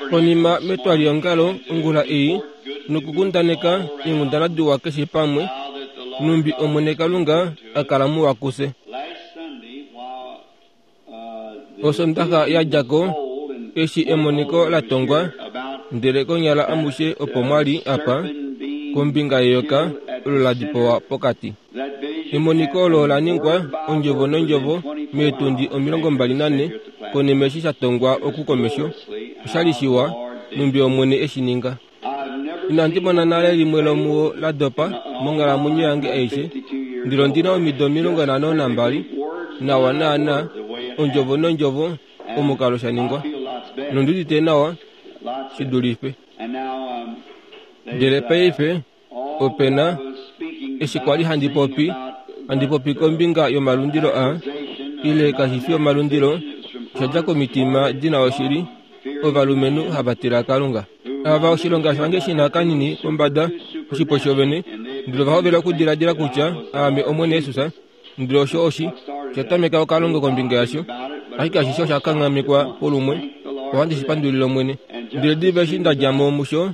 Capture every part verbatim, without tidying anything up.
Konima metwalihongalo ongula ei nokukundaneka eenghundana diwa keshe pamwe, numbi Omwene Kalunga a kala muwa kufye. Osondaxa ya dja ko, eshi emoniko la tongwa, ndele konyala amushe opo mwa li apa, kombinga yeyoka olo la dipawa pokati. Emoniko olo ola ningwa ondjovo nondjovo meetundi omilongo mbali nanhe konima eshi sha tongwa oku komesho. Oshali shiwa, numbi Omwene eshi ninga. Inandi mona nale limwe lomuo la dopa monghalamwenyo yange aishe, ndele ondi na omido omilongo nhano nambali, nawa naana, ondjovo nondjovo, omukalo sha ningwa. Nondi udite nawa shi dulife. Ndele paife, ope na, eshi kwa li handi popi, handi popi kombinga yomalundilo a, ile kashi fi omalundilo, osha dja komitima di na oshili, ovalumenhu hava tila Kalunga. Ava oshilonga shange shi na kanini pombada, oshipo shovene, ndele ova hovela okudiladila kutya aame Omwene Jesus, ndele osho oshi sha tameka okalongo kombinga yasho, ashike ashishe osha kanghamekwa polumwe, ohandi shi pandulile Omwene. Ndele diva eshi nda dja mo musho,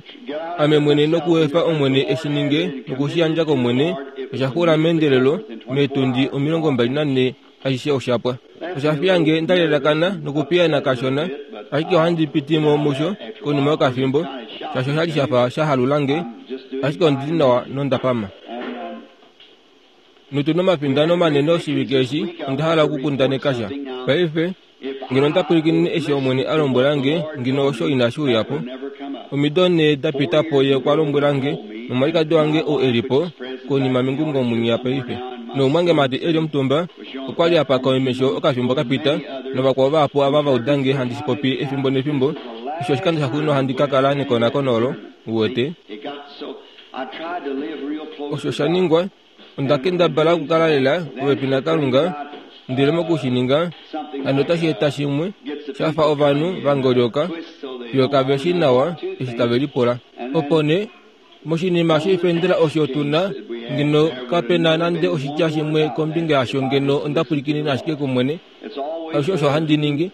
ame mwene nokuefa Omwene eshi ninge nokushi yandja kOmwene, osha xula meendelelo meetundi omilongo mbali nanhe ashishe osha pwa. Osha fiya nge nda lelakana nokupiyana kashona, ashike ohandi piti mo musho konima yokafimbo, shaashi osha li sha fa sha halula nge, ashike ondi li nawa nonda pama. Notu na omafindano manene oshivike eshi, onda hala okukundaneka sha. Paife, ngeno onda pwilikinine eshi Omwene a lombwela nge, ngeno osho inashi uya po. Omido nhee da pita po ye okwa lombwela nge, nomwalikadi wange ou e li po, konima mengungo munya paife. Noumwangemati e li omutumba, okwa li a paka omesho okafimbo ka pita, novakwao vahapu ava va uda nge handi shi popi efimbo nefimbo, eshi oshikando shaxuuninwa handi ka kala nekonakono olo, uwete. Osho sha ningwa, onda kendabala okukala lela popepi naKalunga, ndele moku shi ninga, hano otashi eta shimwe, sha fa ovanhu va ngolyoka, fiyo kave shi nawa eshi tave lipula. Opo nee, moshinima shoifendela osho tu na, ngeno kape na nande oshitya shimwe kombinga yasho ngeno onda pwilikinine ashike kOmwene. Alushe osho handi ningi,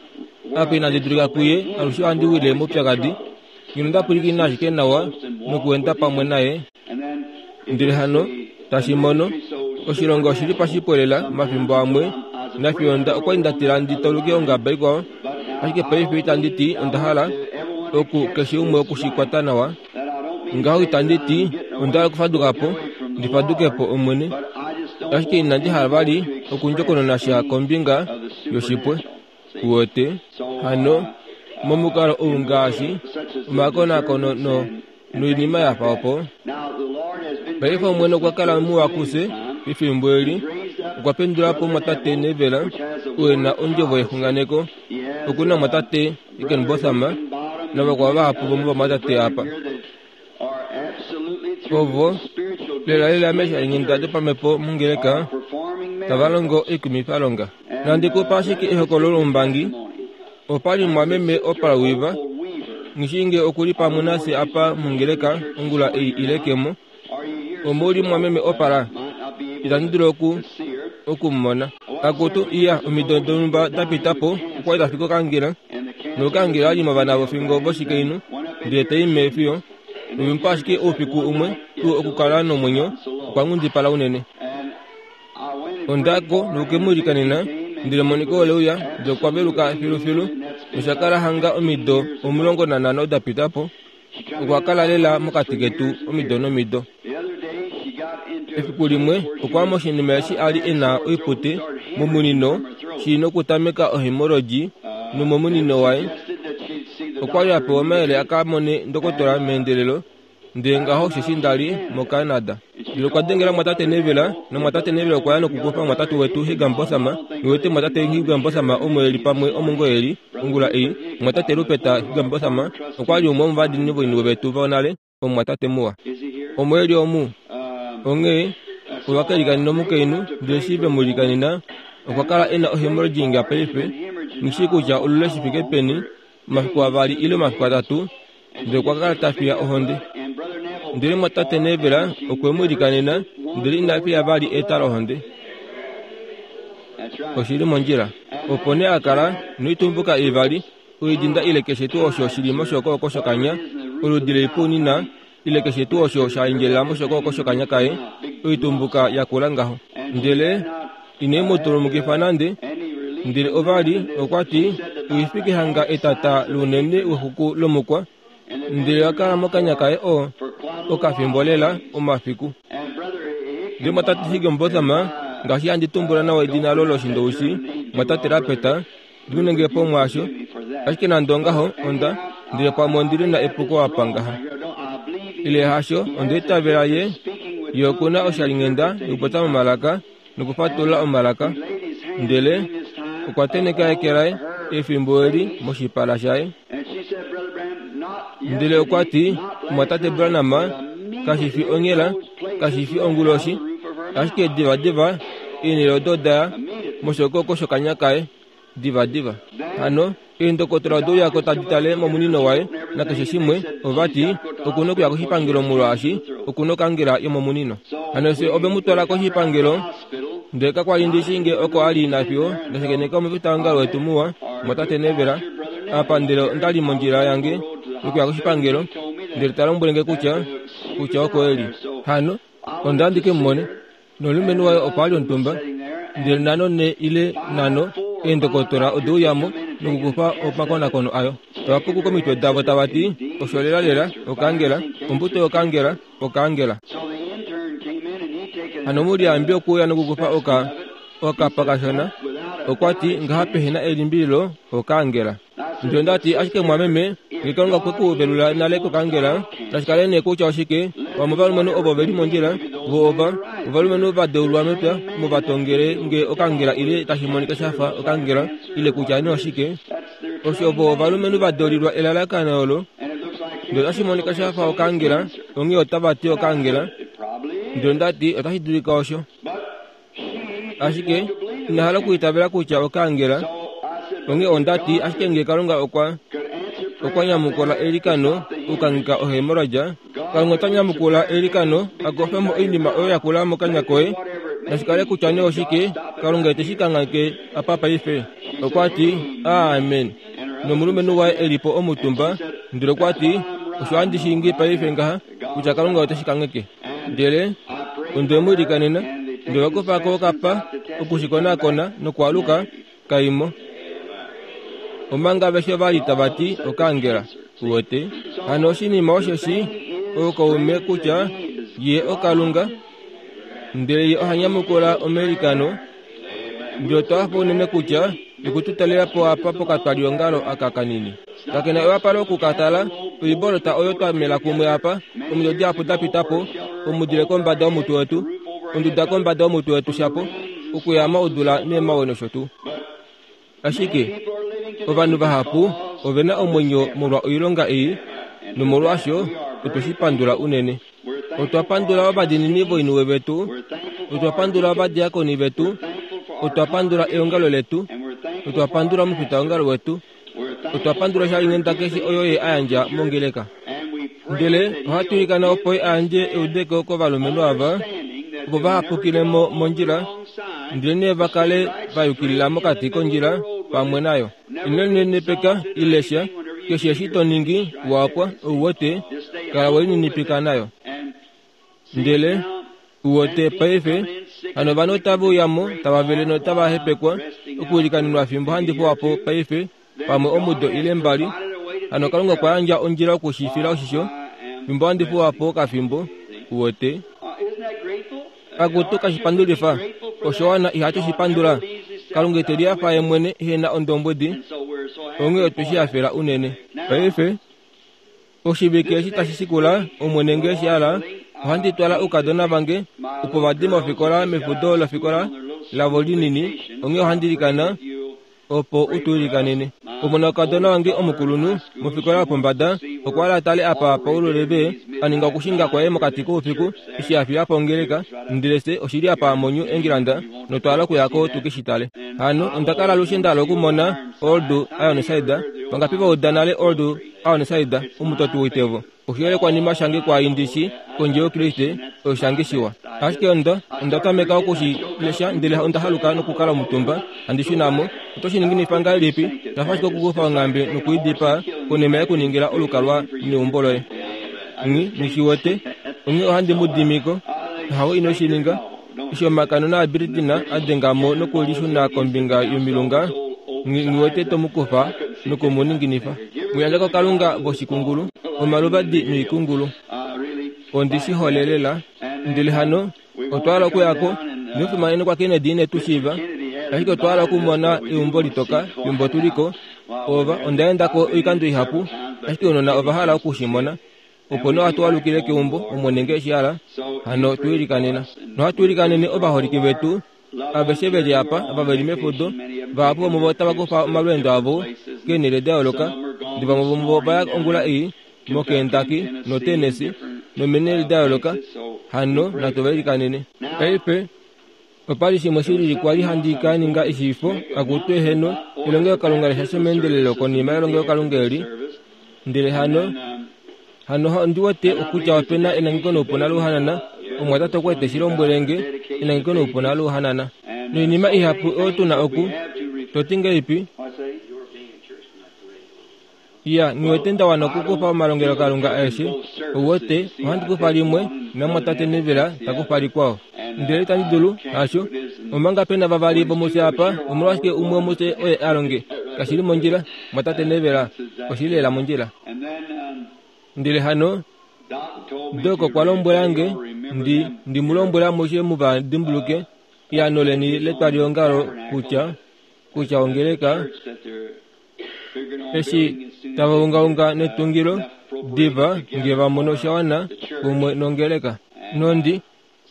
apa inandi dulika kuye, alushe ohandi wile moupyakadi. Ngeno onda pwilikinine ashike nawa nokuenda pamwe naye. Ndele hano, tashi mono, oshilonga oshi li pashipwelela omafimbo amwe, nafiyo nda okwa li nda tila ndi tauluke ongaba ikwao, ashike paife itandi ti onda hala oku keshe umwe oku shi kwata nawa. Ngaho itandi ti onda hala okufaduka po, ndi faduke po Omwene, ashike inandi hala vali okundjokonona sha kombinga yoshipwe. Uwete? Hano, momukalo ou ngaashi omakonakono no noinima ya fa opo. Paife Omwene okwa kala muwa kufye pefimbo eli, okwa pendula po omwatate Neville, oo e na ondjovo yexunganeko. Oku na omwatate Higginbotham navakwao vahapu vomovamwatate apa. Ovo, lelalela meeshalinghenda dopamhepo mongeleka, tava longo oikumifalonga. Nandi ku pa ashike ehokololo loumbangi. Opa li mumwameme Oprah Weaver, nghi nge oku li pamwe nafye apa mongeleka ongula ei ile ke mo. Omo li mumwameme Oprah? Itandi dulu oku oku mu mona. Akutu, iya, omido donhumba da pita po, okwa li ta fiki okangela, nokangela li movana vofingo voshikainhu, ndele ta i meefiyo. Noimpa ashike oufiku umwe tuu okukala nomwenyo, okwa nghundipala unene. Onda ko noke mu ilikanena, ndele emoniko ole uya, ndele okwa veluka filufilu, nosha kala hanga omido omulongo nanhano da pita po. Okwa kala lela mokati ketu omido nomido. Efiku limwe okwa ya moshinima eshi a li e na oipute momunino shi nokutameka ohemoroji nomomunino waye. Okwa li a pewa omayele a ka mone ndokotola meendelelo, ndele ngaho osheshi nda li moCanada. Ndele okwa dengela mwatate Neville, nomwatate Neville okwa ya nokukufa mwatate wetu Higginbotham, nuwete mwatate Higginbotham omo e li pamwe omo ngoo e li ongula ei. Mwatate Rupert Higginbotham okwa li umwe womovadiinini voiniwe vetu vonale, omumwatate muwa. Omo e li omu. Onghee ova ka ilikanena omukainhu, ndele eshi ve mu ilikanena, okwa kala e na ohemorrhaging paife, nghi shii kutya olule shi fike peni, omafiku avali ile omafiku atatu, ndele okwa kala ta fiya ohonde. Ndele mwatate Neville okwe mu ilikanena, ndele ina fiya vali eta lohonde. Oshi li mondjila. Opo nee a kala noitumbuka ivali, Oidinda ile keshe tuu osho shili moshokooko shokanya, oludi leipunina ile keshe tuu osho sha endjelela moshokooko shokanya kaye, oitumbuka yakula ngaho. Ndele ine mu tulumukifa nande, ndele ovali okwa ti oifike hanga etata lounene wexuku lomukwa, ndele yakala mokanya kaye o okafimbo lela omafiku. Ndele mwatate Higginbotham, ngaashi handi tumbula nawa edina lo loshindoushi, mwatate Lapeta, ndimunenge po mwaasho, ashike nande ongaho onda, ndele pamwe ondili na epuko apa ngaha. Ile hasho, onda itavela ye, ye okuna oshalinghenda yokupopya momalaka nokufatulula omalaka, ndele okwa teneka eke laye efimbo eli moshipala shaye. Ndele okwa ti, mwatate Branham, kashi fi onghela, kashi fi onguloshi, ashike diva diva eenhele odo daya moshokoko shokanya kaye, diva diva. Hano eendokotola odeuyako tadi tale momunino waye nakeshe shimwe, ova ti okuna okuya koshipangelo molwaashi okuna okangela yomomunino. Hano se ove mu twala koshipangelo, ndele kakwali ndishi nge oko ali nafyo ndashakeneka omufitaongalo wetu muwa, mwatate Nevela, apa ndele ondali mondjila yange yokuya koshipangelo, ndele ta lombwele nge kutya kutya oko eli. Hano onda ndike mumone nomulumenhu waye okwa li omutumba, ndele nano ne ile nano eendokotola odeuyamo nokukufa omakonakono ayo. Tava puku komitwe davo tava ti osho lela lela okangela, ombuto yokangela, okangela. Hano muliyambi okuuya nokukufa oka okapakashona, okwa ti ngaha pehena elimbililo okangela. Ndele ndati ashike mwameme, nge Kalunga okwe ku velula nale kokangela, nashikale nee kutya oshike, vamwe ovalumenhu ovo veli mondjila, vo ova ovalumenhu va deulwa mepya, omo va tongele nge okangela ile tashi monika shafa okangela ile kutya nee oshike, osho vo ovalumenhu va deulilwa elalakano olo, ndele otashi monika shafa okangela, onghee otava ti okangela. Ndele ndati otashi dulika osho, ashike ina hala okuitavela kutya okangela. Onghee ondati ashike nge Kalunga okwa okwa nyamukula elikano okukangika ohemorrhoid, Kalunga ota nyamukula elikano akofemo oinima oyo yakula mokanya koye, nashikale kutya nee oshike, Kalunga ete shi kangake apa paife. Okwa ti amen. Nomulumenhu waye elipo omutumba, ndele okwa ti osho handi shingi paife ngaha kutya Kalunga ote shi kangeke. Ndele onde mu ilikanena, ndele okufako okapa okushikonakona nokwaluka kaimo. Omanga aveshe vali tava ti okangela, uwete. Hano oshinima osheshi oukaume kutya ye oKalunga, ndele ye oha nyamukula omelikano. Ndele otwa hafa unene kutya okututalela po apa pokatwaliongalo aka kanini. Kakena ewapalo okukatala oibolota oyo twa mela kumwe apa, omido dihapu da pita po, omudile kombada yomutwe wetu, onduda kombada yomutwe wetu shapo, okuyama odula neemawe nosho tuu. Ashike ovanhu vahapu ovena omwenyo molwa oilonga ei, nomolwaasho otwe shi pandula unene. Otwa pandula ovadiinini voiniwe vetu, otwa pandula ovadiakoni vetu, otwa pandula eongalo letu, otwa pandula omufitaongalo wetu, otwa pandula shalinghenda keshe oyo ye a yandja mongeleka. Ndele ohatu ilikana opo ye a yandje eudeko kovalumenhu ava, opo vahapukile mo mondjila, ndele nee va kale va yukilila mokati kondjila pamwe nayo. Ino linenepeka ile sha, keshe eshi to ningi wapwa ouwete, kala we lininipika nayo. Ndele uwete paife, hano ovanhu otava uyamo tava vele notava hepekwa okuilikanenwa fimbo handi fuwapo paife pamwe omudo ile mbali. Hano Kalunga okwa yandja ondjila okushifila oshisho fimbo handi fuwapo okafimbo, uwete. Akutu kashipandulifa, osho wana ihatu shi pandula. Kalunga ete lihafa ye mwene ehe na ondombwedi, onghee otwe shi hafela unene. Paife oshivike eshi tashi shikula, Omwene nge shi hala, ohandi twala oukadona vange opo va di mofikola mefudo lofikola lavo linini, onghee ohandi ilikana opo u tu ilikanene. Omona wokadona wange omukulunhu mofikola yopombada okwa hala tale apa Paulo Leve a ninga okushinga kwaye mokati koufiku eshi a fiya po ongeleka, ndele fye oshili apa moNew England notwa hala okuyako tu ke shi tale. Hano onda kala alushe nda hala okumona Old Ironside. Vangapi va uda nale Old Aonesaida omutoti woitevo. Oshiyelekwanima shange kwaindishi kondje yokriste oshange shiwa. Ashike onda onda tameka okushi lesha ndele onda haluka nokukala omutumba handi shunamo. Oto shi ninginifa ngahelipi? Shafa ashike okukufa onghambe nokuidipaa konima yekuningila olukalwa neumbo loye. Nghi nghishiwete onghee ohandi mu dimiko. Hawo ino shi ninga. Eshi omakanona aBritina a denga mo nokulishuna kombinga yomilunga, nghiwete to mu kufa noku mu ninginifa. Mu yandja kokalunga voshikungulu, omaluvadi noikungulu. Ondi shi hole lela. Ndele hano otwa hala okuyako nofimanene kwa Kennedy ine tu shiiva, ashike otwa hala okumona eumbo litoka fimbo tuliko. Ova onda endako oikando ihapu, ashike ounona ova hala oku shi mona. Opo nee ohatu alukile keumbo Omwene nge eshi hala. Hano tu ilikanena. Nohatu ilikanene ovaholike vetu aveshe veli apa ava veli mefudo. Vahapu vomuvo otava kufa omalweendo avo keenhele da yooloka. Ndele vamwe vomuvo ova ya ongula ei moKentucky noTennessee nomeenhele da yooloka. Hano natu va ilikanene. Paife opali shimwe shilili kwali handi ka ninga eshiifo akutu eheno elongelokalunga leshasho meendelelo konima yelongelokalunga eli. Ndele hano hano ondi wete okutya opena enangeko noupuna louhanana. Omumwatate okwa ete shi lombwele nge enangeko noupuna louhanana. Noinima ihapu oyo tuna oku toti ngahelipi? Ya, nghiwete nda wana okukufa omalongelokalunga aeshe. Ouwete, ohandi kufa limwe, namumwatate Neville ta kufa likwao. Ndele itandi dulu, hasho. Omanga pena vavali vomufye apa, omolwashike umwe womufye oye a longe? Kashi li mondjila, mumwatate Neville. Oshi li lela mondjila. Ndele hano Dok okwa lombwela nge ndi ndi mu lombwele amushe mu va dimbuluke eano leni letwaliongalo kutya kutya ongeleka eshi tava ungaunga netungilo diva nge va mono sha wana kumwe nongeleka. Nondi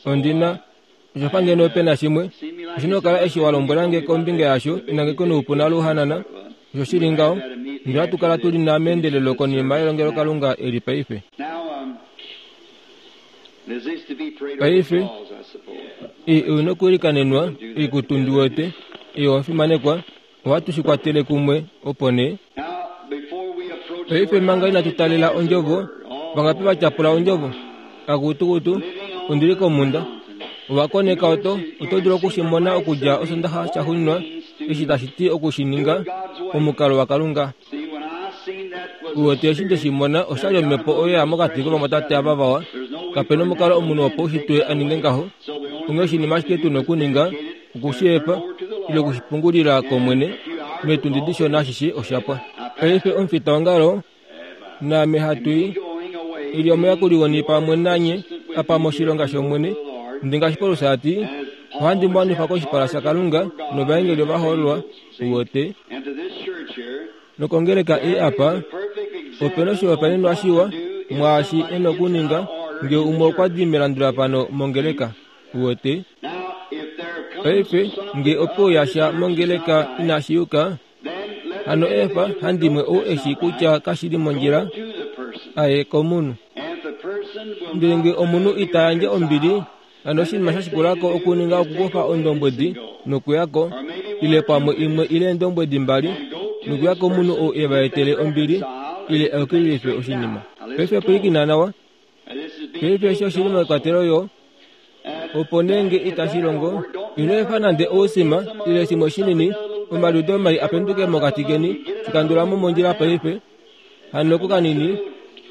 ondina oshafa ngeno pena shimwe oshina okukala eshi wa lombwela nge kombinga yasho enangeko noupuna louhanana. Osho shili ngaho. Ndele ohatu kala tuli na meendelelo konima yelongelokalunga eli paife. Paife ei oina okuilikanenwa oikutu ndi wete ei owafimanekwa ohatu shi kwatele kumwe opo nee. Paife manga inatu talela ondjovo, vangapi va tyapula ondjovo? Akutukutu, ondili komhunda. Ovakoneka oto oto dulu oku shi mona okudja osondaxa shaxuuninwa eshi tashi ti oku shi ninga omukalo waKalunga. Uwete eshi nde shi mona oshali omhepo oyo ya mokati kovamwatate ava vawa. Kapena omukalo omunhu wopaushitwe a ninge ngaho. Onghee oshinima ashike tuna okuninga okushi efa ile okushipungulila kOmwene meetundi dishona ashishe oshapwa. Paife omufitaongalo naame hatu i ili omuyakuli weni pamwe nanye apa moshilonga shOmwene. Ndi ngaashi Paulus a ti, ohandi mu wanifa koshipala shaKalunga novaengeli ovahoololwa. Uwete? Nokongeleka ei apa opena oshihopaenenwa shiwa mwaashi e nokuninga nge umwe okwa di melandulafano mongeleka. Uwete? Paife nge ope uya sha mongeleka inashi yuka, hano efa handimwe ou eshi kutya kashi li mondjila aye komunhu. Ndele nge omunhu ita yandje ombili, hano oshinima sha shikulako okuninga okukufa ondombwedi nokuyako, ile pamwe imwe ile eendombwedi mbali, nokuya komunhu ou e va etele ombili ile ayukililife oshinima. Paife pwilikina nawa. Paife eshi oshili mekwatelo yo opo nee nge itashi longo, ino efa nande ousima ile shimwe shinini omaliudo mai a penduke mokati keni, shikandula mo mondjila paife. Hano kukanini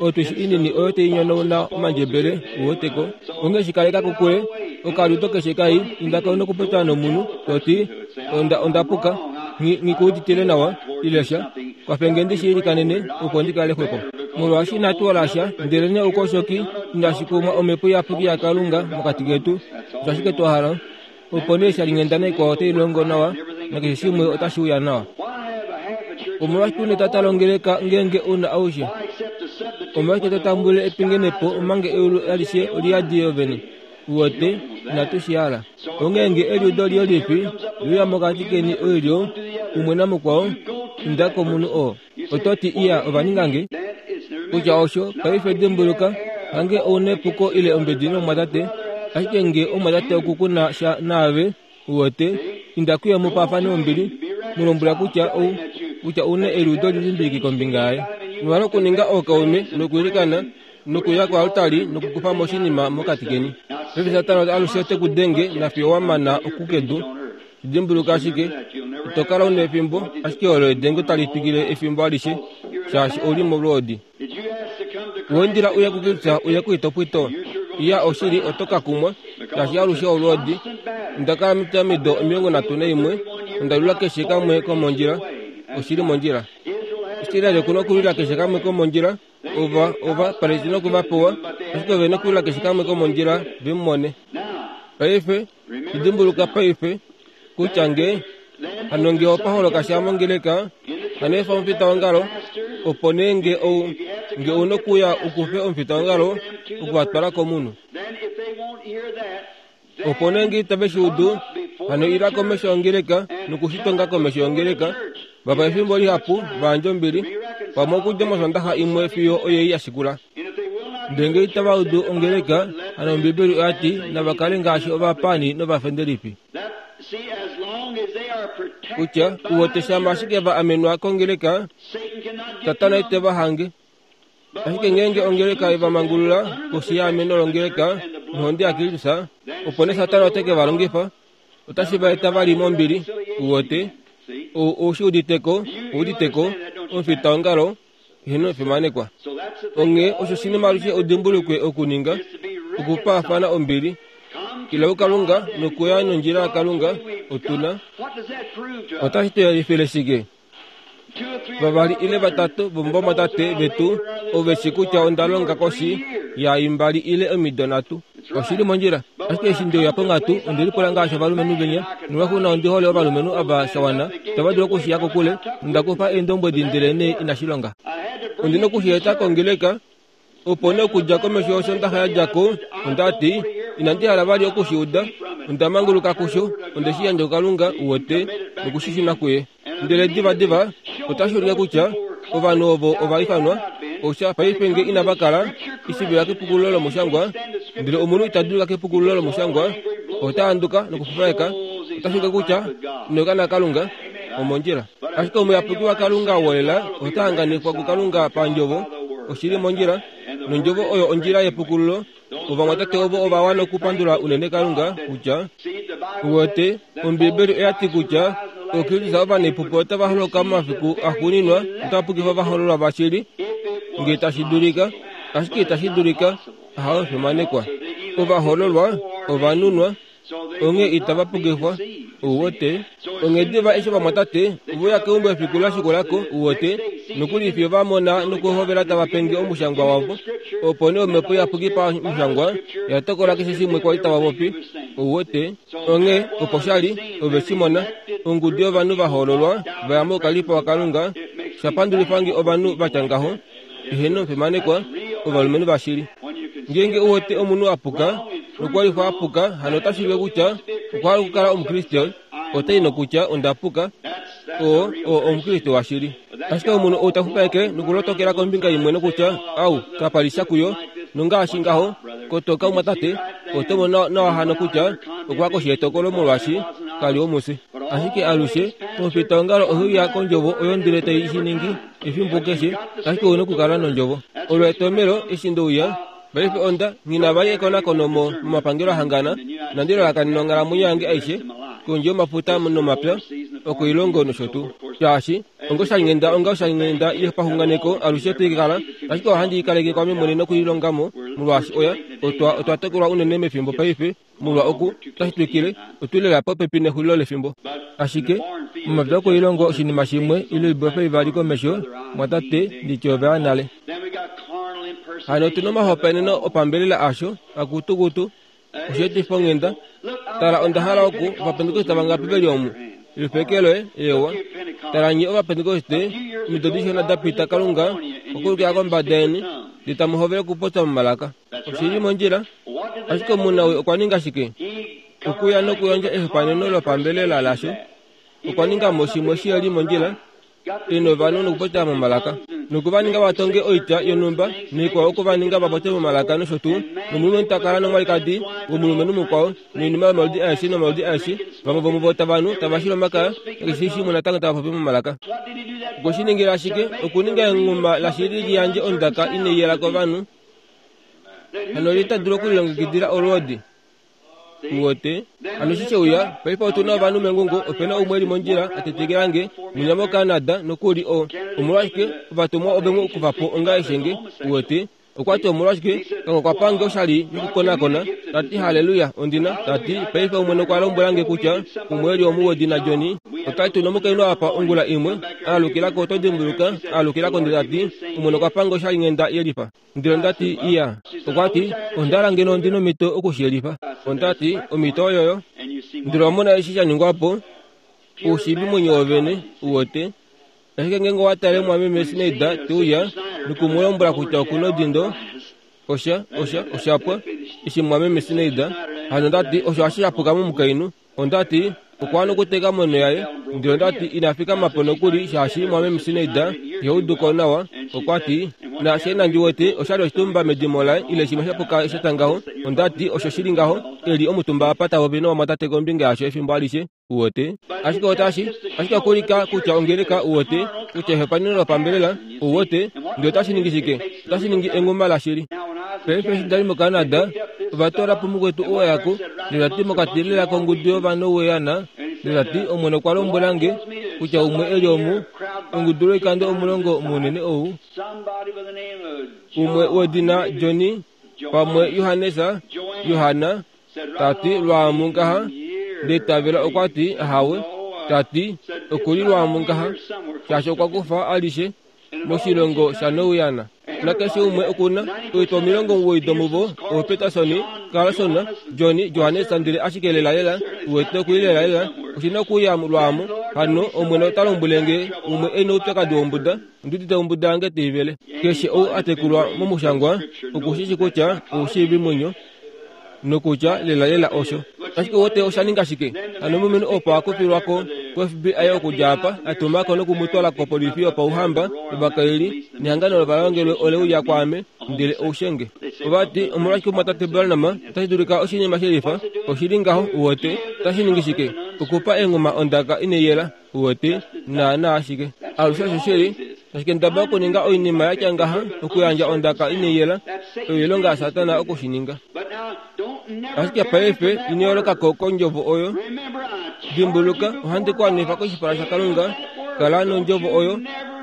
otwishi inini oyo tai nyonauna omandjebele uweteko. Onghee shikaleka kokule okaliudo keshe kai, indako nokupopya nomunhu toti onda onda puka, nghi nghi nawa ile sha, kwafenge ndi shi ilikanene opo ndi kale xwepo. Molwaashi inatu hala sha, ndelenee oukoshoki inashi kumwa omhepo iyapuki yaKalunga mokati ketu, osho ashike twa hala. Opo nee shalinghenda naikwao otai longo nawa nakeshe shimwe otashi uya nawa. Omolwashike una tata longeleka ngeenge una aushe? Omolwashike to tambulile epingenepo omanga eulu alishe oliyadi yovene? Uwete, inatu shi hala. Onghee nge eliudo liolifi liuya mokati keni oilyo umwe namukwao, inda komunhu oo. Oto ti iya ova ninga nge kutya osho paife dimbuluka hange ouna epuko ile ombedi nomumwatate, ashike nge omumwatate oku kuna sha naave, uwete, inda kuye mu paafane ombili, mu lombwela kutya ou kutya ouna eliudo lilimbiliki kombinga yaye. Mwa okuninga ookaume nokuilikana nokuya koaltari nokukufa mo oshinima mokati keni. Paife Satana alushe ote ku denge nafiyo wa mana okukedu. Dimbuluka ashike, ito kala una efimbo, ashike olo edengo tali twikile efimbo alishe, shaashi ouli molwoodi. Wendila uye kuKristus uye kuitopwito, iya oshili oto ka kumwa, shaashi alushe olwoodi. Onda kala mido omilongo nhatu naimwe, onda lula keshe kamwe komondjila, oshili mondjila. Israel okuna okulwila keshe kamwe komondjila, ova ova Palestina okuvapewa, ashike ove na okulwila keshe kamwe komondjila vemumone. Paife, dimbuluka paife, kutya nge hano nge opa holoka sha mongeleka, hano efa omufitaongalo, opo nee nge ou nge ouna okuya ukufe omufitaongalo okuvatwala komunhu. Opo nee nge itave shi udu, hano ila komesho yongeleka nokushitonga komesho yongeleka, vapa efimbo lihapu vayandje ombili, pamwe okudja mosondaxa imwe fiyo oyei ya shikula. Ndele nge itava udu ongeleka, hano Ombibeli oya ti nava kale ngaashi ovapaani novafendelifi. Kutya uwete shama ashike va amenwa kongeleka, Satana ite va hange. Ashike ngeenge ongeleka eva mangulula koshi yeameno longeleka nohonde yaKristus, opo nee Satana ote ke va longifa, otashi va eta vali mombili. Uwete ou shi uditeko, uditeko omufitaongalo eheno fimanekwa. Onghee osho oshinima alushe udimbulukwe okuninga, okupaafana ombili. Ila kuKalunga nokuya nondjila yaKalunga otuna. Otashi tu yelifile shike? Vavali ile vatatu vomovamwatate vetu ove shi kutya onda longa koshi ya imbali ile omido nhatu. Oshili mondjila. Ashike eshi ndeuya ponghatu, onde lipula ngaashi ovalumenhu venya, nolwaxuuninwa ondi hole ovalumenhu ava shawana, itava dulu okushiya kokule, nonda kufa eendombwedi ndele nee inashi longa. Ondi na okushi eta kongeleka, opo nee okudja komesho yosondaxa ya dja ko, onda ti, inandi hala vali okushi uda, onda manguluka kusho, onde shi yandja kuKalunga, uwete, nokushishuna kuye. Ndele diva diva, otashi ulike kutya ovanhu ovo ova ifanwa, osha paife nge inava kala ishivila kepukululo lomushangwa, ndele omunhu ita dulika kepukululo lomushangwa, ota handuka nokufufaeka, otashi ulike kutya ino kana Kalunga omondjila. Ashike omuyapuki waKalunga wolela ota hanganifwa kuKalunga pandjovo, oshili mondjila, nondjovo oyo ondjila yepukululo. Ovamwatate ovo ova wana okupandula unene Kalunga kutya uwete Ombibeli oya ti kutya Okristus ovanepupo otava holoka momafiku axuuninwa, otava pukifa ovahololwa vashili nge tashi dulika, ashike itashi dulika, ahawe fimanekwa. Ovahololwa ovanunwa, onghee itava pukifwa. Uwete onghee diva eshi ovamwatate voya keumbo efiku la shikulako, uwete nokuli fiyo va mona nokuhovela tava penge omushangwa wavo, opo nee omhepo iyapuki pamushangwa ya tokola keshe shimwe kwali tava popi. Uwete onghee opo shali ove shi mona ongudu yovanhu va hoololwa va ya moukalipo waKalunga, sha pandulifa nge ovanhu vatya ngaho, eheno fimanekwa, ovalumenhu vashili. Ngeenge uwete omunhu a puka nokwalifwa a puka, hano otashi ulike kutya okwa hala okukala Omukriste, otai nokutya onda puka, oo oo Omukriste washili. Ashike omunhu ou ta fufaeke nokulotokela kombinga imwe nokutya au kapali sha kuyo, nongaashi ngaho kotoka umwatate, oto mono nawa hano kutya okwa koshi yetokolo molwaashi kali womufye. Ashike alushe omufitaongalo oheuya kondjovo oyo ndele tai shi ningi efimbo keshe, ashike ouna okukala nondjovo. Olo etomelo eshi ndeuya paife onda nghi vali ekonakono momapangelo ahangana, nandi lalakanena onghalamwenyo yange aishe kondje yomafuta nomapya okoilongo nosho tuu. Shaashi onga oshalinghenda onga oshalinghenda yepaxunganeko alushe twikala, ashike ohandi ikaleke kwame mwene nokuilongamo molwaashi oya otwa otwa tokolwa unene mefimbo paife molwa oku otashi twikile otulela popepi nexulilo lefimbo. Ashike momapya okoilongo oshinima shimwe ile oibofa ivali komesho mwatate nditye ove ya nale. Hano otuna omahopaeneno opambelela asho akutukutu osheetifa onghenda. Tala onda hala oku ovapentekoste vangapi veli omu lifekelwe ewa. Tala nye ovapentekoste omido dishona da pita Kalunga okulukila kombada yeni ndele tamu hovele okupopya momalaka. Oshili mondjila. Ashike omunawi okwa ninga shike? Okuya nokuyandja ehopaeneno lopambelela lasho. Okwa ninga mo shimwe shiheli mondjila ena ovanhu nokupopya momalaka. Noku va ninga vatonge oitya yonhumba noikwao oku va ninga va popye momalaka nosho tuu nomulumenhu ta kala nomwalikadi womulumenhu mukwao noinima yomaludi aeshe nomaludi aeshe vamwe vomuvo tava nu tava shili omakaya nakeshe shimwe natango tava popi momalaka. Okwe shi ningila ashike okuninga enghuma lashili li yandje ondaka inai yela kovanhu hano li dulu okulilongekidila olwoodi. Uwote hano eshi sheuya paife otuna ovanhu mengungo opena umwe eli mondjila atetekela nge munya moCanada nokuli o omolwashike ovatumwa ove mu kufa po onga eshenge. Uwote okwati omolwashike kango okwa pange oshali yokukonakona tati haleluya ondina tati paife omwene okwa lombwela nge kutya umwe eli omu wedina Johnny otali tuna omukainhu apa ongula imwe aalukilako oto dimbuluka aalukilako ndele tati omwene okwa pange oshali nghenda yelifa. Ndele ondati iya okwati ondala ngeno ondina omhito okushiyelifa. Ondati omhito oyoyo ndele wamona eshi sha ningwapo oushiivi mwenyo wovene. Uwote ashike ngeenge owa tale mwameme Sneida teuya nokumulombwela kutya okuna odindo osha osha oshapwa eshi mwameme Sneida hano ondati osho hashi shapuka momukainhu. Ondati okwa wana okuteka monho yaye ndele ondati ina fikama po nokuli shaashi mwameme Sneida ihauduko nawa. Okwati naashe nandi wete oshali oshitumba medimo laye ile shimwe shapuka shatya ngaho. Ondati osho shili ngaho eli omutumba apa tavopi novamwatate kombinga yasho efimbo alishe. Uwote ashike otashi ashike okulika kutya ongeleka uwote kutya ehopaneno lopambelela uwote ndele otashi ningi shike otashi ningi enghuma lashili. Paife eshi ndali moCanada ovatoola po mukwetu oo ndele tati mokati lela kongudu yovanhu weyana ndele tati omwene okwa lombwela nge kutya umwe eli omu ongudu lwoikando omulongo munene ou umwe wedina Johnny pamwe Johanesa Yohana tati lwaamu ngaha ndele tavela okwati ahawe tati okuli lwaamu ngaha shaashi okwa kufa alishe moshilongo shaNouyana nakeshe umwe okuna oitwa omilongo omuwoi domuvo ooPeterson Carlson Johnny Johannes ndele ashike lelalela uwete okuli lelalela oshina okuya lwaamu hano omwene ota lombwele nge umwe ena oupyakadi wombuda ondiudite ombuda yange teivele. Keshe ou atekulwa momushangwa okushishi kutya oushiivi mwenyo nokutya lelalela osho. Ashike wote osha ninga shike hano omulumenhu opo akufilwako ko F B I okudja apa atumako nokumutwala kopolifi yopauhamba ovakaili nehangano lovalongelwe oleuya kwaame ndele oushenge. Ovati omolwashike omwatate Branham otashi dulika oshinima shelifa oshili ngaho uwote otashi ningi shike okupa enghuma ondaka inai uwote naana ashike alushe osho shili ashike ndaba okuninga oinima yatya ngaha okuyandja ondaka inai yela oilonga yaSatana okushininga. Ashike paife ino kondjovo oyo dimbuluka ohandi ku anifa koshipala shaKalunga kala nondjovo oyo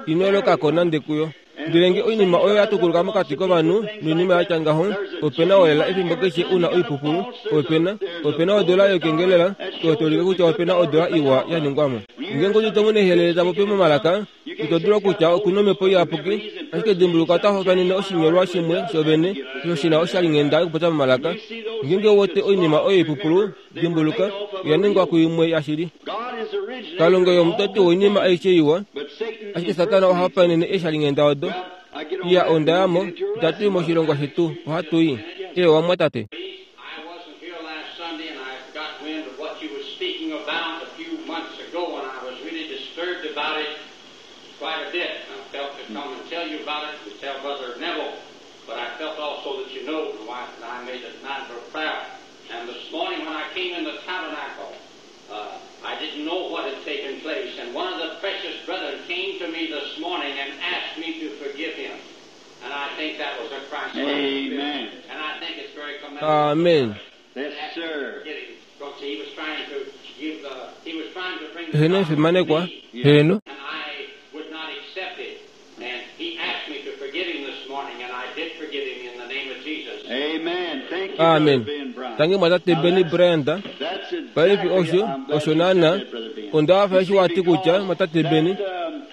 ino nande kuyo. Ndele nge oinima oyo ya tukuluka mokati kovanhu noinima yatya ngaho opena olela efimbo keshe una oipupulu opena opena odola yokengelela oyo tolike kutya opena odola iwa ya ningwamo. Ngeenge odi tomone ehelele tapopi momalaka ito dulu kutya okuna omhepo iyapuki ashike dimbuluka ota hopanene oshinyolwa shimwe shovene osho shina oshalinghenda yokupopya momalaka. Ngeenge wote oinima oyo ipupulu dimbuluka oya ningwa kuimwe yashili. Kalunga yomutoti woinima aishe iwa ashike Satana oha hopanene eeshalinghenda odo. Iya ondayamo itatu i moshilongo shetu ohatu i. Ewa mwatate. Quite a bit. I felt to come and tell you about it and tell Brother Neville, but I felt also that you know my wife and I made it matter of prayer. And this morning when I came in the tabernacle, uh, I didn't know what had taken place. And one of the precious brethren came to me this morning and asked me to forgive him. And I think that was a Christ. Amen. And I think it's very commendable. Amen. Yes, sir. Because he was trying to give the, he was trying to bring the Heno gospel to fimanekwa me. heno And I would not accept it. And he asked me to forgive him this morning, and I did forgive him in the name of Jesus. Amen. Thank you, Amen. Brother Ben Bryant. Tangi mwatate Benny Bryant. That's exactly Paife osho I'm glad osho you naana said that, Brother Ben. onda fa eshi wati kutya mwatate Benny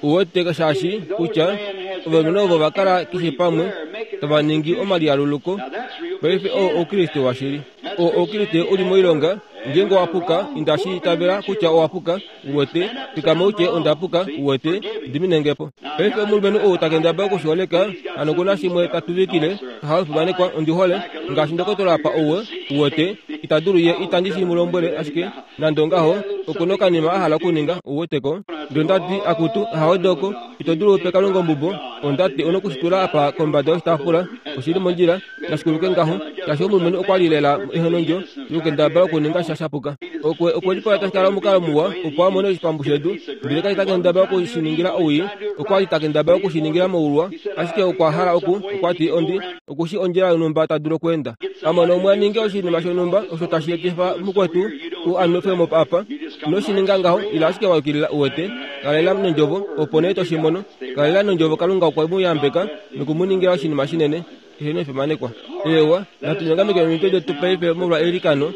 uwete shaashi kutya ovalumenhu ovo va kala keshe pamwe tava ningi omalialuluko. Now that's real Paife oo oukriste washili oo oukriste uli moilonga ngeenge owapuka indashi itavela kutya owapuka uwete fikama utye ondapuka uwete diminengepo. Paife omulumenhu ou takendaba okushiholeka hano kuna shimwe tatuvikile hafimanekwa ondihole ngaashi ndokotola apa ouwe uwete ita dulu ye itandi shi mu lombwele ashike nande ongaho Oku na okanima a hala okuninga, uweteko. Ndele ondati, akutu, haodoko, ito dulu upe Kalunga ombubo. Ondati ona okushitula apa kombada yoshitaafula, oshili mondjila, nashikuluke ngaho, shaashi omulumenhu okwa li lela ehonondjo yokukendabala okuninga sha shapuka. Okwe okwe lipola tashi kala omukalo muwa opo a mone oshipambu shedu, ndele kali takendabala okushiningila owii, okwa li takendabala okushiningila moulwa, ashike okwa hala oku, okwa ti ondi, okushi ondjila yonhumba ta dulu okweenda. Amona umwe a ninge oshinima shonhumba osho tashi etifa mukwetu u anwefe mo apa, inoshininga ngaho, ila ashike wa yukilila uwete, kalela nondjovo, opo nee to shi mono. Kalela nondjovo Kalunga okwe mu yambeka noku mu ningila oshinima shinene. Eheno efimanekwa. Eewa, natu nyongameke omitwe detu paife molwa eilikano.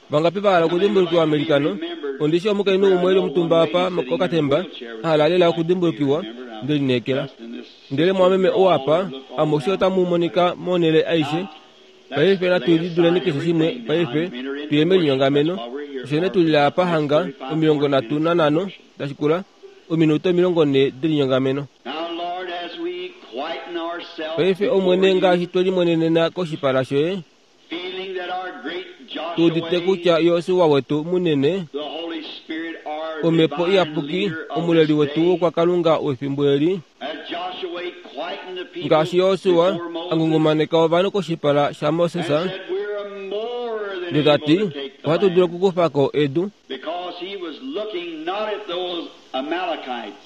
Vangapi va hala okudimbulukiwa meilikano? Ondi shi omukainhu umwe eli omutumba apa kokatemba, a hala lela okudimbulukiwa, nde lineekela. Ndele mwameme ou apa, amushe otamu monika monhele aishe. Paife natu liduleni keshe shimwe paife, tuye melinyongameno. Osho nee tuli apa hanga omilongo nhatu nanhano tashikula, ominute omilongo nhee delinyongameno. Now, Lord, as we quieten ourselves Paife before Omwene you, ngaashi twe limonenena koshipala shoye, feeling that our great tu udite Joshua, kutya Josua wetu munene, the Holy Spirit, our omhepo divine iyapuki, leader of omuleli this wetu day, wokwakalunga wefimbo eli, as Joshua quietened the people ngaashi Josua before Moses a ngungumaneka ovanhu koshipala shaMoses, and said, "We're more than ndele ta able ti, to take the ohatu dulu land," okukufa ko edu, because he was looking not at those Amalekites,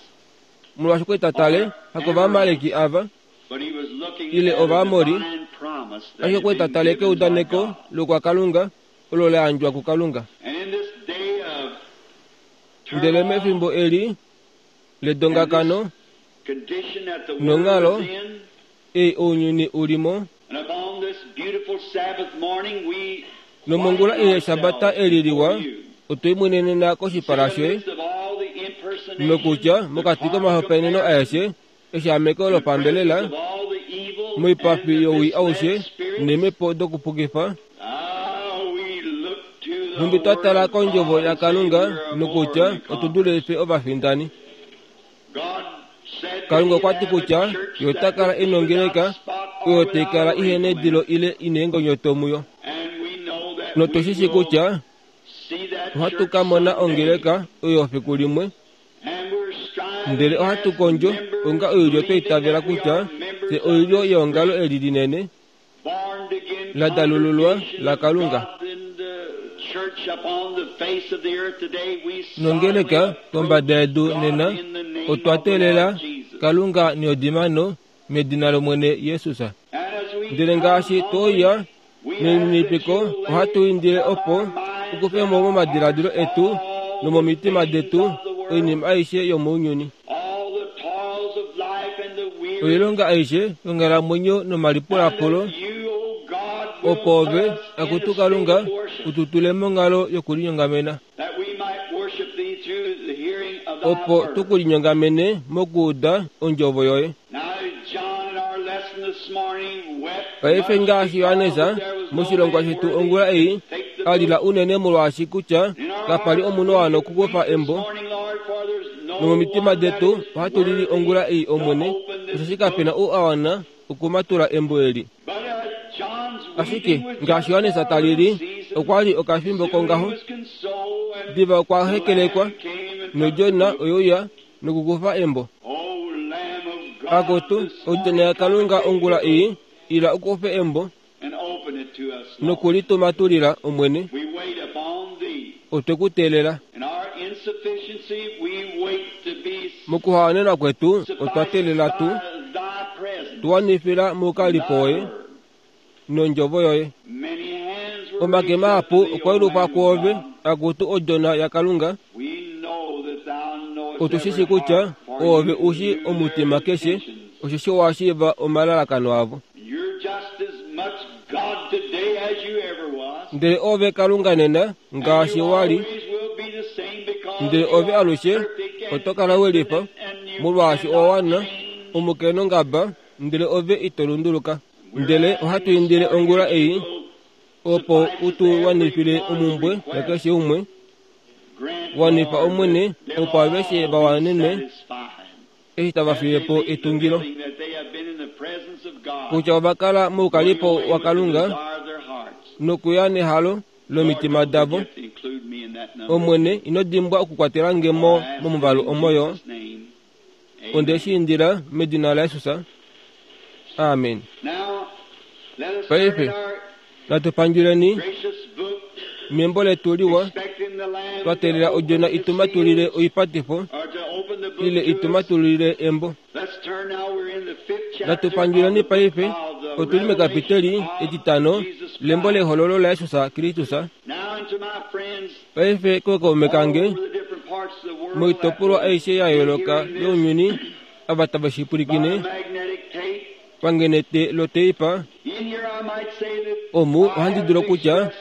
molwaashi okwa li ta tale hakovaamaleki ava, but he was looking ile at a Ovaamori, divine promise that ashike had okwa li ta been tale given by keudaneko God. lokwakalunga olo la yandjwa kuKalunga. And in this day of Ndele turmoil, mefimbo eli ledongakano condition that the world nonghalo is in, ei ounyuni ulimo, and upon this beautiful Sabbath morning we nomongula quieten ei yeshabata ourselves eli liwa, before you. otwe imwenenena koshipala See shoye, in the midst of all the impersonations, nokutya the mokati carnal komahopaeneno comparisons, aeshe, eshaameko in the presence lopambelela, of all the evil and moipafi the yowii misled aushe, spirits, neemhepo dokupukifa, ah, we look to the nhumbi twa Word tala of kondjovo God and say yaKalunga we're more nokutya than otu dule conquerors. fye ovafindani. God said that Kalunga he'd okwa ti have a kutya church ye ota that kala would be ina ongeleka without spot or oyo tai without kala a ihe wrinkle in it. nedilo ile ina eengonyoto muyo. And we know that Notu we shi shi will kutya see that ohatu church ka mona someday. ongeleka oyo fiku limwe, And we're striving ndele ohatu as kondjo members, onga oilyo twa believing itavela that we kutya are members fye of oilyo this yeongalo great eli linene born again la dalululwa congregation la of Kalunga. God in the church upon the face of the earth today. We solemnly Nongeleka approach kombada yedu God nena in the name otwa of the teelela Lord Jesus. Kalunga neodimano medina lOmwene Jesus. And as we Ndele come ngaashi humbly, toya we ask that nelininipiko you lay ohatu indile from opo our minds ukufe and mo our momadiladilo hearts etu all the nomomitima things detu of the world, oinima aishe yomounyuni, all the toils of life and the weary, oilonga aishe yonghalamwenyo and nomalipulapulo, that you, O God, will opo put ove us in a akutu state Kalunga of worship, ututule monghalo yokulinyongamena, that we might worship thee through the hearing of thy opo word. tukulinyongamene mokuuda ondjovo yoye. Now, John, in our lesson this morning, wept Paife much ngaashi because Johannes that there was no moshilongwa man shetu worthy ongula to ei take the a lila book. unene molwaashi kutya In our kapa li hearts omunhu we wana do okukufa weep this embo, morning, Lord, for there's no nomomitima one that detu is ohatu lili worthy ongula ei to Omwene, open this osheshi kapena book. ou a wana okumatula embo eli. But uh, John's Ashike weeping was ngaashi just Johannes for a ta little lili, season. okwa li okafimbo Soon he kongaho, was consoled, and diva okwa the hekelekwa, Lamb came and took the nodjona book. oyeuya nokukufa embo. O Lamb of God, Akutu this odjona morning come and yaKalunga take the ongula book ei ila ukufe embo and open it to us, Lord. nokulitumatulila Omwene, We wait upon thee. otwe ku teelela. In our insufficiency, we wait to be Mokuhawanenwa kwetu otwa sufficed teelela tu by thy presence, tuwanifila mukalipo thy woye word. nondjovo yoye. Many hands were Omake raised up mahapu to thee, okwa O yelufwa Lamb of kwoove God. akutu odjona yaKalunga, We know that thou knowest otu shi every shi kutya heart, for oove you ushi knew their omutima keshe, intentions. osheshi owa shiiva omalalakano avo. You're just as much God today as you ever was. Ndele ove Kalunga nena And ngaashi you wali, always will be the same because ndele you ove are alushe perfect oto and kala we lifa, infinite and you molwaashi cannot owa wana change. omukenongaba, ndele ove ito lunduluka. We're Ndele asking ohatu this indile morning ongula that you ei will opo suffice us utu every wanifile one's omumbwe request. yakeshe umwe, Grant, wanifa Lord, Omwene that they'll opo aveshe all va be wanenwe satisfied eshi tava as they fiye po leave the etungilo, building that they have been in the presence of God, kutya ova kala going moukalipo away with the waKalunga desire of their hearts. nokuya nehalo Lord, lomitima don't davo. forget to include me in Omwene ino dimbwa okukwatela nge mo momuvalu omoyo. Onde shi indila medina laJesus. Amen. Paife natu pandjuleni membo letu liwa twa teelela odjona itumatulile oipatifo ile itumatulile embo. Natu pandjuleni paife otuli mekapiteli etitano lembo lehololo laJesus Kristus. Paife kookaume kange moitopolwa aishe ya yooloka younyuni ava tava shipwilikine pangenete loteipa omu ohandi dulu kutya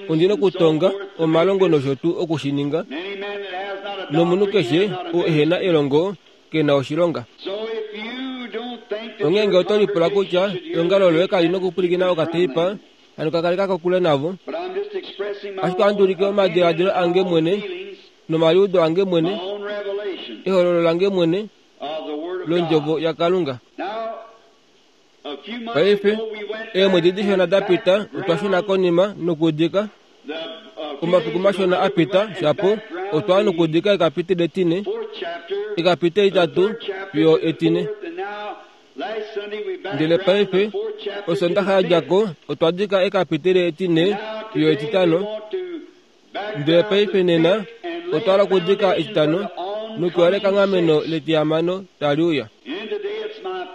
ondina okutonga omalongo nosho tuu okushininga nomunhu keshe oo ehena elongo kena oshilonga. Ongeenge oto lipula kutya eongalo loye kali nokupwilikina okateipa hano kakaleka kokule navo, ashike ohandi ulike omadiladilo ange mwene nomaliudo ange mwene, ehololo lange mwene londjovo yaKalunga. Paife eemwedi dishona dapita otwa shuna konima nokudika omafiku mashona apita shapo otwa nokudika ekapiteli etine ekapiteli itatu fiyo etine. Ndele paife osondaxa yadjako otwa dika ekapiteli etine fiyo etitano. Ndele paife nena otwa hala okudika etitano nokuyola ekanghameno letihamano tali uya.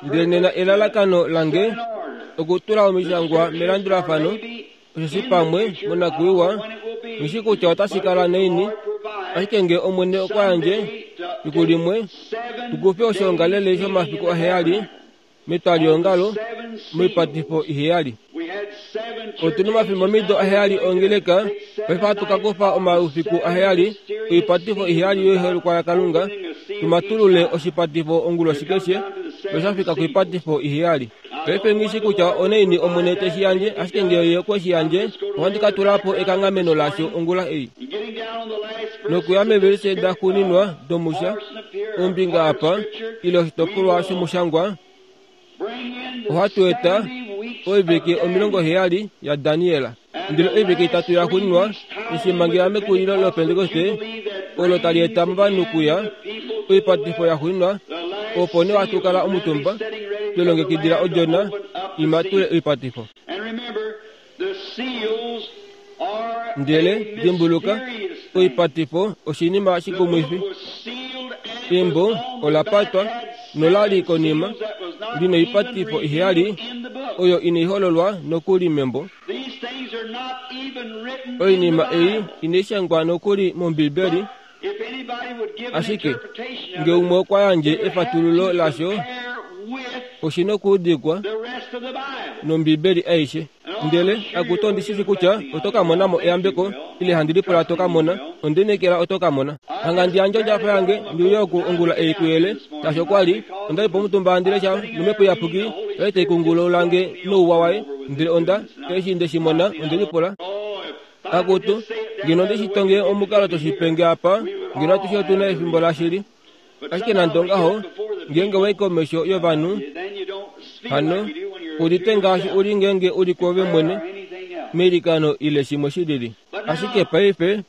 Ndele nena elalakano lange okutula omishangwa melandulafano osheshi pamwe monakuiwa ngishi kutya otashi kala naini, ashike nge Omwene okwa yandje fiku limwe tukufe oshiongalele shomafiku aheyali metwaliongalo moipatifo iheyali. Otuna omafimbomido aheyali ongeleka, paife ohatu ka kufa omaufiku aheyali oipatifo iheyali yoiholekwa yaKalunga tumatulule oshipatifo onguloshi keshe noshafika koipatifo iheyali. Paife ngishi kutya onaini Omwene teshi yandje, ashike nge ye okwe shi yandje ohandi ka tula po ekanghameno lasho ongula ei. Nokuya mevelise daxuuninwa domusha ombinga apa ile oshitopolwa shomushangwa ohatu eta oivike omilongo heyali yaDaniel. Ndele oivike itatu yaxuuninwa eshimangela mekulilo loPentekoste olo tali eta movanhu kuya oipatifo yaxuuninwa, opo nee ohatu kala omutumba twelongekidila odjona imatule oipatifo. Ndele dimbuluka oipatifo oshinima shikumwifi. Embo ola patwa nolali konima lina oipatifo iheyali oyo inaihololwa nokuli membo. Oinima ei inaishangwa nokuli mOmbibeli, ashike nge umwe okwa yandje efatululo lasho oshina okuudikwa nOmbibeli aishe. Ndele akuto ondishishi kutya oto ka mona mo eyambeko ile handi lipula to ka mona, ondinekela oto ka mona. Hanga ndi yandje ondjafa yange ndiuye oku ongula ei kuyele, shaashi okwa li onda li pomutumba handi lesha nomhepo iyapuki oye tai kungulula lange nouwa waye. Ndele onda eshi nde shi mona onde lipula akutu ngeno onde shi tonge omukalo toshipenge apa ngeno atushe otuna efimbo lashili. Ashike nande ongaho ngeenge wai komesho yovanhu hano udite ngaashi uli ngeenge uli kwoove mwene meilikano ile shimwe shilili. Ashike paife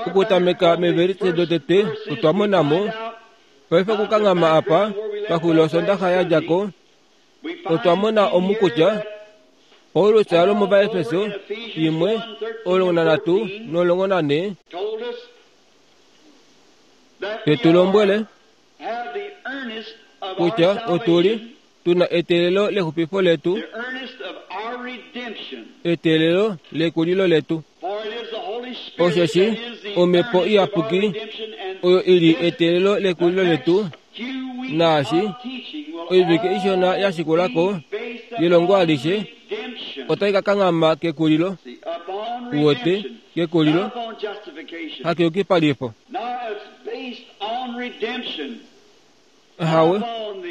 okutameka mevelise dotete otwa mona mo paife okukanghama apa paxulilo osondaxa yadjako otwa mona omu kutya Paulus alo muVaefeso imwe omulongo nanhatu nomulongo nanhe tetu lombwele kutya otuli tuna eteelelo lexupifo letu, eteelelo lekulilo letu. Osheshi omhepo iyapuki oyo ili eteelelo lekulilo letu, naashi oivike ishona ya shikulako yelongo alishe otai ka kanghama kekulilo, uwete kekulilo hakeyukipalifo. Ahawe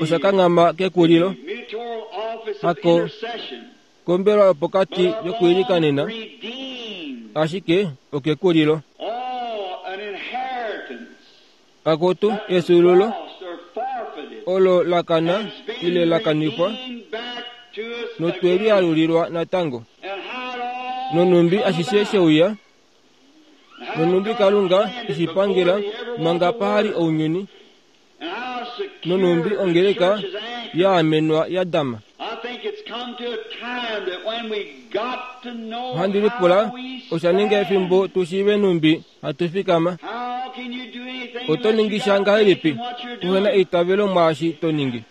osha kanghama kekulilo hako kombelwa yopokati yokuilikanena, ashike okekulilo. Akutu esululu olo lakana ile lakanifwa notwelialulilwa natango. Nonumbi ashishe sheuya Nonumbi Kalunga eshipangela manga pahali ounyuni. Nonumbi ongeleka yaamenwa yadama. Ohandi lipula osha ninga efimbo tushiive numbi hatufikama. Oto ningi sha ngahelipi uhena eitavelo mwaashi to ningi?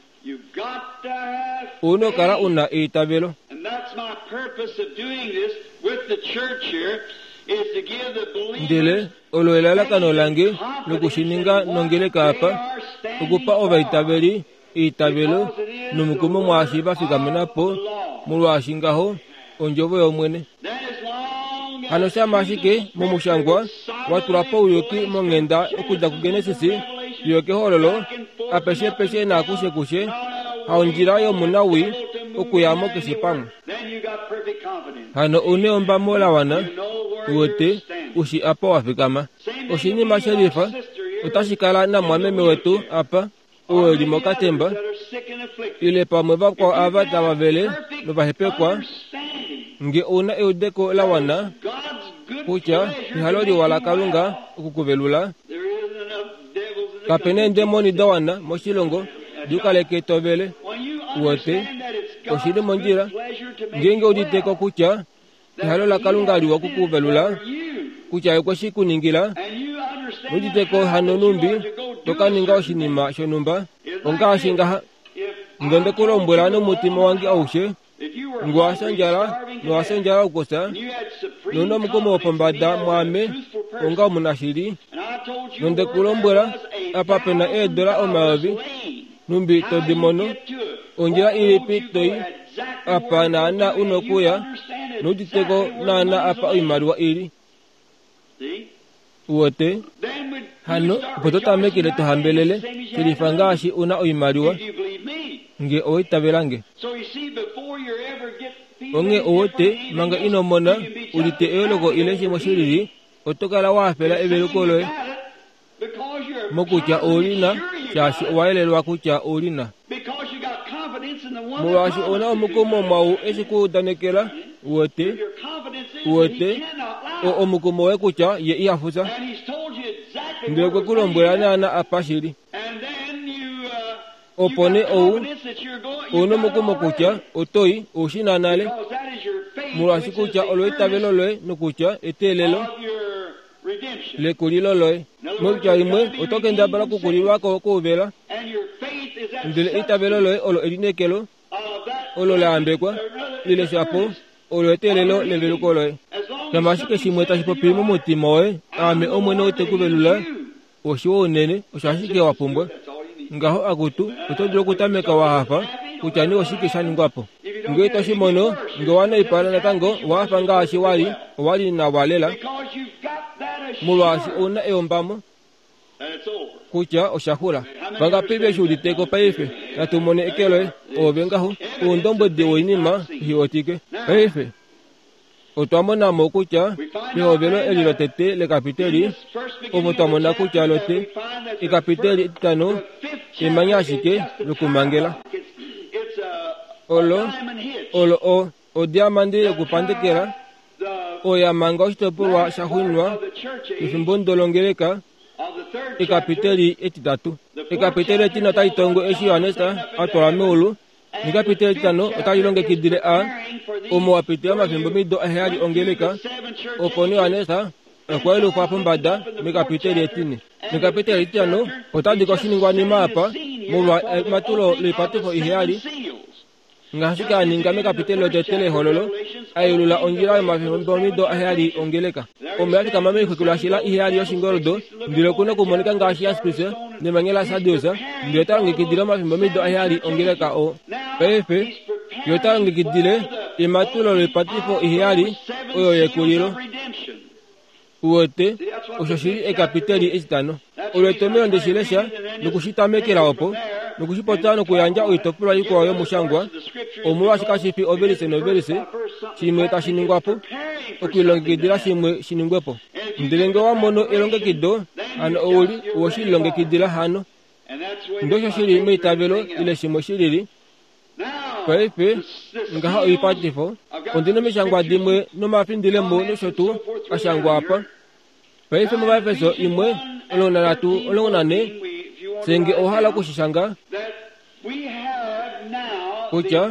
Ouna okukala una eitavelo. Ndele olo elalakano lange lokushininga nongeleka apa, okupa ovaitaveli eitavelo nomukumo mwaashi vafikamena po, molwaashi ngaho ondjovo yOmwene. Hano shama ashike momushangwa watulwa pouyuki monghenda okudja kuGenesis fiyo kehololo, apeshe peshe naakushekushe, haondjila yomunawii okuyamo keshe pamwe. Hano ouna eombamo lawana, uwete ushi apa wafikama. Oshinima shelifa otashi kala namwameme wetu apa, oo eli mokatemba, ile pamwe vakwao ava tava vele novahepekwa, nge ouna eudeko lawana kutya ehalo liwa laKalunga okukuvelula, kapena eendemoni dawana moshilongo diukaleke tovele. Uwete oshili mondjila ngeenge uditeko kutya ehalo laKalunga liwa okukuvelula, kutya okwe shi kuningila, nuditeko hano numbi tokaninga oshinima shonhumba. Ongaashi ngaha, nge ndekulombwela nomutima wange aushe, nge owafya ondjala nowafya ondjala okusa, nouna omukumo wopombada mwaame onga omunashili, nondekulombwela apa pena eedola omayovi, numbi todi mono, ondjila ilipi toi apa naana una okuya, nouditeko naana apa oimaliwa ili. Uwete hano opo totamekele tohambelele shelifa ngaashi una oimaliwa, nge owaitavelange. Onghee ouwete manga ino mona udite eyooloko ile shimwe shilili, oto kala wahafela eveluko loye mokutya oulina, shaashi owayelelwa kutya oulina. Molwaashi ouna omukumo mwau eshi kuudanekela, uwete, uwete o omukumo woye kutya ye ihafusa. Ndele okwe ku lombwela naana apa shili. Opo nee ou ouna omukumo kutya otoi oushi na nale, molwaashi kutya olo eitavelo loye nokutya eteelelo lekulilo loye. Moitya imwe, oto kendabala okukulilwako kouvela, ndele eitavelo loye olo elineekelo olo laambekwa ile shapo olo eteelelo leveluko loye. Shama ashike shimwe tashi popi momutima woye, aame Omwene ou te ku velula, oshiwa unene, osho ashike wa pumbwa. Ngaho akutu, oto dulu okutameka wahafa kutya nee oshike sha ningwa po. Ngee to shi mono, nge owa naipala natango owahafa ngaashi wali, owali nawa lela, molwaashi ouna eombamo kutya osha xula. Vangapi ve shi uditeko paife? Natu mone eke loye. Oove ngaho oundombwedi woinima ihiwetike. Paife otwa mona mo kutya pehovelo eli lotete lekapiteli, omo twa mona kutya lote ekapiteli etitano emanya ashike lokumangela. Olo olo o odiamandi yokupandekela oyo ya manga oshitopolwa sha xwinwa pefimbo ndolongeleka ekapiteli etitatu. Ekapiteli etine otali tongo eshi Johannes a twalwa meulu, nekapiteli etitano otali longekidile a omo wa pitila omafimbo mido aheyali ongeleka, opo nee Johannes okwa yelufwa pombada mekapiteli etine. Nekapiteli etitano otadi koshiningwanima apa molwa ematulo loipatifo iheyali, ngaashi a ninga mekapiteli lotete lehololo, a yelula ondjila yomafimbo mido aheyali ongeleka. Omo ya fikama moixukulwashila iheyali yoshingoldo, ndele okuna okumonika ngaashi yaspis nemanya lasardius, ndele ota longekidile omafimbo mido aheyali ongeleka oo. Paife ye ota longekidile ematulo loipatifo iheyali oyo yekulilo. Uwete osho shili ekapiteli etitano. Olo etomelo ndeshilesha nokushitamekela opo, nokushipopya nokuyandja oitopolwa ikwao yomushangwa, omolwaashi kashi fi ovelise novelise, shimwe tashi ningwa po, okulilongekidila shimwe shi ningwe po. Ndele nge wa mono elongekido, hano ouli oweshi lilongekidila hano. Ndosho shili meitavelo ile shimwe shilili. Paife ngaha oipatifo, ondina omishangwa dimwe nomafindilemo nosho tuu ashangwa apa. Paife muVaefeso imwe omulongo nanhatu omulongo nane senge owahala okushishanga kutya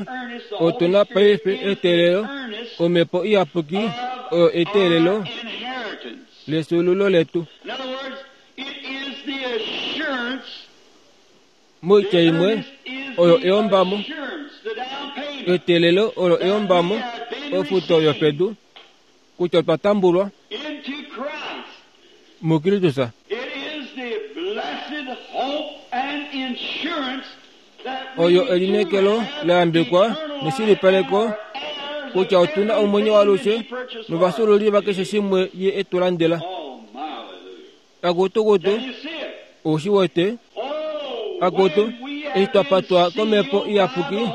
otuna paife eteelelo omhepo iyapuki oyo eteelelo lefyuululo letu. Moitya imwe oyo eyombamo eteelelo olo eyombamo ofuto yopedu kutya otwa tambulwa muKristus. Oyo elineekelo la yambekwa neshilipaleko kutya otuna omwenyo waalushe novafyuululi vakeshe shimwe ye etu landela. Akutukutu oushi wete akutu eshi twa patwa komhepo iyapuki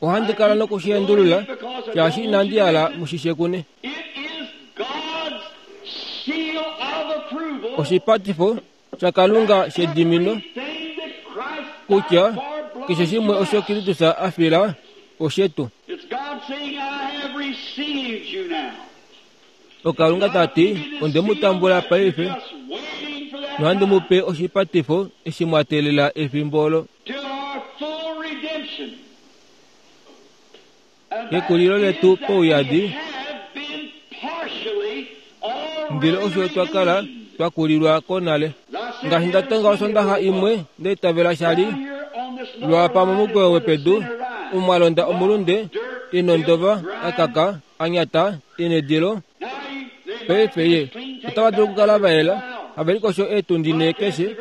ohandi kala nokushiendulula shaashi inandi hala mushishe kune. Oshipatifo shaKalunga shedimino kutya keshe shimwe osho Kristus a fila oshetu. Okalunga tati onde mu tambula paife nohandi mu pe oshipatifo eshi mwa teelela efimbo olo. Ekulilo letu pouyadi ndele osho twa kala twa kulilwa konale. Ngaashi nda tonga osondaxa imwe ndeitavela shali lwapa momukweyo wepedu omwalonda omulunde inondova akaka anyata inedilo. Paife ye otava dulu okukala vaela havelikosho eetundi nhee keshe,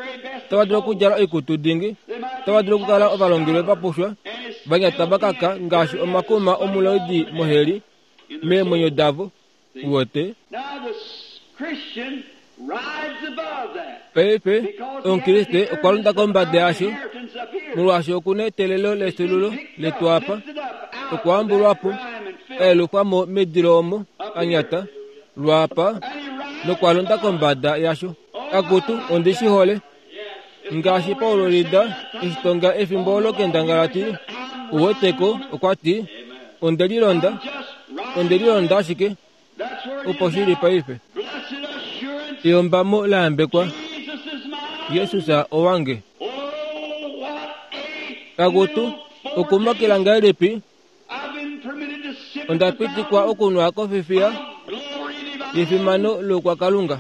otava dulu okudjala oikutu dingi, otava dulu okukala ovalongelwe vapushwa vanyata vakaka ngaashi omakuma omuloidi moheli meemwenyo davo. Uwete paife omukriste okwa londa kombada yasho molwaashi okuna eteelelo lefyuululo letu apa okwa ambulwapo ayelukwamo medilo omo anyata lwaapa nokwa londa kombada yasho. Akutu ondi shi hole ngaashi Paulo Lida eshi tonga efimbo olo kendangalati uweteko okwa ti onde lilonda onde lilonda ashike opo shili paife. Eyombamo la yambekwa Jesus owange. Akutu okumakela ngahelipi onda pitikwa okunwa kofifiya yefimano loukwakalunga.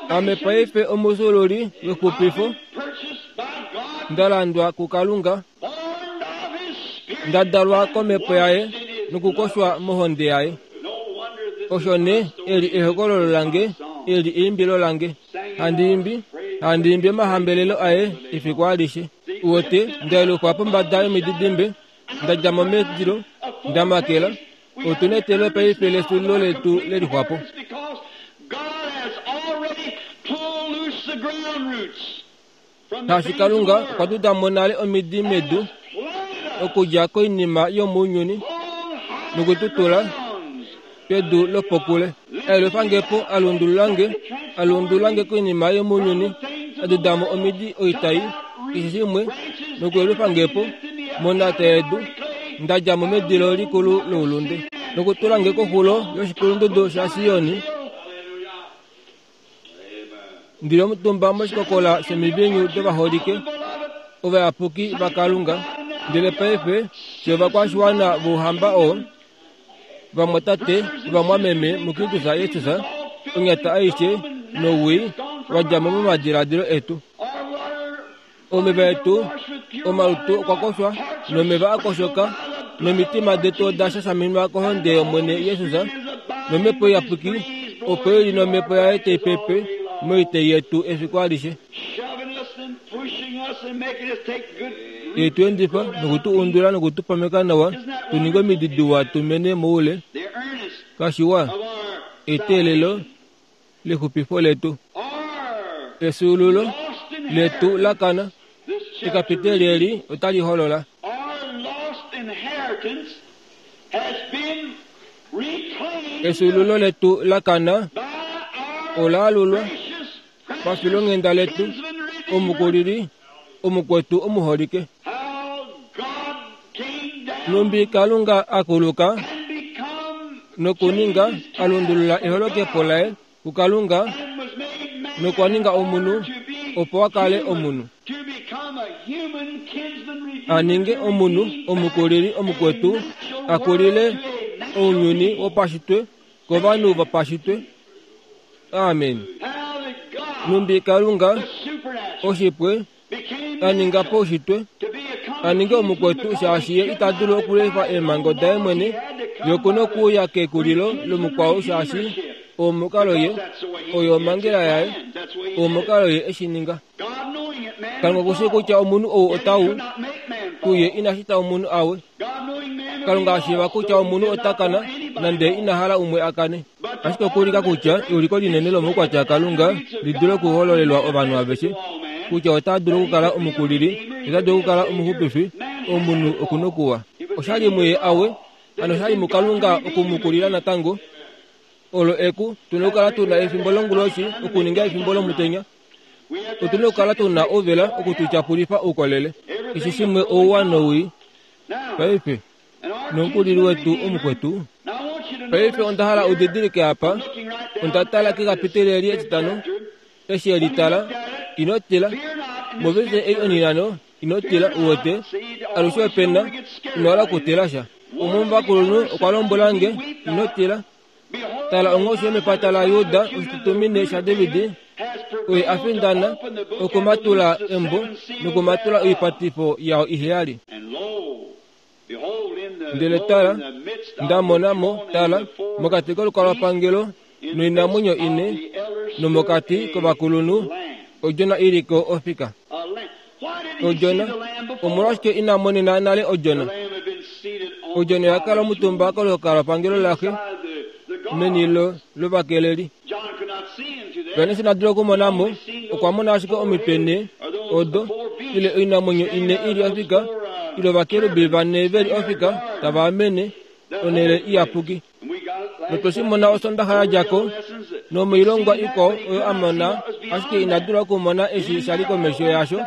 Ame paife omufyuululi wexupifo nda landwa kuKalunga nda dalwa komhepo yaye nokukoshwa mohonde yaye. Osho nee eli ehokololo lange eli eimbilo lange handi imbi handi imbi omahambelelo aye efiku alishe. Uwete ndayelufwa pombada yomididimbe nda dja mo medilo nda makela otuna eteelelo paife lefyuululo letu lelixwapo. Shaashi Kalunga okwa duda mo nale omidi medu okudja koinima yomounyuni nokututula pedu lopokule. Ayelufangepo alundululange alundululange koinima yomounyuni adudamo omidi oitai keshe shimwe nokuyelufangepo monata yedu nda dja mo medilo likulu loulunde nokutulange koxulo yoshikulundudu shaSioni. Ndili omutumba moshikokola shomivinyu dovaholike ovayapuki vaKalunga ndele paife fye ovakwashiwana vouhamba oo vamwatate novamwameme muKristus Jesus onyata aishe nowii wa dja mo momadiladilo etu. Omeva etu omalutu okwa koshwa nomeva a koshoka nomitima detu oda shashaminwa kohonde yOmwene Jesus nomhepo iyapuki opo ili nomhepo yaye tai pepe moitei yetu efiku alishe. Etu endifa nokutu undula nokutupameka nawa tuninge omidi diwa tumene moule kashiwa eteelelo lexupifo letu efyuululo letu lakana. Ekapiteli eli otali holola efyuululo letu lakana olaalulwa pafilonghenda letu omukulili omukwetu omuholike. Numbi Kalunga akuluka Nokuninga alundulula eholokepo laye kuKalunga nokwa ninga omunhu opo a kale omunhu. A ninge omunhu omukulili omukwetu a kulile ounyuni wopashitwe kovanhu vopashitwe. Amen. Numbi Kalunga oshipwe a ninga paushitwe a ninge omukwetu shaashi ye ita dulu okulefa eemhango daye mwene yokuna okuuya kekulilo lomukwao shaashi omukalo ye oyo omhangela yaye omukalo ye eshi ninga. Kalunga okushi kutya omunhu ou otau kuye ina shita omunhu awe. Kalunga ashiiva kutya omunhu ota kana nande ina hala umwe a kane. Ashike okuulika kutya euliko linene lomaukwatya aKalunga li dule okuhololelwa ovanhu aveshe kutya ota dulu okukala omukulili, ota dulu okukala omuxupifi, omunhu okuna okuwa. Oshali muye awe, hano oshali muKalunga okumukulila natango. Olo eku tuna okukala tuna efimbo longuloshi okuninga efimbo lomutenya. Otuna okukala tuna ouvela okututyapulifa oukolele. Keshe shimwe ouwa nowii. Paife, nomukulili wetu omukwetu. Paife onda hala udidilike apa, onda tala kekapiteli eli etitano, eshi eli tala, ino tila. Movelishe ei onhinano, ino tila uwete, alushe opena, ino hala okutila sha. Umwe womovakulunhu okwa lombwela nge, ino tila. Tala onghoshi yomepata laJuda oshitutumine shaDavid, oye a findana okumatula embo nokumatula oipatifo yao iheyali. Ndele tala, nda mona mo, tala, mokati kolukalwapangelo noinamwenyo ine, nomokati kovakulunhu, odjona i li ko ofika. Odjona, omolwashike ina monena nale odjona? Odjona oya kala omutumba kolukalwapangelo laxe meni lovakeleli. Johannes ina dula okumona mo, okwa mona ashike omitwe nhee odo, ile oinamwenyo ine i li ofika, ile ovakerubi vane ve li ofika tava amene onhele iyapuki. Notwe shi mona Osondaxa ya dja ko, nomoilongwa ikwao oyo a mona, ashike ina dula okumona eshi sha li komesho yasho.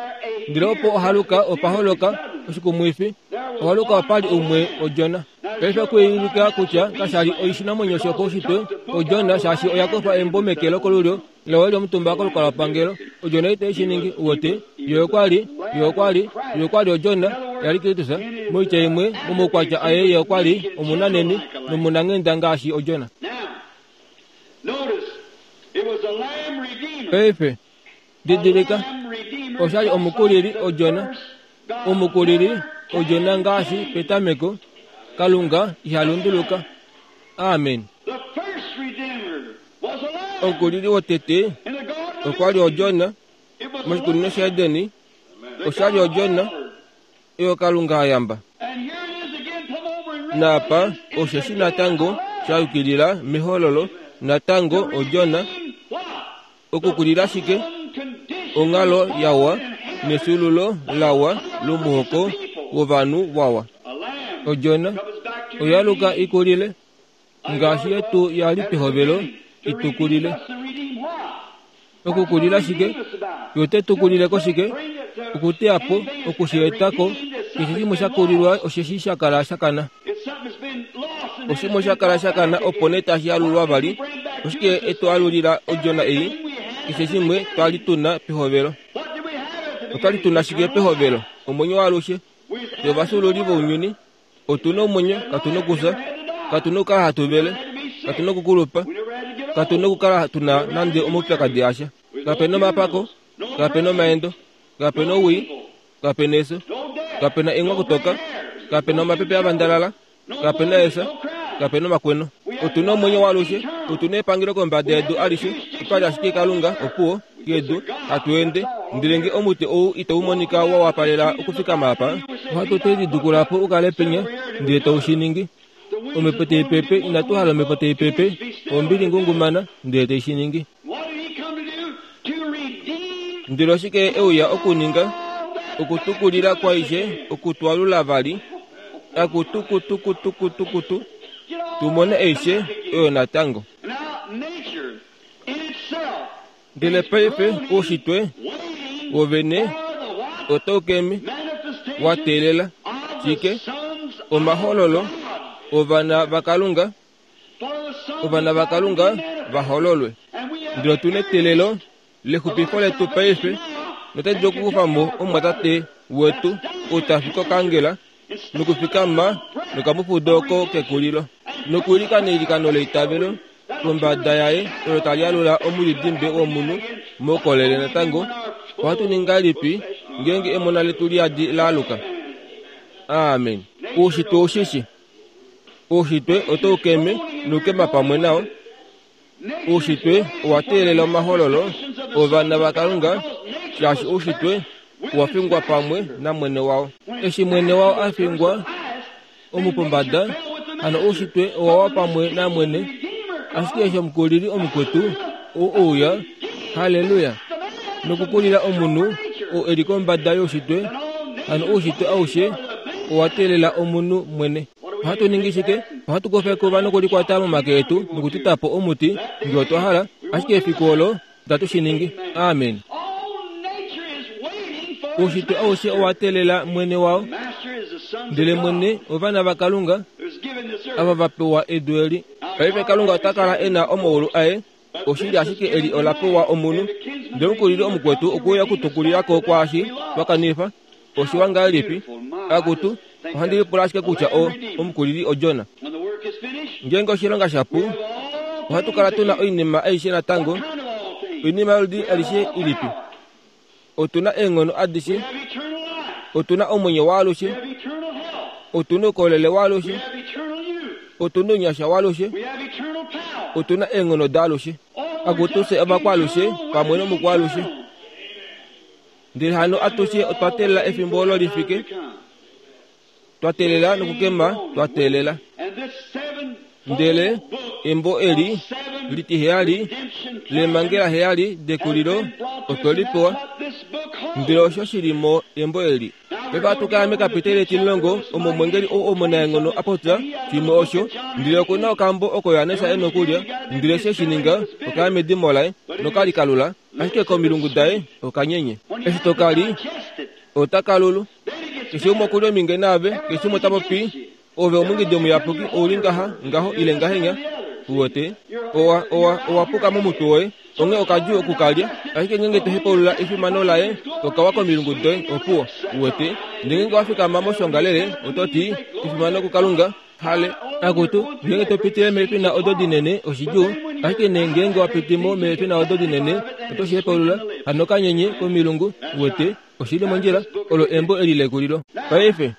Ndele opo ohaluka opa holoka oshikumwifi, ohaluka opa li umwe odjona. Paife okuulika kutya kasha li oshinamwenyo shopaushitwe odjona shaashi oya kufa embo meke lokolulyo lawe lyomutumba kolukalwapangelo. Odjona itai shi ningi uwete, yo okwa li, yo okwa li, yo okwa li odjona yali Kristus. Moitya imwe, momaukwatya aye ye okwa li omunanheni nomunanghenda ngaashi odjona. Paife, didilika, osha li omukulili odjona. Omukulili odjona ngaashi petameko. Kalunga iha lunduluka. Amen. Omukulili wotete okwa li odjona moshikunino shaEdeni. Osha li odjona oyo Kalunga a yamba. Naapa osheshi natango sha yukilila mehololo natango odjona okukulila shike onghalo yawa nefyuululo lawa lomuhoko wovanhu wawa. Odjona oya luka ikulile ngaashi yetu ya li pehovelo itukulile. Okukulila shike? Yo te tukulile ko shike? Okuteya po, okushieta ko, keshe shimwe sha kulilwa osheshi sha kala sha kana. Oshimwe sha kala sha kana opo nee tashi alulwa vali. Oshike etu alulila odjona ei? Keshe shimwe twa li tuna pehovelo. Otwa li tuna shike pehovelo? Omwenyo waalushe. Yovafyuululi vounyuni, otuna omwenyo, katuna okufya, katuna okukala hatu vele, katuna okukulupa, katuna okukala tuna nande omaupyakadi asha. Kapena omapako, kapena omaendo, kapena owii, kapena efyo, kapena eenghwakutoka, kapena omapepe avandalala, kapena efya, kapena omakweno. Otuna omwenyo waalushe, otuna epangelo kombada yedu alishe, otwali ashike Kalunga opuwo yedu hatu ende. Ndele nge omuti ou itau monika wa wapalela okufikama apa, ohatu te lidukula po u kale penya, ndele tau shi ningi. Omhepo tai pepe, inatu hala omhepo tai pepe, ombili ngungumana, ndele tai shi ningi. Ndele oshike e uya okuninga? Okutukulila kwaishe, okutwalula vali, akutukutukutukutukutu, tu mone aishe oyo natango. Ndele paife oushitwe wovene otau keme wa teelela shike? Omahololo ovana vaKalunga. ovana vaKalunga vahololwe. Ndele otu neteelelo lexupifo letu paife, notali dulu okukufa mo omumwatate wetu ou ta fi kokangela nokufikama nokamufudo oko kekulilo nokwiilikana eilikano leitavelo kombada yaye olo tali alula omulidimbe womunhu moukolele natango. Ohatu ningi ngahelipi ngeenge emona letu liyadi laaluka? Amen. Oushitwe ushishi. Oushitwe otau keme noukema pamwe nao. Oushitwe owa teelela omahololo ovana vaKalunga, shaashi oushitwe owa fingwa pamwe namwene wao. Eshi mwene wao a fingwa omupombada, hano oushitwe owa wa pamwe namwene. Ashike eshi omukulili omukwetu ou ouya, haleluya, nokukulila omunhu ou e li kombada youshitwe, hano oushitwe aushe owa teelela omunhu mwene. Ohatu ningi shike? Ohatu kufa ekuva nokulikwata momake etu nokuteta po omuti ngee otwa hala, ashike efiku olo itatu shi ningi. Amen. Oushitwe aushe owa teelela mwene wao, ndele mwene ovana vaKalunga ava va pewa edu eli. Paife Kalunga ota kala e na omaulu aye, oshili ashike eli ola pewa omunhu. Ndele omukulili omukwetu okuya okutukulilako kwaashi twa kanifa. Oshiwa ngahelipi? Akutu, ohandi lipula ashike kutya o omukulili oJona. Ngeenge oshilonga shapu, ohatu kala tuna oinima aishe natango. Oinima yoludi alishe ilipi? Otu na eenghono adishe, otu na omwenyo waalushe, otu na oukolele waalushe, otu na ounyasha waalushe, otu na eenghono daalushe. Akutu fye ovakwaalushe pamwe nomukwaalushe. Ndele hano atushe otwa teelela efimbo olo lifike, twa teelela nokukema, twa teelela. Ndele embo eli litiheyali lemangela heyali dekulilo otwe li pewa. Ndele osho shili mo embo eli. Paife ohatu kala mekapiteli etimulongo omo omwengeli ou omunaenghono a popya shimwe osho. Ndele oku na okambo oko Johannes e na okulya, ndele eshi e shi ninga okaya medimo laye nokali kalula, ashike komilungu daye okanyenye. Eshi to kali, ota kalulu. Keshe umwe okuli ominge naave, keshe umwe ota popi, ove omungidi omuyapuki ouli ngaha, ngaho ile ngahenya. Uwete, owa, owa, owa puka momutwe woye, onghee okadjuu okukalya. Ashike ngeenge to hepaulula efimano laye, okawa komilungu doye, opuwo. Uwete, ndele ngeenge wa fikama moshongalele, oto ti, efimano kuKalunga, hale. Akutu, ngeenge to pitile meefina odo dinene, oshidjuu. Ashike nee ngeenge wa piti mo meefina odo dinene, oto shi hepaulula, hano kanyenye komilungu. Uwete, oshili mondjila, olo embo eli lekulilo. Paife,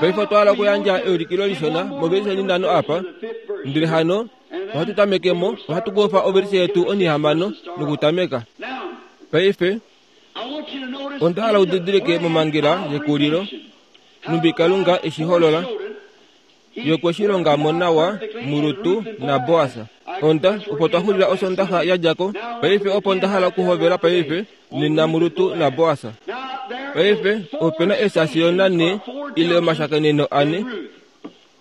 paife otwa hala okuyandja eulikilo lishona movelishe nhano apa. Ndele hano ohatu tameke mo, ohatu kufa ovelishe yetu onhihamano nokutameka. Paife onda hala udidilike momangela yekulilo, numbi Kalunga eshi holola. Ye okwe shi longa mo nawa muRut naBoas. Onda opo twa xulila osondaxa ya dja ko. Paife opo nda hala okuhovela paife nena muRut naBoas. Paife ope na eesasiona nhee ile omashakeneno ane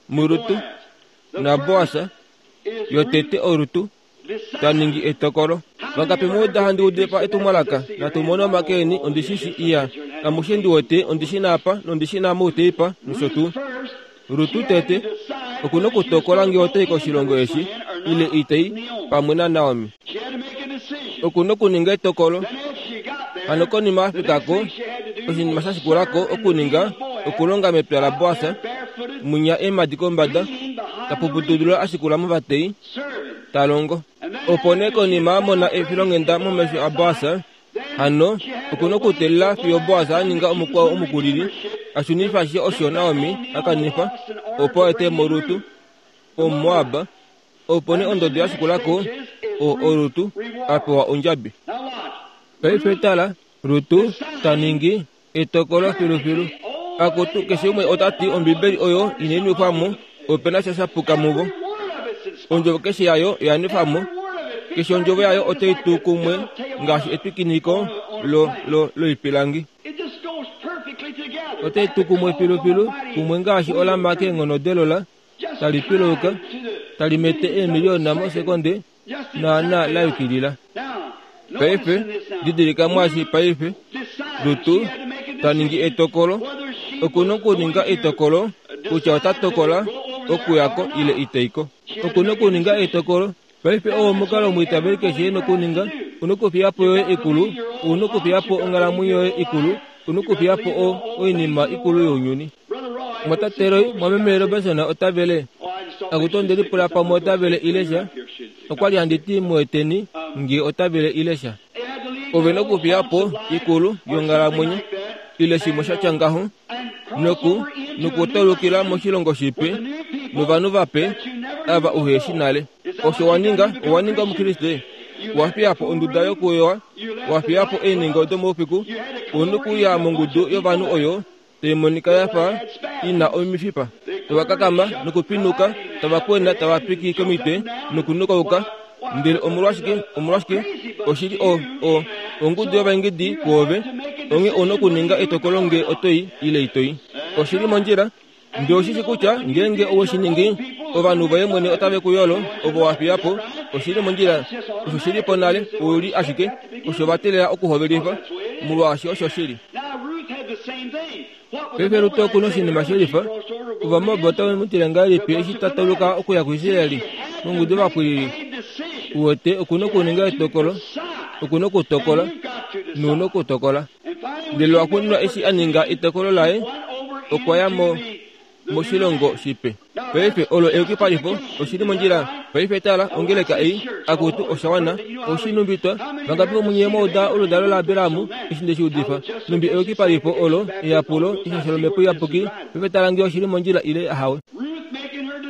muRut naBoas. Yotete oRut ta ningi etokolo. Vangapi muuda handi udifa etumwalaka? Natu mone omake eni, ondi shi shi iya. Amushe ndi wete ondi shi na apa nondi shi na mouteipa nosho tuu. Rutu tete oku na okutokola ngee otai koshilongo eshi ile itai pamwe naNaomi. Oku na okuninga etokolo. Hano konima a fika ko, oshinima sha shikulako okuninga okulonga mepya laBoas, munya eemhadi kombada, ta pupudulula a shikula movatei, ta longo. Opo nee konima a mona efilonghenda momesho aBoas, hano oku na okuteelela fiyo Boas a ninga omukwao omukulili, a shunifa ashishe osho Naomi a kanifa, opo a ete mo Rut, Omumoab. Opo nee ondodo ya shikulako, o oRut a pewa ondjabi. Paife tala, Rut ta ningi etokolo filufilu. Akutu, keshe umwe ota ti Ombibeli oyo inai nwefwa mo, ope na sha sha puka muvo. Ondjovo keshe yayo oya nwefwa mo. Keshe ondjovo yayo otai tu kumwe ngaashi etwikiniko lo, lo, loipilangi. Otai tu kumwe filufilu, kumwe ngaashi olama keenghono delola, tali piluka, tali mete eemiliona mosekonde, naana la yukilila. Paife, didilika mwaashi paife, Rutu ta ningi etokolo. Oku na okuninga etokolo kutya ota tokola okuya ko ile itai ko. Okuna okuninga etokolo. Paife owo omukalo omwiitaveli keshe ena okuninga. Una okufiya po yoye ikulu, una okufiya po onghalamwenyo yoye ikulu, una okufiya po o oinima ikulu younyuni. Mwatate Roy, mwameme Robertson ota vele. Akutu onde lipula pamwe ota vele ile sha. Okwali handi ti mueteni nge ota vele ile sha. Ove nokufiya po ikulu yonghalamwenyo ile shimwe sha tya ngaho noku nokutaulukila moshilongo shipe novanhu vape ava uheshi nale. Osho wa ninga, owa ninga Omukriste. Wa fiya po onduda yokuyowa, wa fiya po eenhingo domoufiku, una okuya mongudu yovanhu oyo tai monika ya fa ina omifipa. Tava kakama nokupinuka, tava kwena, tava piki komitwe nokunukauka. Ndele omolwashike, omolwashike, oshili o, o, ongudu yovaingidi kwoove, onghee ouna okuninga etokolo nge otoi ile itoi. Oshili mondjila. Ndele oshishi kutya ngeenge owe shi ningi, ovanhu voye mwene otave ku yolo ovo wa fiya po. Oshili mondjila. Osho shili po nale, ouli ashike osho va teelela okuhovelifa, molwaashi osho shili. Paife Rut oku na oshinima shelifa. Ovamoab otave mu tile ngahelipi eshi ta tauluka okuya kuIsraeli mongudu yovapwilili? Uwete, oku na okuninga etokolo. Oku na okutokola. Nouna okutokola. Ndele lwaxuuninwa eshi a ninga etokolo laye, okwa ya mo moshilongo shipe. Paife olo eyukipalifo, oshili mondjila. Paife tala, ongeleka ei, akutu, osha wana. Oshinumbitwa, vangapi vomunye mwauda oludalo laAbraham eshi nde shi udifa? Numbi eyukipalifo olo, eyapulo, eshasho lomhepo iyapuki. Paife tala nge oshili mondjila ile ahawe.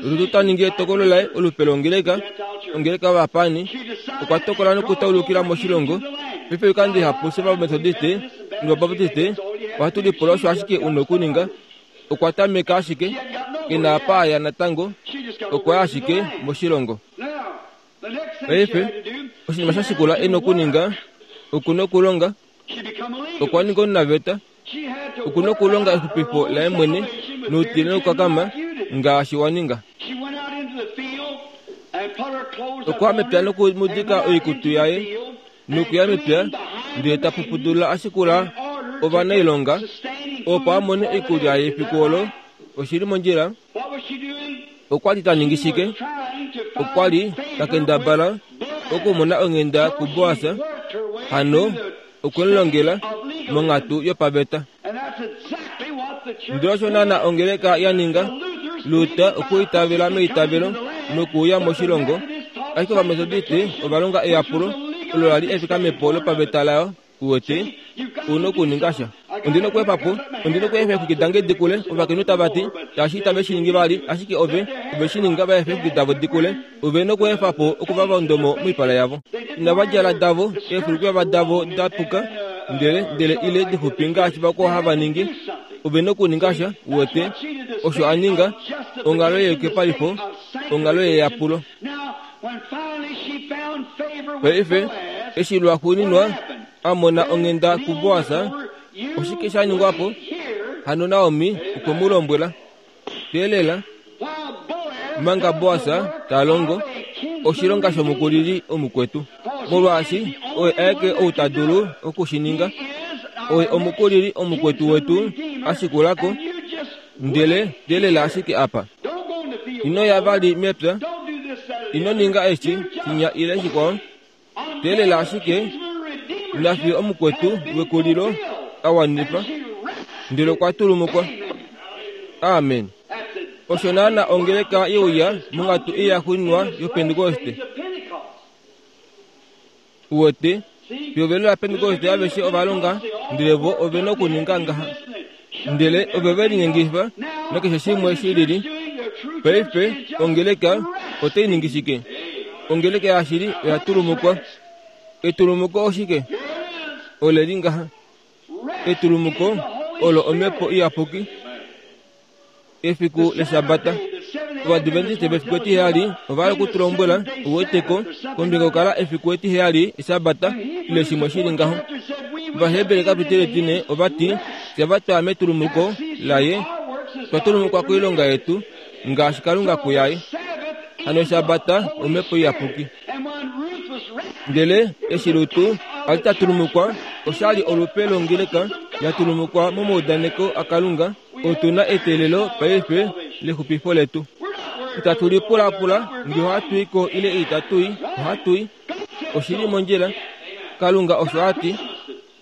Rut ta ningi etokolo laye olupe longeleka, ongeleka yovapaani, okwa tokola nokutaulukila moshilongo. Paife oikando ihapu fye Ovametodiste nOvabaptiste ohatu lipula osho ashike una okuninga. Okwa tameka ashike, ke na apa a ya natango, okwa ya ashike moshilongo. Paife, oshinima sha shikula e na okuninga, oku na okulonga. Okwa ninga omunaveta, oku na okulonga exupifo laye mwene noutile nokukakama ngaashi wa ninga. Okwa ya mepya nokumudika oikutu yaye nokuya mepya ndele ta pupudulula a shikula ovanailonga opo a mone oikulya yefiku olo. Oshili mondjila. Okwa li ta ningi shike? Okwa li ta kendabala okumona onghenda kuBoas, hano okwe mu longela monghatu yopaveta. Ndele osho naana ongeleka ya ninga. Luther okwa itavela meitavelo nokuuya moshilongo, ashike Ovametodiste ova longa eyapulo olo la li efikamepo lopaveta layo. Uwete, una okuninga sha. Ondi na okweefa po, ondi na okweefa eexwiki dange di kule, ovakainhu tava ti, shaashi itave shi ningi vali, ashike ove, ove shi ninga va efe eexwiki davo di kule. Ove na okweefa po okuvava ondomo moipala yavo. Inava djala davo, eefulukweva davo da puka, ndele, ndele ile dixupi ngaashi vakwao hava ningi. Ove na okuninga sha, uwete, osho a ninga, onghalo yeyukipalifo, onghalo yeyapulo. Paife, eshi lwaxuuninwa a mona onghenda kuBoas, oshike sha ningwa po? Hano Naomi okwe mu lombwela, Teelela, manga Boas ta longo oshilonga shomukulili omukwetu, molwaashi oye aeke ou ta dulu oku shi ninga. Oye omukulili omukwetu wetu a shikula ko, ndele teelela ashike apa. Ino ya vali mepya, ino ninga eshi, shinya ile shikwao. Teelela ashike nafiyo omukwetu wekulilo a wanifa, ndele okwa tulumukwa. Amen. Osho naana ongeleka ye uya monghatu ei ya xuuninwa yOpentekoste. Uwete, pehovelo laPentekoste aveshe ova longa, ndele vo ove na okuninga ngaha. Ndele ove ve linyengifa nakeshe shimwe shi lili. Paife ongeleka otai ningi shike? Ongeleka yashili oya tulumukwa. Etulumuko oshike? Ole li ngaha. Etulumuko olo omhepo iyapuki. Efiku leshabata. Ovadventiste vefiku etiheyali ova hala okutulombwela uweteko kombinga yokukala efiku etiheyali eshabata ile shimwe shili ngaho. Ovaheberi kapitele etine ova ti, fye va twaya metulumuko laye, twa tulumukwa koilonga yetu ngaashi Kalunga kuyaye. Hano eshabata omhepo iyapuki. Ndele eshi Rut a li ta tulumukwa, osha li olupe longeleka ya tulumukwa momaudaneko aKalunga. Otu na eteelelo paife lexupifo letu. Itatu lipulapula nge ohatu i ko ile itatu i, ohatu i. Oshili mondjila. Kalunga osho a ti.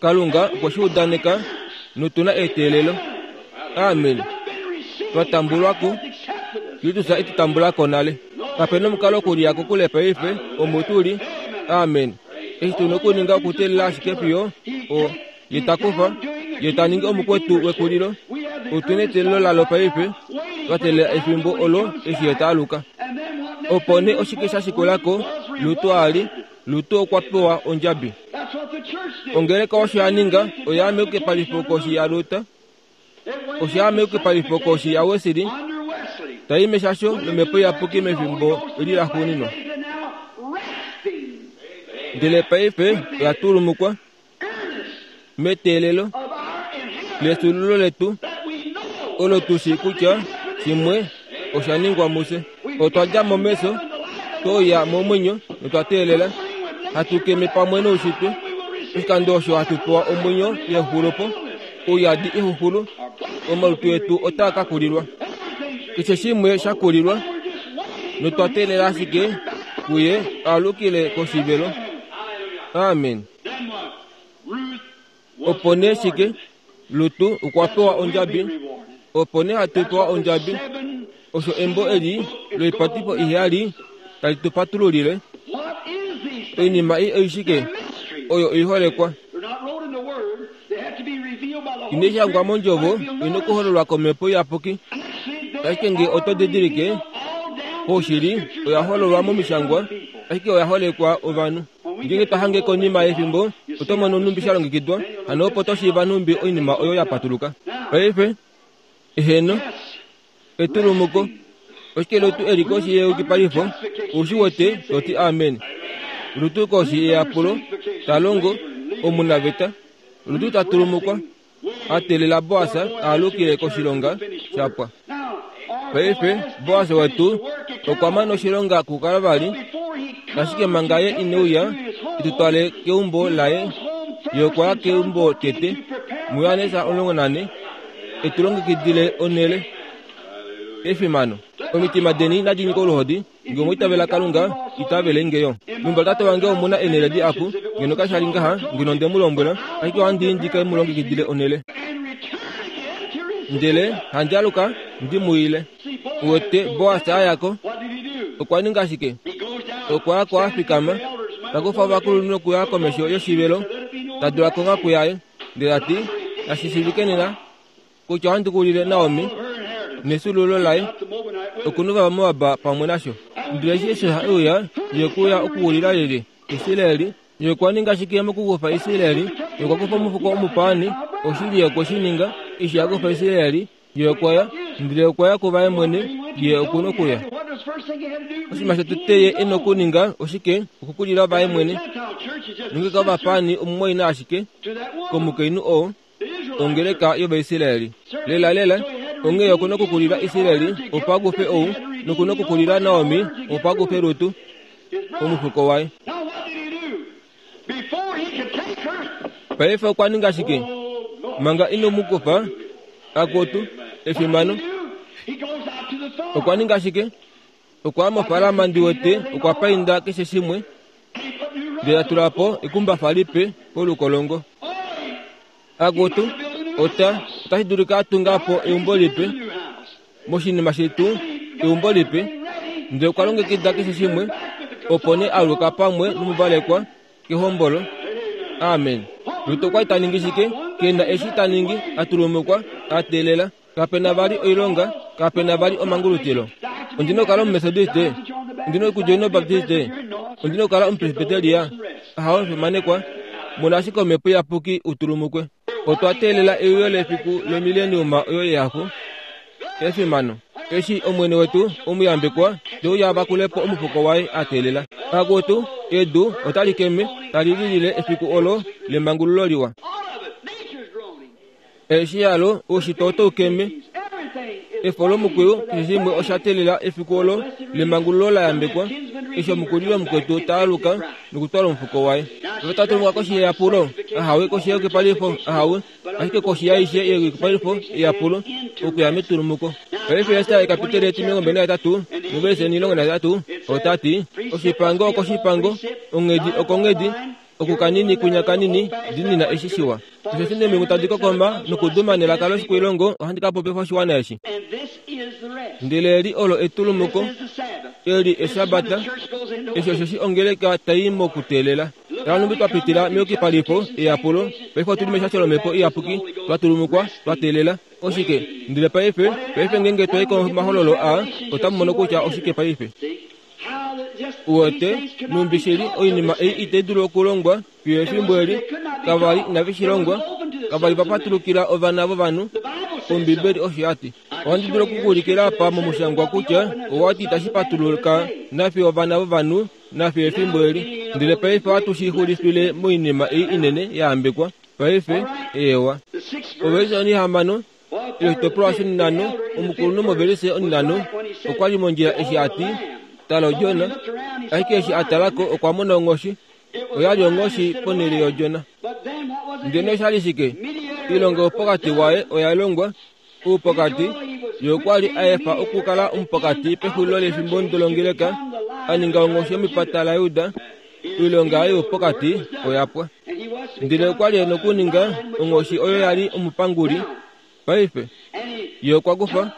Kalunga okwe shi udaneka notu na eteelelo. Amen. Twa tambulwa ko. Kristus e tu tambula ko nale. Kape na omukalo okuliya kokule paife, omo tu li. Amen. Eshi tu na okuninga okuteelela ashike fiyo o ye ta kufa, ye ta ningi omukwetu wekulilo. Otu na eteelelo lalo paife, twa teelela efimbo olo eshi ye ta aluka. Opo nee oshike sha shikula ko, Lutu a li, Lutu okwa pewa ondjabi. Ongeleka osho ya ninga, oya meyukipalifo koshi yaLuther, osho ya meyukipalifo koshi yaWesley, tai meshasho lomhepo iyapuki mefimbo eli laxuuninwa. Ndele paife oya tulumukwa meteelelo lefyuululo letu olo tu shii kutya shimwe osha ningwa mufye. Otwa dja mo mefyo, twauya momwenyo notwa teelela, hatu keme pamwe noushitwe. Oshikando osho hatu pewa omwenyo yexulopo, ouyadi exuxulu, omalutu etu otaa ka kulilwa. Keshe shimwe sha kulilwa, notwa teelela ashike kuye alukile koshivelo. Amen. Opo nee shike? Lutu okwa pewa ondjabi. Opo nee hatu pewa ondjabi. Osho embo eli loipatifo iheyali tali tu patululile. Oinima ei oishike? Oyo oiholekwa. Inai shangwa mondjovo, oi okuhololwa komhepo iyapuki. Ashike nge oto didilike, paushili oya hololwa momishangwa, ashike oya holekwa ovanhu. Ngeenge twa hange konima yefimbo, oto mono nhumbi sha longekidwa, hano opo to shiiva nhumbi oinima oyo ya patuluka. Paife, eheno, etulumuko, oshike Lutu e li koshi yeyukipalifo, ou shi wete, to ti amen. Lutu koshi yeyapulo, ta longo, omunaveta. Lutu ta tulumukwa, a teelela Boas a alukile koshilonga shapwa. Paife Boas wetu okwa mana oshilonga kuKalvari, ashike manga ye ine uya e tu twale keumbo laye, ye okwa ya keumbo tete, muJohannes omulongo nane, e tu longekidile onhele. Efimano. Omitima deni nadi nyike oluhodi, nge omwa itavela Kalunga, itavele nge yo. Meumbo latate wange omuna eenhele dihapu, ngeno kasha li ngaha, ngeno onde mu lombwela, ashike ohandi i ndi ke mu longekidile onhele. Ndele handi aluka ndi mu ile. Uwete Boas a ya ko, okwa ninga shike? Okwa ya ko a fikama, ta kufa ovakulunhu nokuya komesho yoshivelo, ta dula konghaku yaye, ndele ta ti, nashi shiivike nena kutya ohandi kulile Naomi nefyuululo laye, okunuva vaMoab pamwe nasho. Ndele eshi Esau e uya, ye okwe uya okuwilila lyelye? Israel. Ye okwa ninga shike mokukufa Israel? Ye okwa kufa omufuko omupaani, oshili ye okwe shi ninga. Eshi a kufa Israel, ye okwa ya, ndele okwa ya kuvaye mwene, ye oku nokuya. Oshinima shotete ye e nokuninga oshike? Okukulila vaye mwene. Nongeka ovapaani omumwaina ashike komukainhu oo, ongeleka yOvaisraeli. Lela lela, onghee oku nokukulila Israel opo a kufe ou, noku nokukulila Naomi opo a kufe Rutu, omufuko waye. Paife okwa ninga shike? Manga ino mu kufa, akutu, efimano. Okwa ninga shike? Okwa ya mofaalama ndi wete okwa painda keshe shimwe, ndele ta tula po ekumbafa lipe polukolongo. Akutu, ota, otashi dulika a tunga po eumbo lipe, moshinima shetu, eumbo lipe, ndele okwa longekida keshe shimwe, opo nee aluka pamwe nomuvalekwa kehombolo. Amen. Rut okwa li ta ningi shike? Ke na eshi ta ningi, a tulumukwa, a teelela. Kape na vali oilonga, kape na vali omangulutilo. Ondi na okukala Omumetodiste, ondi na okudjoina Obaptiste, ondi na okukala Omupresbiteria. Ahawe omufimanekwa, mona ashike Omhepo Iyapuki u tulumukwe. Otwa teelela euyo lefiku lomileniuma oyo yehafo, efimano, eshi Omwene wetu omuyambekwa te uya a vakule po omufuko waye a teelela. Akutu, edu otali keme, tali lilile efiku olo lemangululo liwa. Eshi yalo oushitwe otau keme, efo lomukwiyu keshe shimwe osha teelela efiku olo lemangululo la yambekwa, eshi omukulili womukwetu ta aluka nokutwala omufuko waye. Ove ta tulumukwa koshi yeyapulo, ahawe koshi yeyukipalifo, ahawe, ashike koshi yaishe yeyukipalifo yeyapulo, okuya metulumuko. Paife Ester ekapiteli etimilongo mbali nahetatu Novelise onilongo nahetatu otati oshipango okoshipango, onghedi okonghedi, okukanini kunya kanini, dinina eshi shiwa. Osho nemilungu tadi kokoma nokuduma nelaka loshikwilongo ohandi ka popifa oshiwana eshi. Ndele eli olo etulumuko, eli eshabata, eshi osho ongeleka tai mokuteelela. Tala twa pitila meyukipalifo eyapulo, paife otuli meshasho lomhepo iyapuki, twatulumukwa, twateelela. Oshike? Ndele paife, paife ngenge twai komahololo a, otamu mono kutya oshike paife. Uwete, numbishili oinima ei itai dulu okulongwa fiyo efimbo eli, kavali inave shi longwa, kavali va patulukila ovana vovanhu. Ombibeli osho yati. Ohandi dulu okukuulikila apa momushangwa kutya owati itashi patuluka nafiyo ovana vovanhu nafiyo efimbo eli. Ndele paife ohatu shi xulifile moinima ei inene yaambekwa. Paife ewa. Ovelise onihamano yoshitopolwa shinhano, omukulunhu movelise onhinhano okwa li mondjila eshi ati tala odjona, ashike eshi a talako okwa mona onghoshi. Oya li onghoshi ponhele yodjona. Ndele oshali shike? Ilonga yopokati waye oya longwa oupokati. Ye okwa li a efa okukala omupokati pexulilo lefimbo ndolongeleka, a ninga onghoshi yomepata laJuda. Oilonga yaye yopokati oya pwa. Ndele okwa li e nokuninga onghoshi oyo ya li omupanguli. Paife ye okwa kufa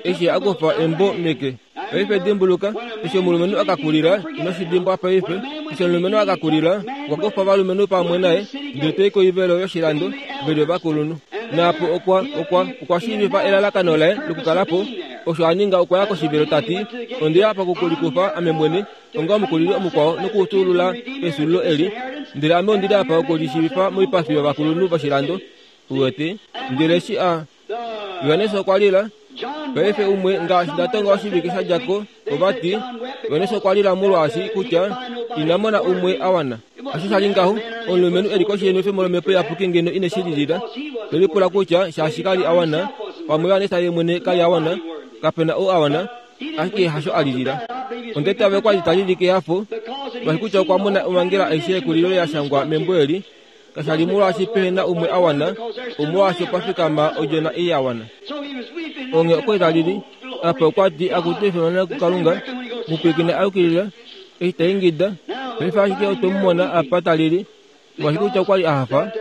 eshi a kufa embo meke. Paife dimbuluka, eshi omulumenhu akakulila, ino shi dimbwa paife, eshi omulumenhu akakulila, okwa kufa ovalumenhu pamwe naye, ndele tai koivelo yoshilando, veli ovakulunhu. Naapo okwa okwa okwa shiivifa elalakano laye lokukalapo. Osho a ninga okwa ya koshivelo tati, onde ya pa okukulikufa ame mwene, onga omukulili omukwao nokuutulula esulilo eli, ndele ame ondili apa okulishiivifa moipafi yovakulunhu voshilando. Uwete, ndele eshi a Johannes okwa lila. Paife umwe ngaashi ndatonga oshivike sha djako, ovati Johannes okwa lila molwaashi kutya ina mona umwe a wana. Osho sha li ngaho, omulumenhu eli koshi yenwefemo lomhepo iyapuki ngeno ine shi lilila. Tolipula kutya shaashi kali a wana, pamwe Johannes ye mwene kali a wana, kapena ou a wana, ashike hasho a lilila. Onde tave kwa li talili kehafo, molwaashi kutya okwa mona omhangela aishe yekulilo ya shangwa membo eli. Kasha li molwaashi pehe na umwe a wana, omolwaashi okwa fikama odjona ei ya wana. Onge okwa talili, apa okwa ti akutu efimano kuKalunga, mupwilikina a yukilila, eshi ta ingida. Paife ashike otwe mu mona apa talili, molwaashi kutya okwa li a hafa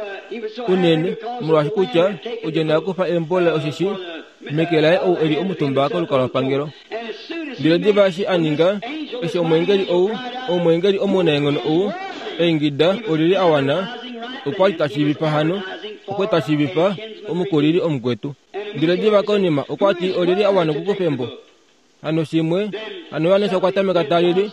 unene, molwaashi kutya odjona ya kufa embo laye osheshi meke laye ou eli omutumba kolukalwapangelo. Ndele diva eshi a ninga, eshi omweengeli ou, omweengeli omunaenghono ou, eingida olili a wana, okwa li ta shiivifa hano, okwa ta shiivifa omukulili omukwetu. Ndele diva konima okwa ti olili a wana okukufa embo. Hano shimwe, hano Johannes okwa tameka talili.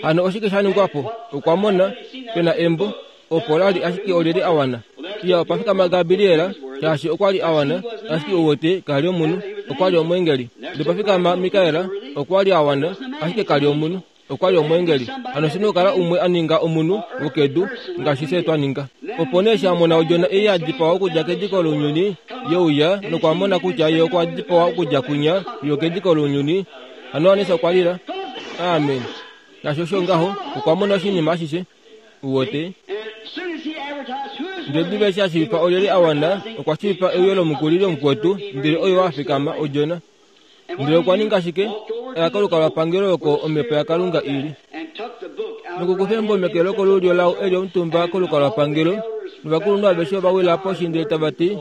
Hano oshike sha ningwa po? Okwa mona pena embo, opo la li ashike olili a wana. Iya opa fikama Gabriela, shaashi okwa li a wana, ashike uwete kali omunhu, okwa li omweengeli. Ndele pa fikama Mikaela, okwa li a wana, ashike kali omunhu, okwa li omweengeli. Hano shino kala umwe a ninga omunhu wokedu ngaashi fye twa ninga. Opo nee eshi a mona odjona ei ya dipawa okudja kediko lounyuni, ye uya nokwa mona kutya ye okwa dipawa okudja kwinya fiyo kediko lounyuni. Hano Johannes okwa lila. Amen. Ngaashi osho ngaho, okwa mona oshinima ashishe. Uwete. Ndele diva eshi a shiivifa olyelye a wana, okwa shiivifa euyo lomukulili omukwetu, ndele oyo a fikama odjona. Ndele okwa ninga shike? Oya kolukalwapangelo oko omhepo yaKalunga ili. Nokukufa embo meke lokolulyo lao eli omutumba kolukalwapangelo, novakulunhu aveshe ova wila poshi ndele tava ti,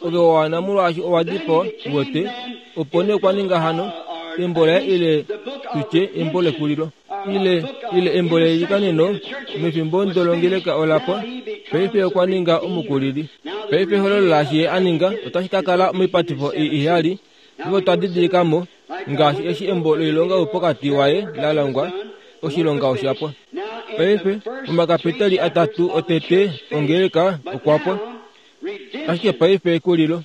ove wa wana molwaashi owa dipawa. Uwete. Opo nee okwa ninga hano embo laye ile tutye embo lekulilo, ile ile embo leilikaneno mefimbo ndolongeleka olapwa. Paife okwa ninga omukulili. Paife ehololo laashi ye a ninga otashi ka kala moipatifo iheyali. Ovo twa didilikamo ngaashi eshi embo loilonga yopokati waye la longwa, oshilonga osha pwa. Paife omakapitali atatu otete ongeleka okwa pwa, ashike paife ekulilo,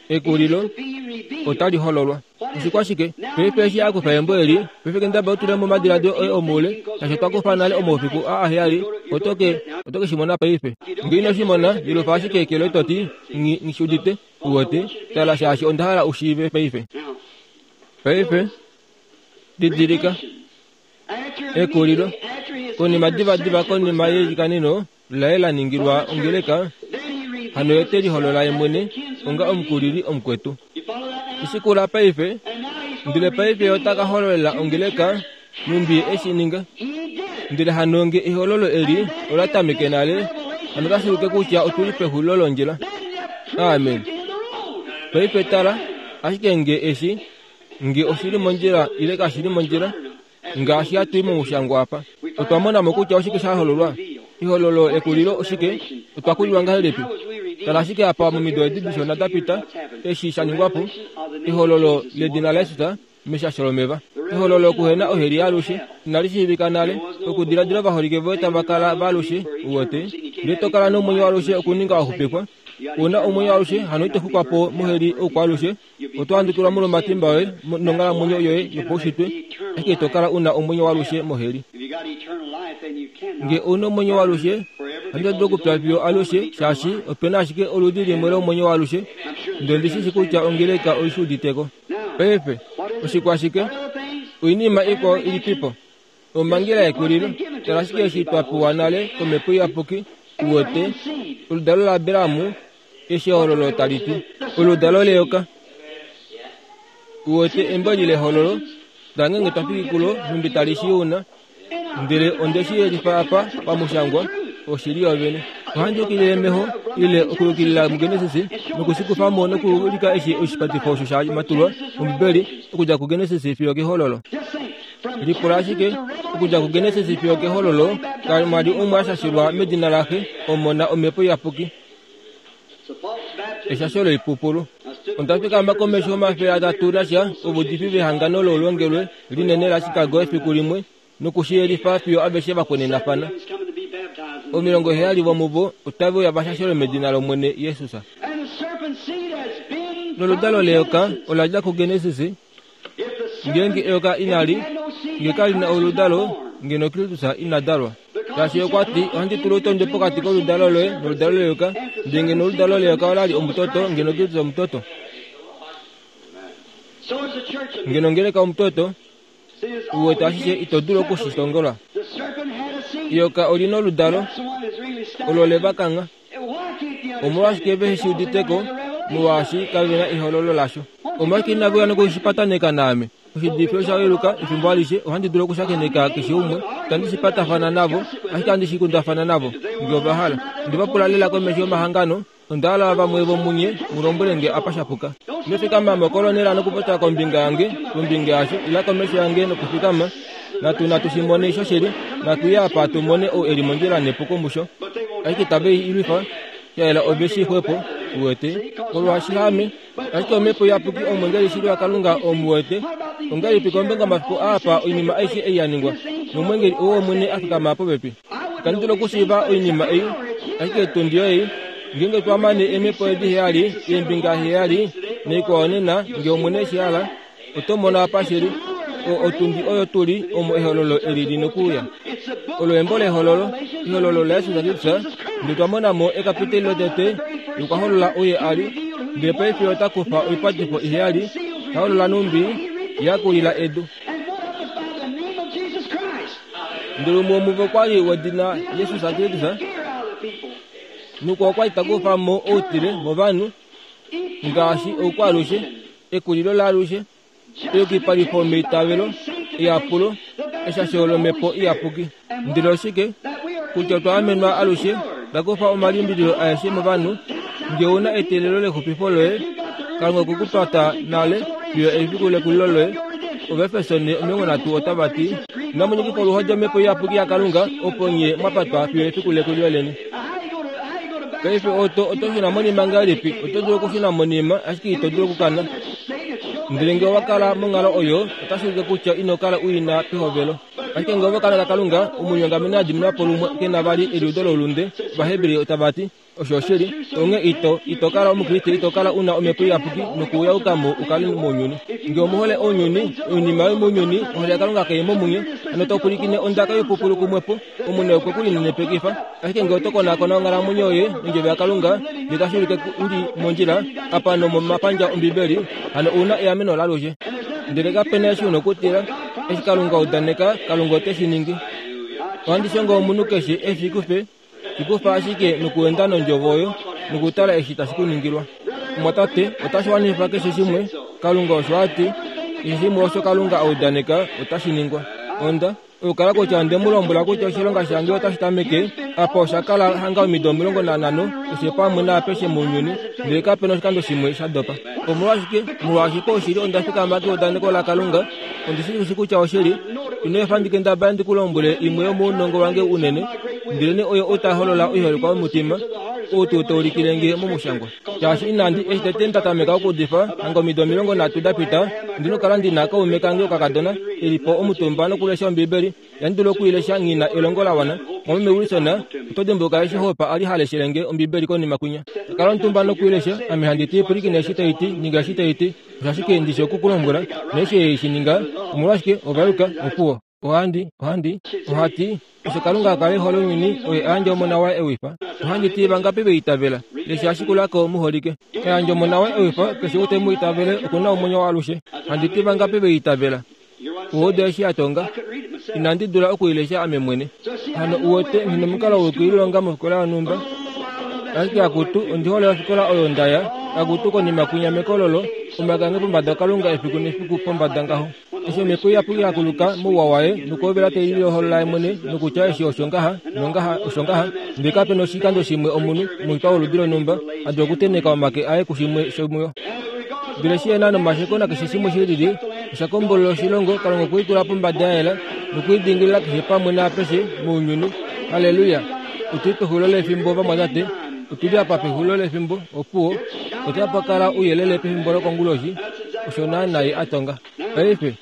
ekulilo otali hololwa. Oshikwashike? Paife eshi a kufa embo eli, paife kendaba otule momadiladilo oye omoule, shaashi otwa kufa nale omaufiku a aheyali, otoke otoke shi mona paife. Ngee ino shi mona, lilufa ashike eke loye toti, nghi nghi shi udite. Uwete, tala shaashi onda hala u shiive paife. Paife didilika ekulilo. Konima diva diva konima yeilikaneno laye la ningilwa ongeleka, hano ye te liholola ye mwene onga omukulili omukwetu. Ishikula paife, Ndele paife ota ka hololela ongeleka numbi eshi ninga. Ndele hano nge ehololo eli ola tameke nale, hano otashi ulike kutya otuli pexulilo londjila. Amen. Paife tala, ashike nge eshi nge oshili mondjila ile kashili mondjila, ngaashi hatu i momushangwa apa, otwa mona mo kutya oshike sha hololwa. Ehololo ekulilo oshike? Otwa kulilwa ngahelipi? Tala ashike apa momido edi dishona da pita, eshi sha ningwa po, ehololo ledina laJesus meshasho lomeva. Ehololo okuhena oheli alushe inali shiivika nale, okudiladila ovaholike voye tava kala valushe, uwete, ndele to kala nomwenyo alushe okuninga waxupifwa. Una omwenyo alushe hano ito xukwa po moheli oukwalushe, oto handukilwa molwomatimba oye nonghalamwenyo yoye yopaushitwe, ashike ito kala una omwenyo walushe moheli. Nge ouna omwenyo walushe, hano ito dulu okupya fiyo alushe, shaashi opena ashike oludi limwe lomwenyo walushe, ndele ndishi kutya ongeleka oishi uditeko. Paife, oshikwashike? Oinima ikwao ilipipo? Omhangela yekulilo, tala ashike eshi twa pewa nale komhepo iyapuki, uwete, oludalo laAbraham, eshi ehololo tali ti, oludalo leyoka. Uwete embo eli lehololo, tala ngeenge twa fiki kulo nhumbi tali shi una, ndele onde shi yelifa apa pamushangwa, oshili yovene. Ohandi yukilile meho ile okuyukilila muGenesis nokushikufa mo nokuulika eshi oshipatifo osho sha matulwa mOmbibeli okudja kuGenesis fiyo kehololo. Lipula ashike, okudja kuGenesis fiyo kehololo, kamwa li umwe a shashilwa medina laxe, Omona, Omhepo Iyapuki. Eshasho loipupulu. Onda fikama komesho omafele atatu nasha ovudifi vehangano loulongelwe linene laChicago efiku limwe nokushiyelifa fiyo aveshe vakwenenafana. Omilongo heyali vomuvo otave uya vashashelwe medina lOmwene Jesus. Noludalo leyoka ola dja kuGenesis. Ngeenge eyoka inali, nge kali na oludalo, ngeno Kristus ina dalwa. Shaashi okwa ti, ohandi tula outondwe pokati koludalo loye noludalo leyoka, ndele ngeno oludalo leyoka olali omutoto, ngeno Kristus omutoto. Ngeno ongeleka omutoto, uwete ashishe ito dulu okushitongola. Eyoka olina oludalo, olo levakangha. Omolwashike vehe shi uditeko? Molwaashi kave na ehololo lasho. Omolwashike inave uya nokushipataneka naame? Oshidifi osha yeluka efimbo alishe, ohandi dulu okushakeneka keshe umwe, itandi shipatafana navo, ashike ohandi shikundafana navo, nge ova hala. Onde va pula lela komesho yomahangano, onda hala vamwe vomunye mu lombwele nge apa shapuka. Inofikama mokolonela nokupopya kombinga yange, kombinga yasho, ila komesho yange nokufikama. Natu natu shi mone shoshili, natu ye apa tu mone ou eli mondjila nepuko musho. Ashike itave i lwifa, shaela ove shi xwepo, uwete, molwaashi haame, ashike omhepo iyapuki omwengeli shili waKalunga omuwete. Ongahelipi kombinga omafiku aapa oinima aishe ei ya ningwa, nomwengeli ou wOmwene a fikama popepi. Itandi dulu okushiiva oinima ei, ashike etundi ei, ngeenge twa mane eemhepo edi heyali, eembinga heyali, naikwao nena, nge Omwene eshi hala, oto mono apa shili. O otundi oyo tuli omo ehololo eli li nokuuya. Olo embo lehololo, ehololo laJesus Kristus, ndele twa mona mo ekapiteli lotete, okwa holola oye a li, ndele paife ota kufa oipatifo iheyali, ta holola nhumbi ya kulila edu. Ndele umwe womuvo okwa li wedina Jesus Kristus, nokwa okwa li ta kufa mo outile movanhu, ngaashi oukwaalushe, ekulilo laalushe, eyukipalifo meitavelo, eyapulo, eshasho lomhepo iyapuki. Ndele oshike? Kutya otwa amenwa alushe, ta kufa omalimbililo aeshe movanhu, nge ouna eteelelo lexupifo loye, Kalunga okwe ku pata nale fiyo efiku lekulilo loye. Ovaefeso omilongo nhatu otava ti, inamu nyikifa oluhodi omhepo iyapuki yaKalunga, opo nye mwa patwa fiyo efiku lekulilo leni. Paife oto oto shuna monima ngahelipi? Oto dulu okushuna monima, ashike ito dulu okukana. Ndele nge owa kala monghalo oyo, otashi ulike kutya ino kala u ina pehovelo. Ashike nge ova kala naKalunga, omunyongameni a diminwa po lumwe ke na vali eliudo loulunde, Ovaheberi otava ti, osho oshili, onghee ito ito kala omukriste, ito kala una omhepo iyapuki nokuyauka mo u kale mounyuni. Nge omuhole ounyuni, oinima yomounyuni, ohole yaKalunga kai mo munye, hano to pwilikine ondaka yoipupulu kumwepo, omwene okwe ku linenepekifa. Ashike nge oto konakona onghalamwenyo yoye nondjovo yaKalunga, ndele tashi ulike u li mondjila apa nomomapandja Ombibeli, hano ouna eameno laalushe. Ndele kape na eshi una okutila, eshi Kalunga udaneka, Kalunga ote shi ningi. Ohandi shongo omunhu keshe eshi kufe, shikufa ashike nokuenda nondjovo oyo, nokutala eshi tashi ku ningilwa. Omwatate, otashi wanifa keshe shimwe, Kalunga osho a ti, Keshe shimwe osho Kalunga a udaneka otashi ningwa. Onda okukala kutya onde mu lombwela kutya oshilonga shange otashi tameke apa osha kala hanga omido omilongo nanhano keshe pamwe naapeshe mounyuni, ndele kapena oshikando shimwe sha dopa. Omolwashike? Molwaashi paushili onda fikama keudaneko laKalunga. Ondi shi kutya oshili. Ino efa ndi kendabale ndi ku lombwele imwe yomounongo wange unene, ndelene oyo ota holola oiholekwa yomutima, ou tuu taulikile nge momushangwa. Shaashi inandi eshi tete nda tameka okuudifa hanga omido omilongo nhatu da pita, ndi nokukala ndi na kaume kange okakadona e li po omutumba nokulesha Ombibeli, ihandi dulu okuilesha nghi na elongo la wana. Mwameme Wilson, oto dimbuluka eshi Hope a li ha leshele nge Ombibeli konima kwinya. Kala omutumba nokuilesha, ame handi ti pwilikina eshi tai ti, ninga eshi tai ti. Osho ashike ndi shi oku ku lombwela, neshi ei shi ninga, omolwashike ovayuka, opuwo. Ohandi, ohandi, ohati, osho Kalunga a kala e hole ounyuni, oye a yandja omona waye ewifa. Ohandi ti vangapi ve itavela, lesha ashikulako muholike. A yandja omona waye ewifa, keshe ou te mu itavele oku na omwenyo waalushe. Handi ti vangapi ve itavela. Uwete eshi a tonga, inandi dula okuilesha ame mwene. Hano uwete nghi nomukalo wokuilonga mofikola yonhumba. Ashike akutu, ondi hole ofikola oyo nda ya, akutu konima kwinya mekololo, omake ange pombada Kalunga efiku nefiku pombada ngaho. Eshi omhepo iyapuki ya kuluka mouwa waye nokuhovela tai liholola ye mwene nokutya eshi osho ngaha nongaha osho ngaha, ndele kapena oshikando shimwe omunhu omuxwikwa woludi lonhumba a dula okutenheka omake aye kushimwe shomuyo. Ndele shi ena nomasheko nakeshe shimwe shi lili, osha kombolola oshilongo, Kalunga okwe i tula pombada ya yela nokuidingilila keshe pamwe naapeshe mounyuni. Halleluya! Otuli pexulilo lefimbo vamwatate, otuli apa pexulilo lefimbo, opuwo, otapa kala ouyelele pefimbo lokonguloshi, osho naana ye a tonga. Paife,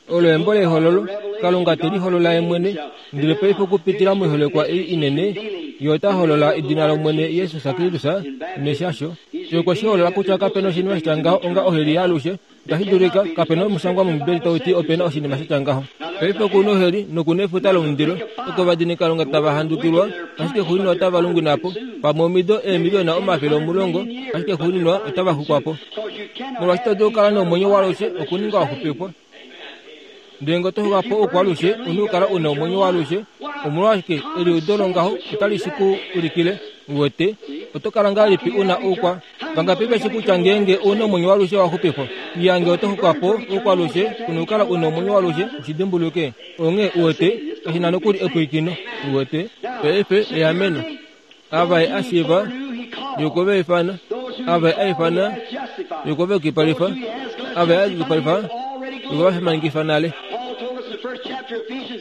olo embo lehololo, Kalunga te liholola ye mwene, ndele paife okupitila moiholekwa ei inene, ye ota holola edina lOmwene Jesus Kristus neshasho. Ye okwe shi holola kutya kapena oshinima sha tya ngaho onga oheli yaalushe. Itashi dulika, kapena omushangwa mOmbibeli tau ti opena oshinima sha tya ngaho. Paife oku na oheli noku na efuta lomundilo, oko ovadinikalunga tava handukilwa, ashike xuuninwa otava lungwina po, pamwe omido eemiliona omafele omulongo, ashike xuuninwa otava xukwa po. Molwaashi ito dulu okukala nomwenyo waalushe okuninga wa xupifwa. Ndele ngee oto xuka po oukwaalushe, u na okukala u na omwenyo waalushe. Omolwashike eliudo longaho otali shi ku ulikile, uwete, oto kala ngahelipi u na oukwa? Vangapi ve shi kutya ngeenge u na omwenyo waalushe wa xupifwa? Iya, ngee oto xuka po oukwaalushe, u na okukala u na omwenyo waalushe, u shi dimbuluke. Onghee, uwete, kashi na nokuli epwilikino, uwete. Paife, eameno. Ava ye a shiiva, ye okwe va ifana. Ava ye a ifana, ye okwe va yukipalifa. Ava ye a yukipalifa, ye okwe va fimanekifa nale.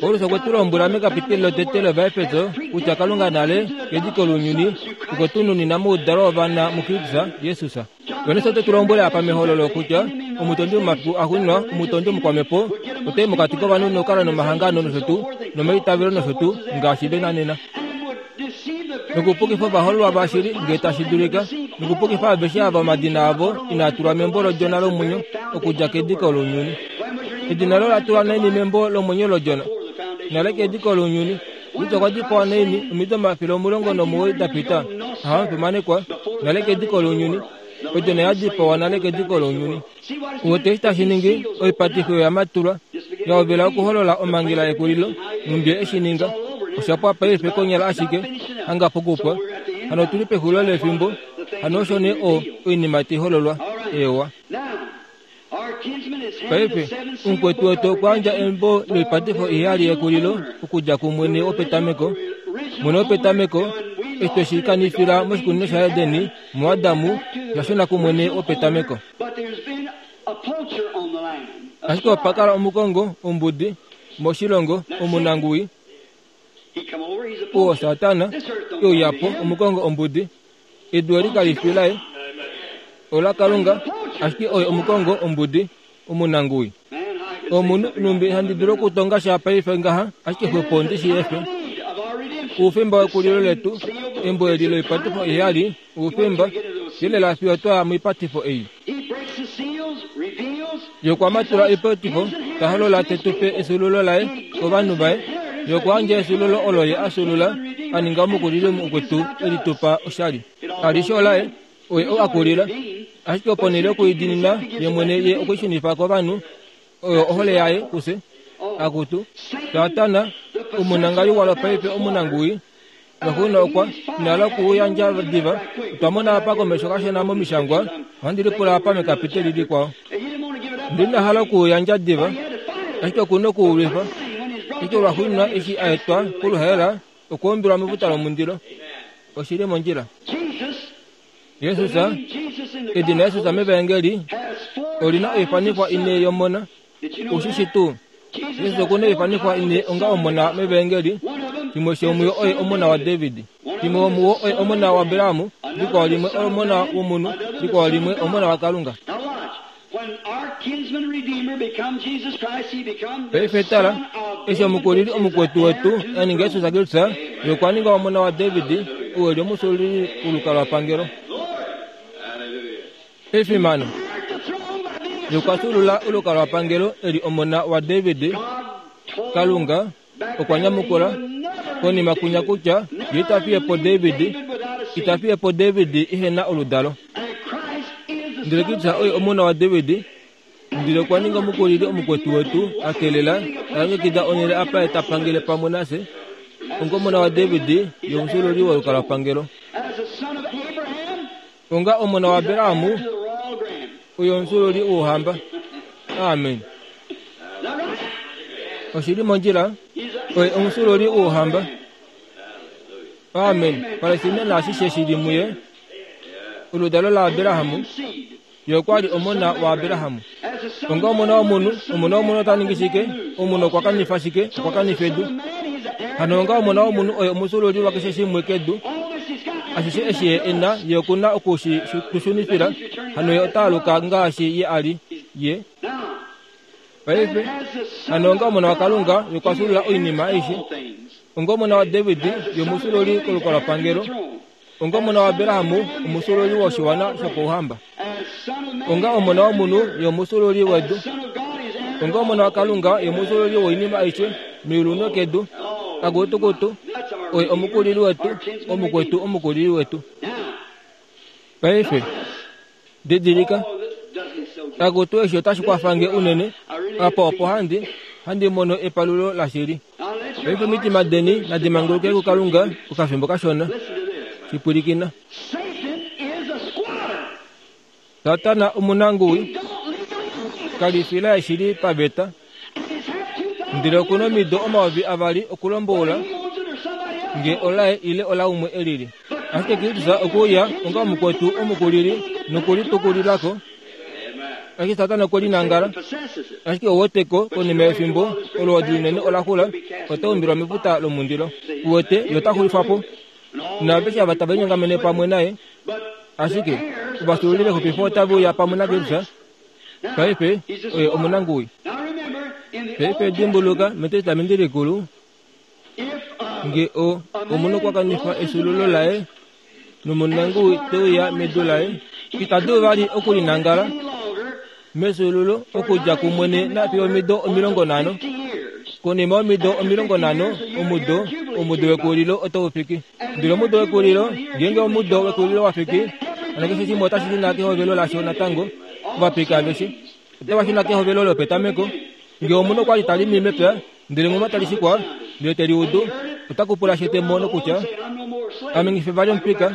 Paulus okwe tu lombwela mekapiteli lotete lOvaefeso kutya Kalunga nale kediko lounyuni okwe tu nunina moudalo wovana muKristus Jesus. Johannes ote tu lombwele apa mehololo kutya omutondi womafiku axuuninwa, omutondi omukwamhepo, otai mokati kovanhu nokukala nomahangano nosho tuu nomaitavelo nosho tuu ngaashi ve na nena. Nokupukifa ovahololwa vashili ngee tashi dulika, nokupukifa aveshe ava omadina avo inaa tulwa membo lOdjona lomwenyo okudja kediko lounyuni. Edina loye ola tulwa naini membo lomwenyo lOdjona? Nale kediko lounyuni. Rut okwa dipawa naini omido omafele omulongo nomuwoi da pita? Aha, omufimanekwa, nale kediko lounyuni. Odjona ya dipawa nale kediko lounyuni. Uwete eshi tashi ningi? Oipatifo oyo ya matulwa, ya hovela okuholola omhangela yekulilo, nhumbi ye eshi ninga. Osha pwa paife konyala ashike, hanga pokupwa. Hano otu li pexulilo lefimbo, hano osho nee o, oinima tai hololwa. Eewa. Paife, omukwetu wetu okwa yandja embo loipatifo iheyali yekulilo okudja kumwene wopetameko. Mwene wopetameko, eshi twe shi kanifila moshikunino shaEden, muAdamu, osha shuna kumwene wopetameko. Ashike opa kala omukongo, ombudi, moshilongo, omunanguwi, oo Satana, e uya po, omukongo ombudi. Edu eli kali fi laye, ola Kalunga, ashike oye omukongo ombudi, omunanguwi. Omunhu, nhumbi handi dulu okutonga sha paife ngaha, ashike xwepo ndi shi efe. Oufemba wekulilo letu, embo eli loipatifo iheyali, oufemba, yelela fiyo twa ya moipatifo ei. Ye okwa matula oipatifo, ta holola te tu pe efyuululo laye kovanhu vaye. Ye okwa yandja efyuululo olo ye a fyuulula, a ninga omukulili mukwetu e li tu pa oshali. Alishe olaye, oye ou a kulila. Ashike ponhele yokuidinina ye mwene, ye okwe i shunifa kovanhu. Oyo ohole yaye kufye. Akutu, Satana, omunangali walo paife omunanguwi, noxuuninwa okwa ina okuyandja diva. Otwa mona apa komesho kashona momishangwa, ohandi lipula apa mekapiteli likwao. Ndina hala okuyandja diva, ashike okuna okuulwifa. Ashike lwaxuuninwa eshi a etwa koluhaela, okwa umbilwa mefuta lomundilo. Oshili mondjila. Jesus, edina Jesus mEvaengeli olina oifanifwa ine yomona. Ushishi tuu? Jesus okuna oifanifwa ine onga omona mEvaengeli. Shimwe shomuyo oye omona waDavid, shimwe womuwo oye omona waAbraham, likwao limwe omona womunhu, likwao limwe omona waKalunga. Paife tala, eshi omukulili omukwetu wetu a ninga Jesus Kristus, ye okwa ninga omona waDavid, ou eli omusululi wolukalwapangelo. Efimano. Ye okwa sulula olukalwapangelo eli omona waDavid. Kalunga okwa nyamukula konima kunya kutya ye ita fiye po David, ita fiye po David ihe na oludalo. Ndele Kristus oye omona waDavid, ndele okwa ninga omukulili omukwetu wetu a kelela a longekida onhele apa ye ta pangele pamwe nafye. Onga omona waDavid, ye omusululi wolukalwapangelo. Onga omona waAbraham, oye omusululi wouhamba. Amen. Oshili mondjila, oye omusululi wouhamba. Amen. Palestina naashishe shili muye, oludalo laAbraham, ye okwa li omona waAbraham. Onga omona womunhu, omona womunhu ota ningi shike? Omunhu okwa kanifa shike? Okwa kanifa edu. Hano onga omona womunhu oye omusululi wakeshe shimwe kedu. Ashishe eshi ye ena, ye okuna okushi tushunifila. Hano ye ota aluka ngaashi ye a li. Ye paife hano onga omona waKalunga, ye okwa sulula oinima aishe. Onga omona waDavid, ye omusululi kolukalwapangelo. Onga omona waAbraham, omusululi woshiwana shopouhamba. Onga omona womunhu, ye omusululi wedu. Onga omona waKalunga, ye omusululi woinima aishe meulu nokedu. Akutukutu, oye omukulili wetu, omukwetu omukulili wetu. Paife didilika, akutu eshi otashi kwafange unene. Apa opo handi handi mono epalulo lashili. Paife omitima deni nadi manguluke kuKalunga okafimbo kashona. Shipwilikina. Satana omunanguwi kalifila eshili paveta, ndele okuna omido omayovi avali okulomboula nge olaye ile olaumwe elili. Ashike Kristus okuuya onga omukwetu omukulili nokulitukulilako. Ashike Satana okwe linangala. Ashike ouweteko konima yefimbo olwoodi linene ola xula, ota umbilwa mefuta lomundilo. Uwete ye ota xulifwa po naaveshe ava tava linyongamene pamwe naye. Ashike ovasululi vexupifo otave uya pamwe naKristus. Paife oye omunanguwi. Paife dimbuluka metestamenti likulu, nge o omunhu okwa kanifa esululo laye nomunanguwi te uya medu laye, ita dulu vali okulinangala mesululo okudja kumwene nafiyo omido omilongo nhano. Konima yomido omilongo nhano, omudo omudo wekulilo otau fiki. Ndele omudo wekulilo, ngeenge omudo wekulilo wa fiki, hano keshe shimwe otashi shuna kehovelo lasho natango. Ovapika aveshe otava shuna kehovelo lopetameko. Nge omunhu okwa li ta limi mepya, ndele muma tali shikwa, ndele te liudu, ota kupula shete mono kutya ame ngife vali omupika,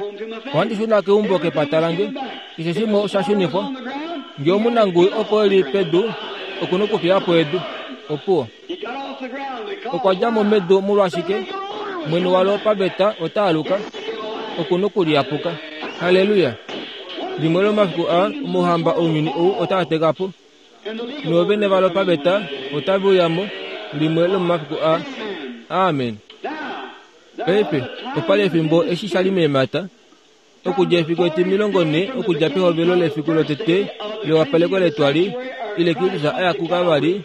ohandi shuna keumbo kepata lange. Keshe shimwe osha shunifwa. Nge omunanguwi opo eli pedu, okuna okufiya po edu. Opuwo. Okwa dja mo medu molwashike? Mwene walo paveta ota aluka, okuna okuliyapuka. Haleluya. Limwe lomafiku a omuhamba ounyuni ou otaa teka po, noovene valo paveta otave uya mo limwe lomomafiku a. Amen. Paife opali efimbo eshi sha li meemhata, okudja efiku etimilongo nhe okudja pehovelo lefiku lotete lewapaleko letwali ile Kristus a ya kuKalvari,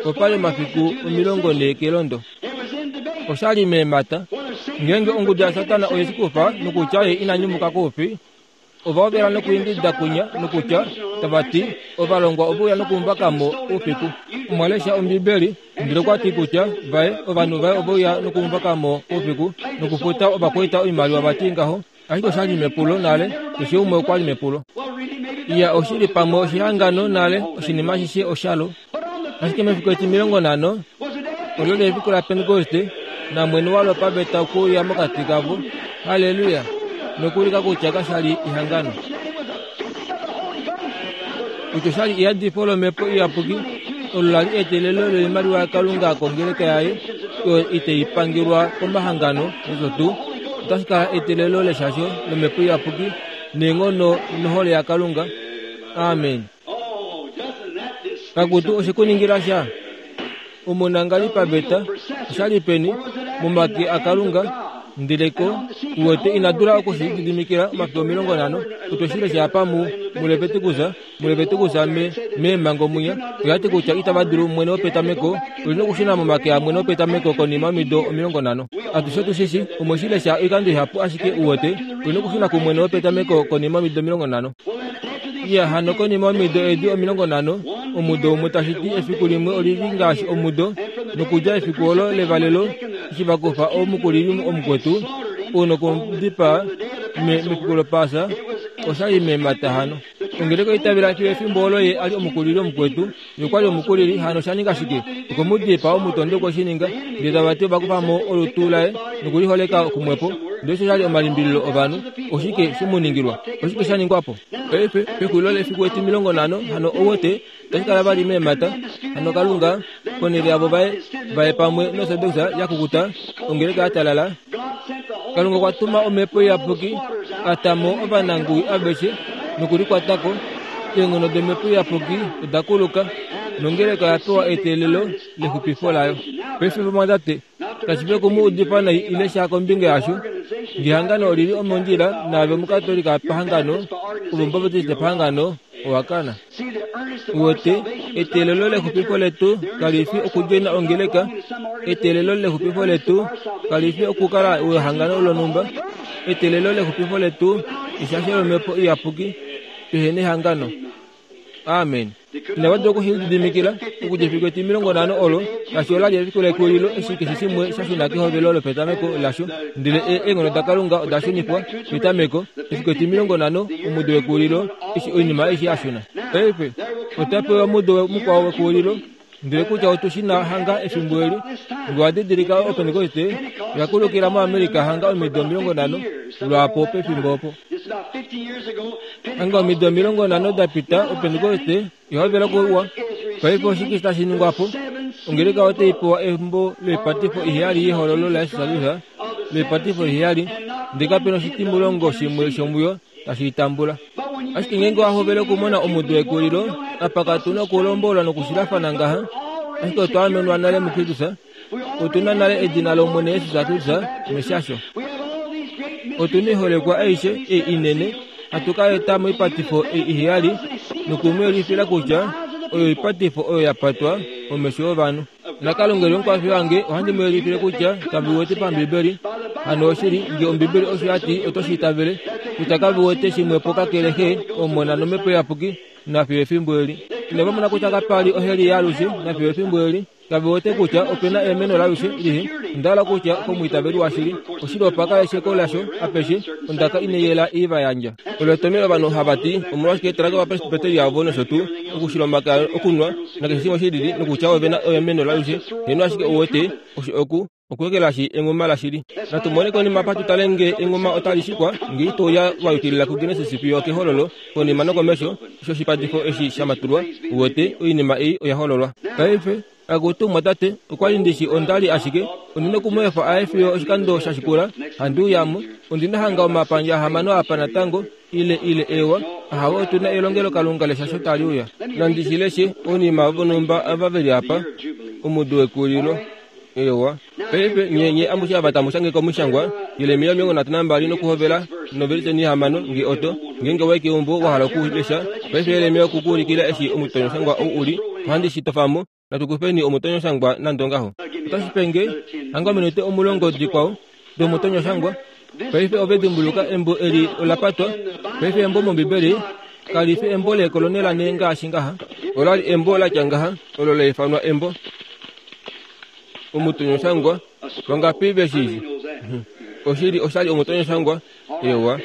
opali omafiku omilongo nhe kelondo. Osha li meemhata. Ngeenge ongudu yaSatana oye shi kufa nokutya ye ina nyumuka koufi, ova hovela nokuingida kunya nokutya tava ti ovalongwa ove uya nokumuvaka mo oufiku. Omwa lesha Ombibeli, ndele okwa ti kutya vaye ovanhu vaye ove uya nokumuvaka mo oufiku nokufuta ovakwaita oimaliwa vati ngaho. Ashike osha li mepulo nale, keshe umwe okwa li mepulo. Iya, oshili pamwe oshihangano nale, oshinima ashishe oshalo. Ashike mefiku etimilongo nhano, olo lefiku laPentekoste, namwene walo paveta okuuya mokati kavo. Haleluya! Nokuulika kutya kasha li ehangano. Kutya oshali iyadifo lomhepo iyapuki olo lali eteelelo loimaliwa yaKalunga kongeleka yaye oyo itaipangelwa komahangano nosho tuu, otashi kala eteelelo leshasho lomhepo iyapuki neenghono nohole yaKalunga. Amen. Kakutu oshekuningila sha omunangali paveta oshali peni momake aKalunga ndeleko uwete inadula okushilididimikila omafiku omilongo nhano. Otwe shi lesha apa mu muLevitikus, muLevitikus me meemhango mwinya oyati kutya itava dulu mwene wopetameko oli nokushuna momake amwene wopetameko konima yomido omilongo nhano. Atushe otu shi shi omwe shi lesha oikando ihapu ashike uwete oli nokushuna kumwene wopetameko konima yomido omilongo nhano. Ya hano konima yomido edi omilongo nhano omudo umwe tashi ti efiku limwe olili ngaashi omudo nokudja efiku olo levalelo eshi vakufa omukulili omukwetu onokumudipaa mefiku lopasa oshali meemata hano. Ongeleka oitavela fiyo efimbo olo ye ali omukulili omukwetu nokwali omukulili hano osha shike okumudipaa omutondi okwe shi ninga ndele tava ti ovakufa mo olutu laye nokuliholeka kumwepo. Ndele osho shali omalimbililo ovanhu oshike shimuningilwa oshike sha ningwapo. Paife pexulilo lefiku etimilongo nhano hano owote tashi kala vali meemata hano Kalunga ponhele yavo vaye vaye pamwe noSordox yakukuta ongeleka yatalala. Kalunga okwa tuma omhepo iyapuki atamo ovananguwi aveshe nokulikwatako. Eenghono domhepo iyapuki oda kuluka nongeleka oya pewa eteelelo lexupifo layo. Paife vamwatate kashi fi okumu udifa nai ile sha kombinga yasho. Ngehangano olili omondjila naave omukatolika pahangano ovombaptiste pahangano owakana. Uwete eteelelo lexupifo letu kali fi okudjoina ongeleka. Eteelelo lexupifo letu kali fi okukala wehangano lonhumba. Eteelelo lexupifo letu eshasho lomhepo iyapuki pehe nehangano. Amen. Inava dula okushilididimikila okudja efiku etimilongo nhano olo ngaashi ola li efiku lekulilo eshi keshe shimwe sha shuna kehovelo lopetameko lasho ndele eenghono daKalunga oda shunifwa petameko efiku etimilongo nhano omudo wekulilo eshi oinima aishe ya shuna. Paife ota pewa omudo mukwao wekulilo ndele kutya otu shi na hanga efimbo eli ngee wadidilika oPentekoste oya kulukila moAmerica hanga omido omilongo nhano lwaapo pefimbo opo. Hanga omido omilongo nhano da pita oPentekoste ihovela okuwa. Paife oshike tashi ningwapo? Ongeleka otai pewa embo loipatifo iheyali yehololo laYesus loipatifo iheyali ndele kapena oshitimulongo shimwe shomuyo tashi itambula. Ashike ngeenge wahovele okumona omudo wekulilo apa katu na okulombolwa nokushilafana ngaha ashike otwa amenwa nale muKristus. Otuna nale edina lOmwene Jesus Kristus meshasho. Otuna oiholekwa aishe ei inene hatu ka eta moipatifo ei iheyali nokumuyelifila kutya oyo oipatifo oyo ya patwa momesho ovanhu. NaKalunga eli omukwafi wange ohandi mu yelifile kutya kaviwete pambibeli hano oshili ngee ombibeli osho yati oto shi itavele kutya kaviwete shimwepo kakele Xe Omona nomhepo iyapuki nafiyo efimbo eli. Inava mona kutya kapali oheli yaalushe nafiyo efimbo eli. Kaviwete kutya opena eameno laalushe lihe. Onda kutya komwiitaveli washili oshili opa kala esheko lasho apeshe ondaka ineyela iva yandja. Olo ovanhu hava ti omolwashike talaka ovapresbiteri avo nosho tuu okushila omakaya okunwa nakeshe shimwe shilili nokutya ovena eameno laalushe heno ashike ouwete osho oku okuekelashi engoma lashili. Natu mone konima apa tutale nge engoma otali shikwa ngee itoya wayukilila kuGenesis fiyo kehololo konima nokomesho osho oshipatifo eshi shamatulwa uwete oinima ei oya hololwa. Paife akutumwa tate okwali ndishi ondali ashike ondina okumweefa aye fiyo oshikando shashikula handi uyamo ondina hanga omapandja ahamano apa natango ile ile ewa ahawe otuna elongelo Kalunga leshasho tali uya. Nandi leshe oinima vonhumba ava veli apa omudo wekulilo ewa. Paife nyenye amushe ava tamu shange komushangwa Yeremia omilongo nhatu nambali nokuhovela noveliseni hamano nge oto ngeenge wayi keumbo wahala okulesha. Paife Yeremia okukuulikila eshi omutonyoshangwa ou uli ohandi shi tofamo. Natukufeni omutonyoshangwa nande ongaho. Otashi penge hanga ominute omulongo dikwao domutonyoshangwa. Paife ove dimbuluka embo eli ola patwa. Paife embo mOmbibeli kali fi embo leekolonela nee ngaashi ngaha. Olali embo latya ngaha olo la ifanwa embo omutonyoshangwa. Vangapi veshishi oshili oshali omutonyoshangwa ewa.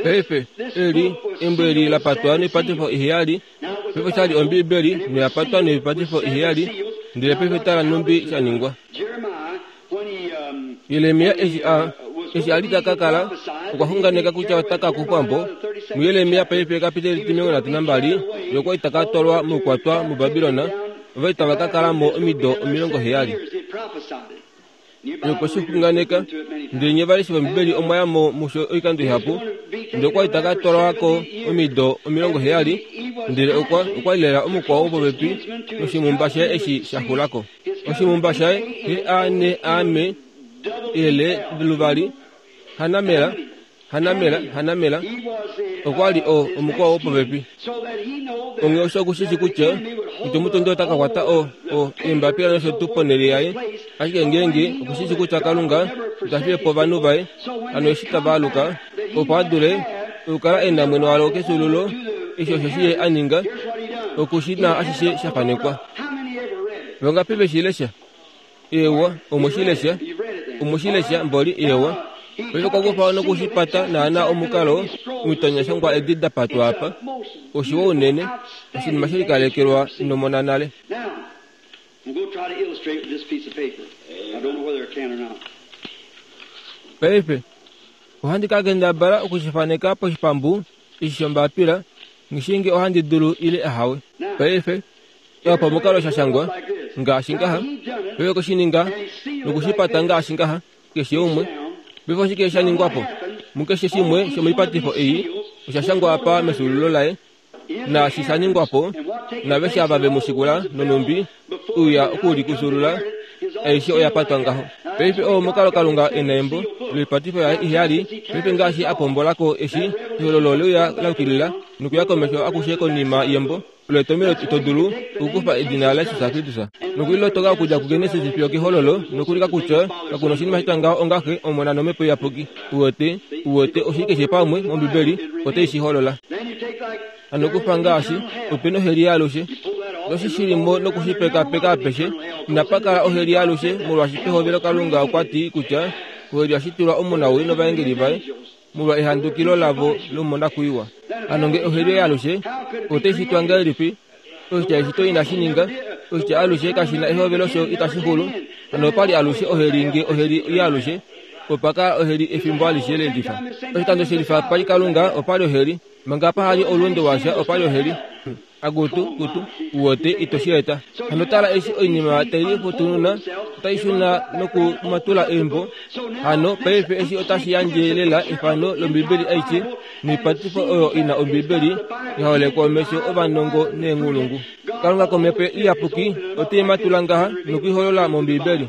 Paife eli embo eli la patwa noipatifo iheyali. Paife oshali ombibeli noya patwa noipatifo iheyali ndele paife tala nhumbi sha ningwa. Yeremia eshi a eshi ali taka kala okwa xunganeka kutya otaka kufwa po muYeremia paife kapiteli timilongo nhatu nambali yokwa itaka twalwa moukwatwa muBabilona ova itava ka kala mo omido omilongo heyali yokweshixunganeka ndele nye valeshi vOmbibeli omwa ya mo musho oikando ihapu ndele okwa itaka twalwako omido omilongo heyali ndele okwa okwa lela omukwao popepi noshimumba shaye eshi shaxulako oshimumba shaye he ane ame ele luvali hanamela hanamela hanamela okwa li o omukwao popepi onge osho okushishi kutya ito mutondi ota ka kwata o o eembapila nosho tuu ponhele yaye ashike ngeenge okushishi kutya Kalunga ita fiye po ovanhu vaye hano eshi tava aluka opo a dule okukala e na mwene walo kesululo eshi osho shi ye a ninga okushina ashishe sha fanekwa vangapi veshilesha ewa omoshilesha omoshilesha mboli ewa paife kwakufa nokushipata naana omukalo omitanyashangwa edi dapatwa apa oshiwa unene oshinima shelikalekelwa inomona nale. Paife ohandi ka kendabala okushifaneka poshipambu eshi shombapila ngishinge ohandi dulu ile ahawe. Paife opo omukalo shashangwa ngaashi ngaha paife koshininga nokushipata ngaashi ngaha keshe umwe paife oshike shaningwapo mukeshe shimwe shomoipatifo ei oshashangwa apa mesululo laye naashi shaningwapo naveshe ava vemushikula nonumbi uya okulikusulula aishe oya patwa ngaho. Paife oo omukalo Kalunga ena embo loipatifo yaye iheyali paife ngaashi apombolako eshi ehololo leuya laukilila nokuya komesho akushe konima yembo loetomelo ito dulu okukufa edina laJesus Kristus nokulilotoka okudja kuGenesis fiyo kehololo nokulika kutya kakuna oshinima shitwa ngaho ongaxe Omona nOmhepo Iyapuki uwete uwete oshili keshe pamwe mOmbibeli otai shi holola. Hano kufa ngaashi opena oheli yaalushe noshishilimo nokushipekapeka apeshe inapa kala oheli yaalushe molwaashi pehovelo Kalunga okwa ti kutya oheli yashitulwa omunawii novaengeli vaye molwa ehandukilo lavo lomonakwiiwa. Hano nge oheli yaalushe otai shitwa ngahelipi oshitya eshito inashi ninga oshitya alushe kashina ehovelo sho itashi xulu hano opali alushe oheli nge oheli yaalushe opa kala oheli efimbo alishe lelifa oshikando shelifa pali Kalunga opali oheli manga pahali oulunde washa opali oheli akutu kutu uwote itoshi eta. Hano tala eshi oinima tai lifutununa otai shuna nokumatula embo hano paife eshi otashi yandje lela efano lOmbibeli aishe noipatifo oyo ina Ombibeli yaholekwa omesho ovanongo neenghulungu. Kalunga komhepo Iyapuki otai matula ngaha nokuiholola mOmbibeli.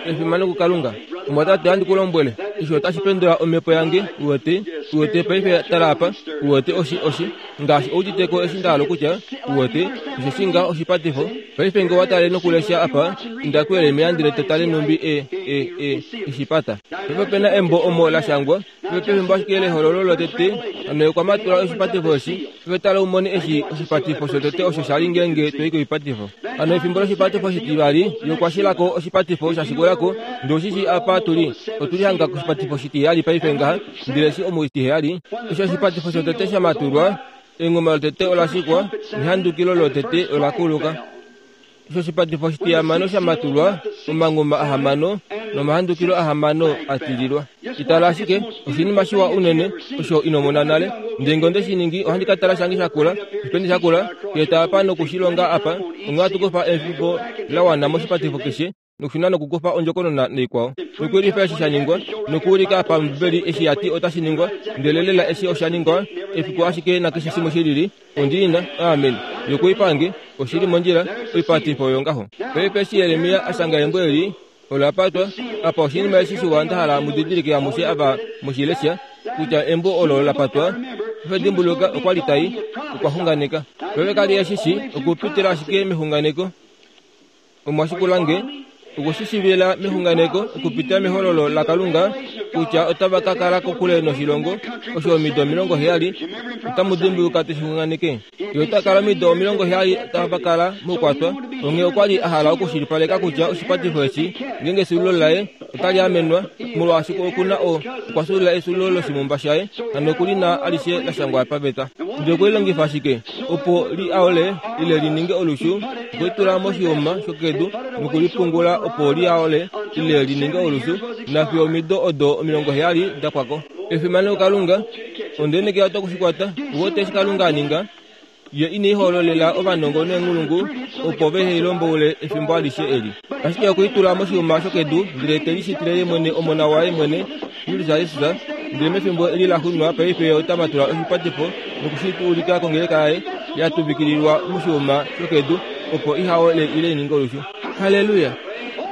Efimano kuKalunga. Omwatate ohandi ku lombwele eshi otashi pendula omhepo yange uwete uwete paife tala apa uwete oshi oshi ngaashi ouditeko eshi ndahala kutya uwete osheshi ngaho oshipatifo paife nge watale nokulesha apa inda kuYeremia ndele to tale numbi e e e eshipata. Paife opena embo omo lashangwa paife pefimbo ashike lehololo lotete hano okwa matula oshipatifo eshi paife tala umone eshi oshipatifo shotete osho shali ngeenge toi koipatifo. Hano efimbo loshipatifo shitivali yokwashilako oshipatifo shashikulako ndele oshishi apa tuli otuli hanga koshipatifo shitiheyali paife ngaha ndele eshi omuitiheyali eshi oshipatifo shotete shamatulwa engoma lotete olashikwa nehandukilo lotete olakuluka. Eshi oshipatifo shitihamano shamatulwa omangoma ahamano nomahandukilo ahamano atililwa. Itala ashike oshinima shiwa unene osho inomona nale ndele nge onde shi ningi ohandi ka tala shange shakula oshipende shakula keeta apa nokushilonga apa onge hatu kufa efimbo la wana moshipatifo keshe nokushuna nokukufa ondjokonona naikwao nokuulifa eshi shaningwa nokuulika apa Ombibeli eshi yati otashi ningwa ndele lela eshi oshaningwa efiku ashike nakeshe shimwe shilili ondiina amen yokuipange oshili mondjila oipatifo oyo ngaho. Paife eshi Yeremia ashanga embo eli ola patwa apa oshinima eshi shiwa ndahala mudidilike amushe ava moshilesha kutya embo olo la patwa paife dimbuluka okwa li tai okwa xunganeka paife kali eshishi okupitila ashike mexunganeko omwashikulange okushishivila mexunganeko okupitila mehololo laKalunga kutya otava ka kala kokule noshilongo osho omido omilongo heyali otamu dimbuluka teshixunganeke ye ota kala omido omilongo heyali otava kala moukwatwa onghee okwa li a hala okushilipaleka kutya oshipatifo eshi ngeenge esulilo laye otali amenwa molwaashi okuna o okwa sulila esulilo loshimumba shaye hano okuli na alishe lashangwa paveta. Ndele okulilongifa ashike opo li aole ile li ninge olushu okulitula moshiuma shokedu nokulipungula opo li aole ile li ninge olushu nafiyo omido odo omilongo heyali da pwako. Efimano kuKalunga Ondenekela otokushikwata uwete eshi Kalunga a ninga. Ye ine hololela ovanongo neenghulungu opo vehe lomboule efimbo alishe eli. Ashike okuitula moshiuma shokedu ndele te lishitile ye mwene omona waye mwene Kristus Jesus, ndele mefimbo eli la xunwa paife ota matula oshipatifo nokushituulika kongeleka yaye ya tuvikililwa moshiuma shokedu opo ihaole ile ininge olushu. Haleluya!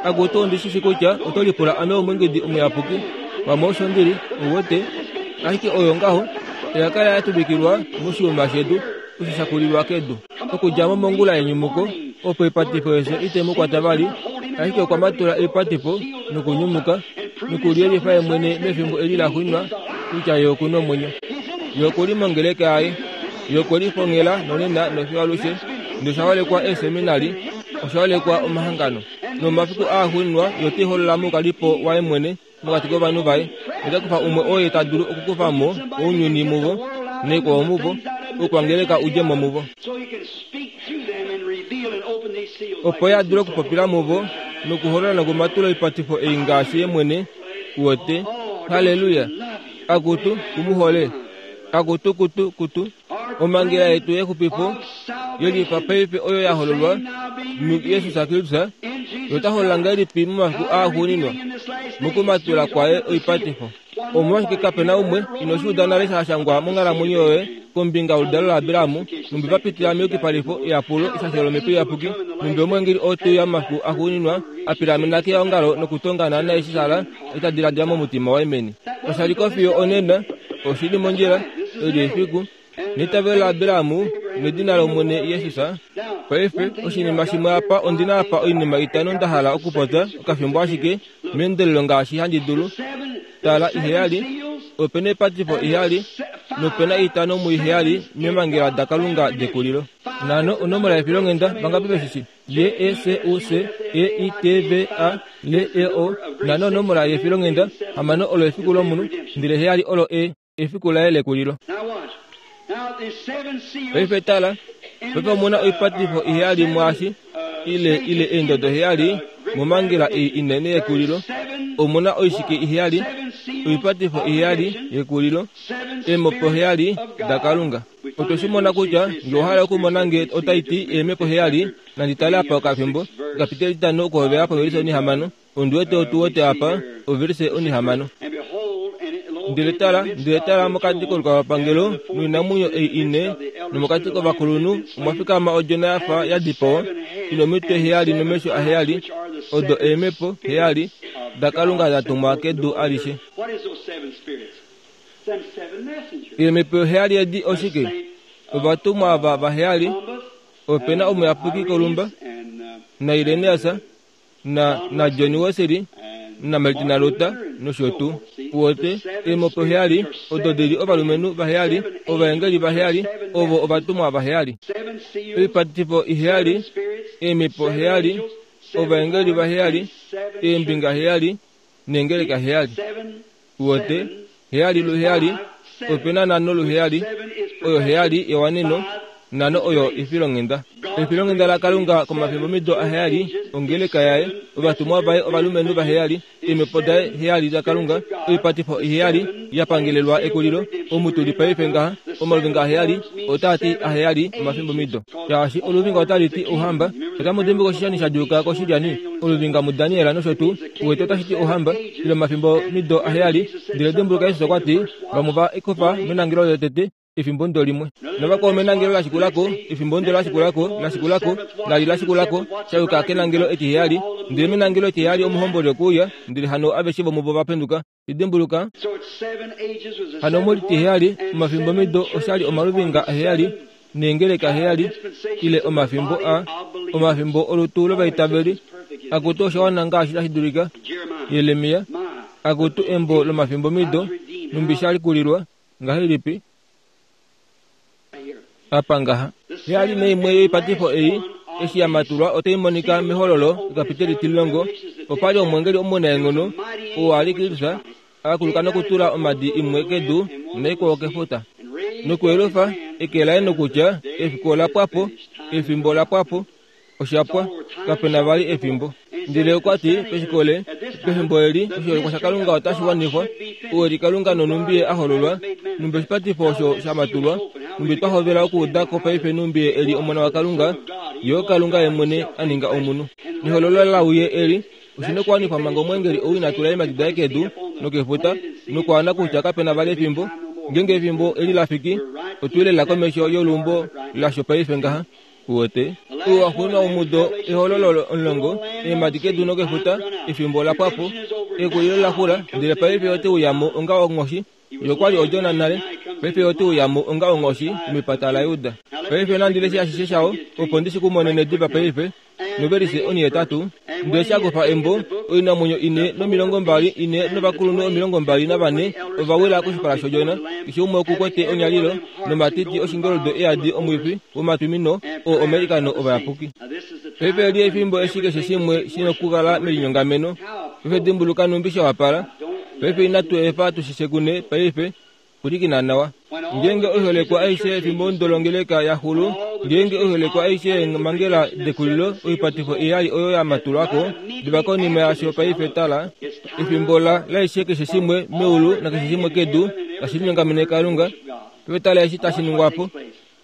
Akutu ondishishi kutya oto lipula ame omwengedi omuyapuki pamwe osho ndili uwete, ashike oyo ngaho oya kala ya tuvikilwa moshiuma shedu osho sha kulilwa kedu. Okudja mo mongula yenyumuko opo epatifo yefyo ite mu kwata vali, ashike okwa matula epatifo nokunyumuka nokuliyelifa ye mwene mefimbo eli la xwinwa kutya ye oku nomwenyo. Ye okuli mongeleka yaye, ye okwe lifongela nonena nofiyo alushe. Nosha holekwa eeseminari, osha holekwa omahangano. Nomafiku aa xwinwa ye ote holola moukalipo waye mwene mokati kovanhu vaye. Ota kufa umwe oye ta dulu okukufa mo ounyuni muvo naikwao muvo, okwangeleka udje mo muvo, opo ye a dule okupopila muvo nokuholola nokumatula oipatifo ei ngaashi ye mwene uwete. Haleluya! Akutu kumuhole, akutu kutu kutu. Omhangela yetu yexupifo yelifa paife oyo ya hololwa muJesus Kristus, ye ota holola ngahelipi momafiku aaxuuninwa mokumatula kwaye oipatifo. Omolwashike kapena umwe ino shi uda nale sha shangwa monghalamwenyo yoye kombinga yoludalo laAbraham, numbi va pitila meyukipalifo eyapulo eshasho lomhepo iyapuki, numbi omweengeli oo te uya momafiku axuuninwa a pilamena keongalo nokutonga naana eshi Sara ota diladila momutima waye meni. Osha li ko fiyo onena, oshi li mondjila, eli efiku neitavelo laAbraham nedina lOmwene Jesus. Paife oshinima shimwe apa, ondina apa oinima itano nda hala okupopya okafimbo ashike meendelelo ngaashi handi dulu. Tala iheyali, opena epatifo iheyali, nopena itano muiheyali memangela daKalunga dekulilo. Nano onomola yefilonghenda vangapi veshishi? J E S U S E I T V A L E O. Nano onomola yefilonghenda hamano olo efiku lomunhu, ndele heyali olo e efiku laye lekulilo. Paife tala, paife omuna oipatifo iheyali mwaashi ile ile eendodo heyali momangela ei inene yekulilo. Omuna oishike iheyali, oipatifo iheyali yekulilo, eemhepo heyali daKalunga. Otwe shi mona kutya nge owa hala okumona nge otai ti eemhepo heyali, nandi tale apa okafimbo okapiteli tano okuhovela povelise onihamano. Ondi wete otu wete apa ovelise onihamano. Ndele tala, ndele tala mokati kolukalwapangelo noinamwenyo ei ine, nomokati kovakulunhu omwa fikama odjona ya fa ya dipawa, ina omitwe heyali nomesho aheyali, odo eemhepo heyali daKalunga da tumwa kedu alishe. Eemhepo heyali edi oshike? Ovatumwa ava vaheyali, opena omuyapuki Kolumba, naIrenaeus, na naJohn Wesley, naMartin Luther nosho tuu. Uwete eemhepo heyali odo di li ovalumenhu vaheyali, ovaengeli vaheyali, ovo ovatumwa vaheyali. Oipatifo iheyali, eemhepo heyali, ovaengeli vaheyali, eembinga heyali, neengeleka heyali. Uwete heyali luheyali, opena nano luheyali, oyo heyali yewaneno, nano oyo efilonghenda. Efilonghenda laKalunga komafimbo mido aheyali, ongeleka yaye, ovatumwa vaye ovalumenhu vaheyali, eemhepo daye heyali daKalunga, oipatifo iheyali ya pangelelwa ekulilo. Omutuli paife ngaha omaluvinga aheyali otaa ti aheyali omafimbo mido. Shaashi oluvinga otali ti ouhamba, otamu dimbuka oshishani sha djuuka koshilyani, oluvinga muDaniel nosho tuu, uwete otashi ti ouhamba, ile omafimbo mido aheyali. Ndele dimbuluka Jesus okwa ti, vamwe va kufa menangelo lotete efimbo ndo limwe, novakwao menangelo la shikulako, efimbo ndo la shikulako, la shikulako, la li la shikulako, shayuka kenangelo etiheyali. Ndele menangelo etiheyali omuhomboli okuuya, ndele hano aveshe vomuvo va penduka. Idimbuluka hano molitiheyali omafimbo mido oshali omaluvinga aheyali neengeleka aheyali, ile omafimbo a omafimbo olutu lovaitaveli. Akutu osha wana ngaashi tashi dulika. Jeremia, akutu embo lomafimbo mido, numbi sha likulilwa ngahelipi apa ngaha. Heyali naimwe yoipatifo ei eshi ya matulwa otai monika mehololo ekapiteli tilongo. Opali omwengeli omunaenghono oo a li Kristus akuluka nokutula omadi imwe kedu naikwao kefuta, nokuyelufa eke laye nokutya efiku ola pwa po, efimbo ola pwa po, osha pwa, kapena vali efimbo. Ndele okwa ti peshikole pefimbo eli oshiholekwa shaKalunga otashi wanifwa, ou eli Kalunga nonumbi ye a hololwa, numbi oshipatifo osho sha matulwa, numbi twa hovela okuuda ko paife numbi ye eli Omona waKalunga, yo Kalunga ye mwene a ninga omunhu. Nehololo lauye eli oshina okuwanifwa manga omweengeli ou ina tula eemhadi daye kedu nokefuta, nokwaana kutya kapena vali efimbo. Ngeenge efimbo eli la fiki, otwi lela komesho yoluumbo lasho paife ngaha. Uwete ou waxuuninwa womudo ehololo omulongo, eemhadi kedu nokefuta, efimbo la pwa po, ekulilo la xula, ndele paife ote uyamo onga onghoshi. Ye okwa li odjona nale, paife ote uyamo onga onghoshi mepata laJuda. Paife nandi leshe ashishe shao opo ndi shi kumonene diva paife. Novelise onihetatu, ndele sha kufa embo, oinamwenyo ine nomilongo mbali ine novakulunhu omilongo mbali navane ova wila koshipala shodjona, keshe umwe okukwete onyalilo nomatiti oshingoldo eyadi omwifi womatwimino oo omailikano ovayapuki. Paife eli efimbo eshi keshe shimwe shina okukala melinyongameno. Paife dimbuluka numbi sha wapala. Paife inatu efa tushishekune paife. Pwilikina nawa. Ngeenge oiholekwa aishe yefimbo ndolongeleka ya xulu, ngeenge oiholekwa aishe yeemhangela dekulilo oipatifo iyali oyo ya matulwako diva konima yasho paife tala, efimbo la laishe keshe shimwe meulu nakeshe shimwe kedu tashi linyongamene Kalunga. Paife tala eshi tashi ningwapo.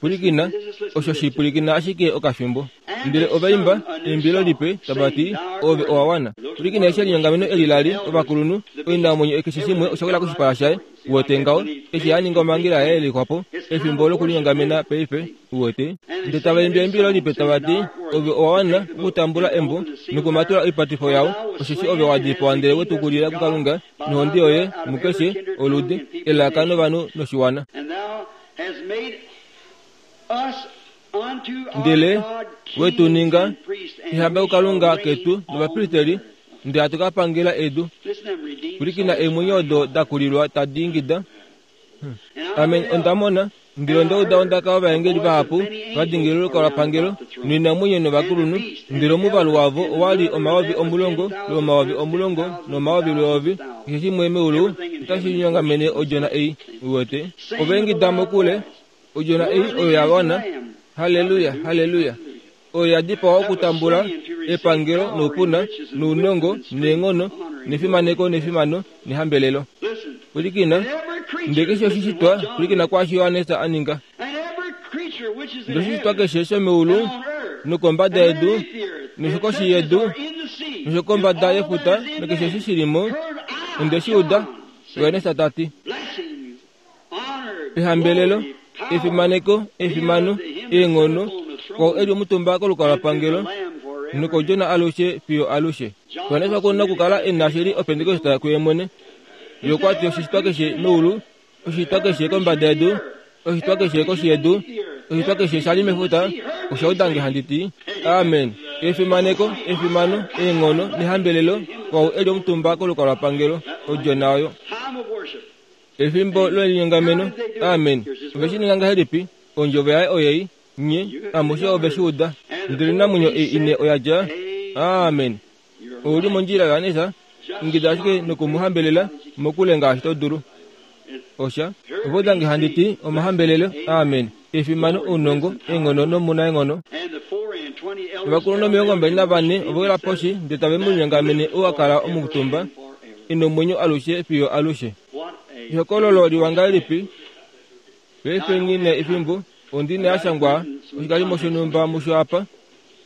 Pwilikina, osho shi pwilikina ashike okafimbo. Ndele ova imba eimbilo lipe tava ti, ove owa wana. Pwilikina eshi elinyongameno eli lali ovakulunhu, oinamwenyo keshe shimwe osha wila koshipala shaye. Uwete ngaho, eshi a ninga omhangela yaye yelikwapo, efimbo lokulinyongamena paife. Uwete, ndele tava imbi eimbilo lipe tava ti, ove owa wana okutambula embo nokumatula oipatifo yao, osheshi ove wa dipawa ndele we tu kulila kuKalunga nohonde yoye mukeshe oludi, elaka novanhu noshiwana. Ndele we tu ninga ehamba kuKalunga ketu novapristeli, ndele hatu ka pangela edu. Pwilikina eemwenyo odo da kulilwa tadi ingida. Ame onda mona, ndele onda uda ondaka yovaengeli vahapu va dingilila olukalwapangelo noinamwenyo novakulunhu, ndele omuvalu wavo owa li omayovi omulongo lwomayovi omulongo nomayovi lweyovi, keshe shimwe meulu otashi linyongamene odjona ei. Uwete, ova ingida mokule, odjona ei oyo ya wana. Haleluya, haleluya. Oyo ya dipawa okutambula epangelo noupuna nounongo neenghono nefimaneko nefimano nehambelelo. Pwilikina, ndele keshe oshishitwa, pwilikina kwaashi Johannes a ninga. Ndele oshishitwa keshe shomeulu nokombada yedu noshokoshi yedu noshokombada yefuta nokeshe eshi shi li mo, onde shi uda, Johannes ta ti. Ehambelelo, efimaneko, efimano, eenghono, kwau eli omutumba kolukalwapangelo nokodjona alushe fiyo alushe. Johannes okuna okukala e na shili opentekoste kuye mwene. Ye okwa ti oshishitwa keshe meulu, oshishitwa keshe kombada yedu, oshishitwa keshe koshi yedu, oshishitwa keshe sha li mefuta, osha uda nge handi ti amen. Efimaneko, efimano, eenghono nehambelelo kwau eli omutumba kolukalwapangelo, odjona oyo. Efimbo lelinyongameno. Amen. Ove shi ninga ngahelipi? Ondjovo yaye oyei, nye amushe ove shi uda. Ndele oinamwenyo ei ine oya dja. Amen. Ou li mondjila Johannes, ingida ashike nokumuhambelela mokule ngaashi to dulu. Osha ove uda nge handi ti omahambelelo. Amen. Efimano, ounongo, eenghono nomunaenghono. Ovakulunhu omilongo mbali navane ova wila poshi ndele tave mu linyongamene ou a kala omutumba e nomwenyo alushe fiyo alushe. Ehokololo liwa ngahelipi? Paife nghi efimbo, ondi ne ya shangwa oshikalimo shonhumba musho apa.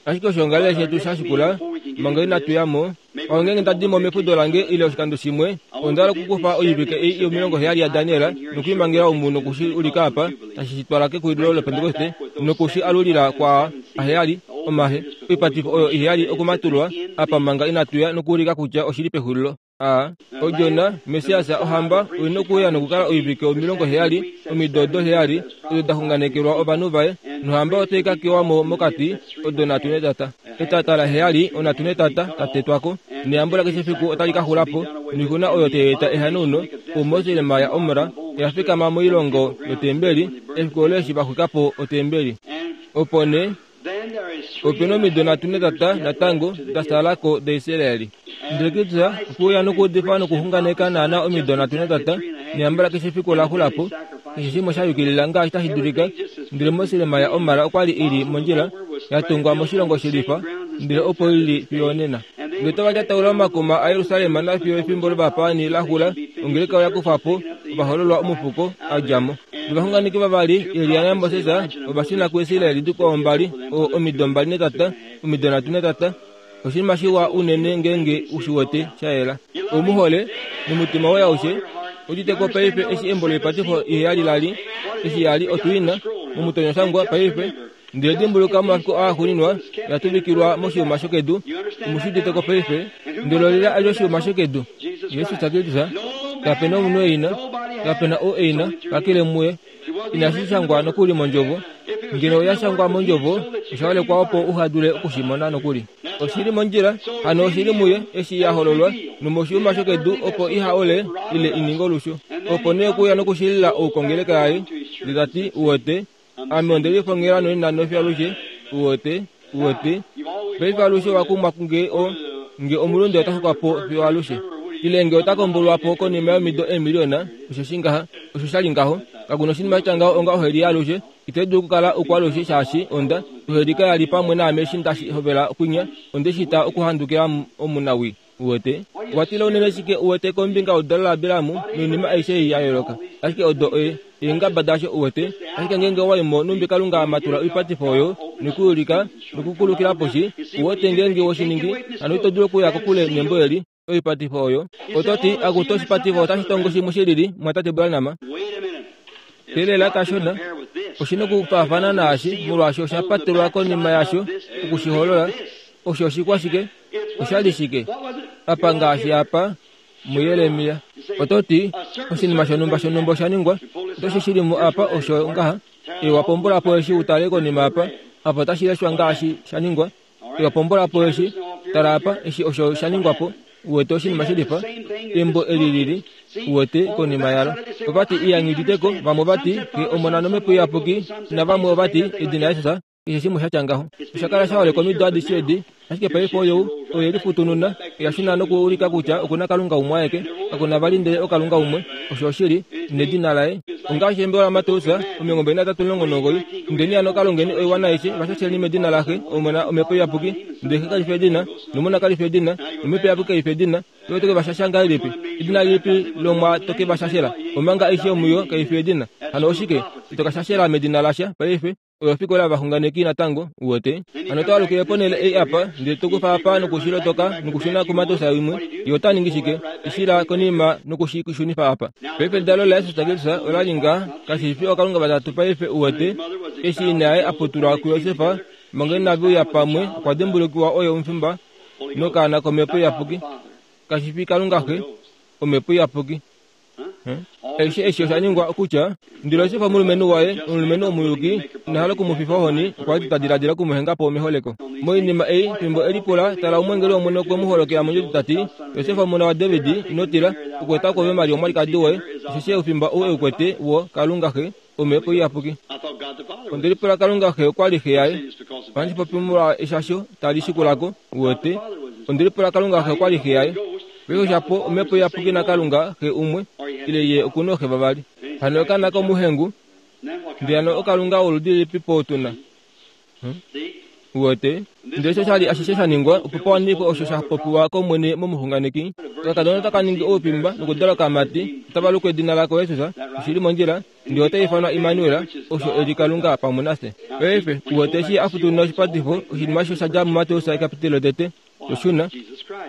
Ashike oshoongalele shetu sha shikula manga inatu ya mo. Ongeenge nda di mo mefudo lange ile oshikando shimwe, onda hala okukufa oivike ei yomilongo heyali yaDaniel nokuimangela omu nokushi ulika apa tashi shi twala kekulilo lopentekoste nokushi alulila kwaa aheyali omahe oipatifo oyo iheyali okumatulwa apa manga inatu ya nokuulika kutya oshili pexulilo. A odjona Messias ohamba oina okuuya nokukala oivike omilongo heyali omido odo heyali odo da xunganekelwa ovanhu vaye, nohamba otai ka kewa mo mokati odo nhatu netata. Etata la heyali onhatu netata tatetwako, neyambo lakeshe efiku otali ka xula po, noixuna oyo tai eta ehanauno. Omoselema ya Omra oya fikama moilongo yotembeli efiku olo eshi va xwika po otembeli. Opo nee opena omido nhatu netata natango da salako daIsraeli. Ndele Kristus okuuya nokuudifa nokuxunganeka naana omido nhatu netata, neyambo lakeshe efiku ola xula po, keshe shimwe sha yukilila ngaashi tashi dulika. Ndele moselema ya Omra okwa li i li mondjila ya tungwa moshilongo shelifa, ndele opo i li fiyo onena. Ndele otava lyataula omakuma aYerusalem nafiyo efimbo lovapaani la xula, ongeleka oya kufa po ovahololwa omufuko a dja mo. Novaxunganeki vavali, Elia naMoses, ova shuna kuIsraeli dikwao mbali, omido mbali netata, omido nhatu netata. Oshinima shiwa unene ngeenge u shi wete sha yela. Ou mu hole nomutima woye aushe, udite ko paife eshi embo loipatifo iheyali lali, eshi yali otwiina momutonyoshangwa paife. Ndele dimbuluka momafiku aaxuuninwa ya tuvikilwa moshiuma shokedu, omushi ko paife, ndele olila ali oshiuma shokedu. Jesus Kristus, kapena omunhu eina, kapena ou eina, kakele muye. Inashi shangwa nokuli mondjovo. Ngeno oya shangwa mondjovo, osha holekwa opo uha dule okushimona nokuli. Oshili mondjila, hano oshili muye eshi ya hololwa nomoshiuma shokedu opo iha ole ile ininge olushu. Opo nee okuya nokushilila oukongeleka yaye, ndele tati uwete, ame onde lifongela noina nofi alushe, uwete, uwete. Paife alushe wakumwa nge o nge omulunde ota xukwa po fiyo alushe. Ile nge ota kombolwa po konima yomido eemiliona, osho shi ngaha, osho sha li ngaho. Kakuna oshinima sha ngaho onga oheli alushe, ite dulu okukala ukwalushe shaashi onda oheli kaya li pamwe naame eshi ndashi hovela okwinya, onde shita okuhandukila omunawi. Uwete, watila unene shike uwete kombinga oludalo laAbrahamu noinima aishe ei ya yooloka. Ashike odo e eengaba dasho uwete, ashike ngeenge owaimo numbi Kalunga amatula oipatifo oyo nokuulika nokukulukila poshi, uwete ngeenge woshiningi, hano ito dulu okuya kokule nembo eli oipatifo oyo. Ototi akuto oshipatifo otashi tongo shimwe shilili mwatate Branham. Telela kashona, oshina okufaafana naashi molwaashi osha patelwa konima yasho okushiholola. Osho oshikwa shike? Osha li shike? Apa ngaashi apa muYeremia. Ototi oshinima shonhumba shonhumba osha ningwa, otoshi shili mo apa osho ngaha. Ewa pombola po eshi utale konima apa, apa otashi leshwa ngaashi sha ningwa. Ewa pombola po eshi, tala apa eshi osho sha ningwa po. Uwete oshinima shilifa, embo eli lili, uwete konima yalo. Ovati iyangiditeko, vamwe ovati ke omona nomhepo iyapuki, navamwe ovati edina Jesus, keshe shimwe sha tya ngaho. Osha kala sha holekwa omido adishe edi, ashike paife oyo oye lifutununa, oya shuna nokuulika kutya okuna Kalunga umwe aeke, kakuna vali ndele oKalunga umwe, osho oshili, nedina laye. Ongaashi embo laMateus omilongo mbali natatu omulongo nomugoyi, indeni hano kalongeni oiwana aishe, vashasheni medina laXe, Omona, Omhepo Iyapuki, ndele Xe kali fi edina, nOmona kali fi edina, nOmhepo Iyapuki kai fi edina. Oyo toke vashasha ngahelipi? Edina lilipi lomwa toke vashashela? Omanga aishe omuyo kai fi edina. Hano oshike? Ito ka shashela medina lasha paife. Oyo ofikola yovaxunganeki natango, uwete. Hano otwa alukile ponhele ei apa, ndele tokufa apa nokushilotoka nokushuna kuMateus imwe. Ye ota ningi shike? Ishila konima nokushishunifa apa. Paife edalo laJesus Kristus ola li ngaha, kashi fi ookalunga vatatu paife uwete. Eshi ina yaye a putulwa kuJosef, manga inave uya pamwe, okwa dimbulukiwa oye omufimba nokaana komhepo iyapuki. Kashi fi Kalunga Xe, omhepo iyapuki. Aishe eshi osha ningwa okutya, ndele Josef omulumenhu waye, omulumenhu omuyuki, ina hala okumufifa ohoni, okwa li ta diladila okumuhenga po meholeko. Moinima ei, fimbo e lipula, tala omweengeli wOmwene okwe mu holokela mondjodi ta ti, Josef omona waDavid, ino tila, okueta kwoove Maria omwalikadi woye, osheshi oufimba ou e u kwete wo Kalunga Xe, omhepo iyapuki. Onde lipula Kalunga Xe okwa li xe yaye. Ohandi popi molwa eshasho tali shikulako, uwete. Onde lipula Kalunga Xe okwa li xe yaye. Paife oshapo omhepo iyapuki naKalunga Xe umwe, ile ye okuna ooxe vavali. Hano okaana komuhengu, ndele hano oKalunga woludi lilipi po tuna? Uwete, ndele osho sha li ashishe sha ningwa opo pa wanifwe osho sha popiwa kOmwene momuxunganeki. Okakadona otaka ningi oufimba nokudala okamati, otava luku edina lako Jesus, oshili mondjila, ndele ota ifanwa Immanuel, osho e li Kalunga pamwe nafye. Paife, uwete eshi a futununa oshipatifo, oshinima osho sha dja muMateus ekapitelo lotete, toshuna,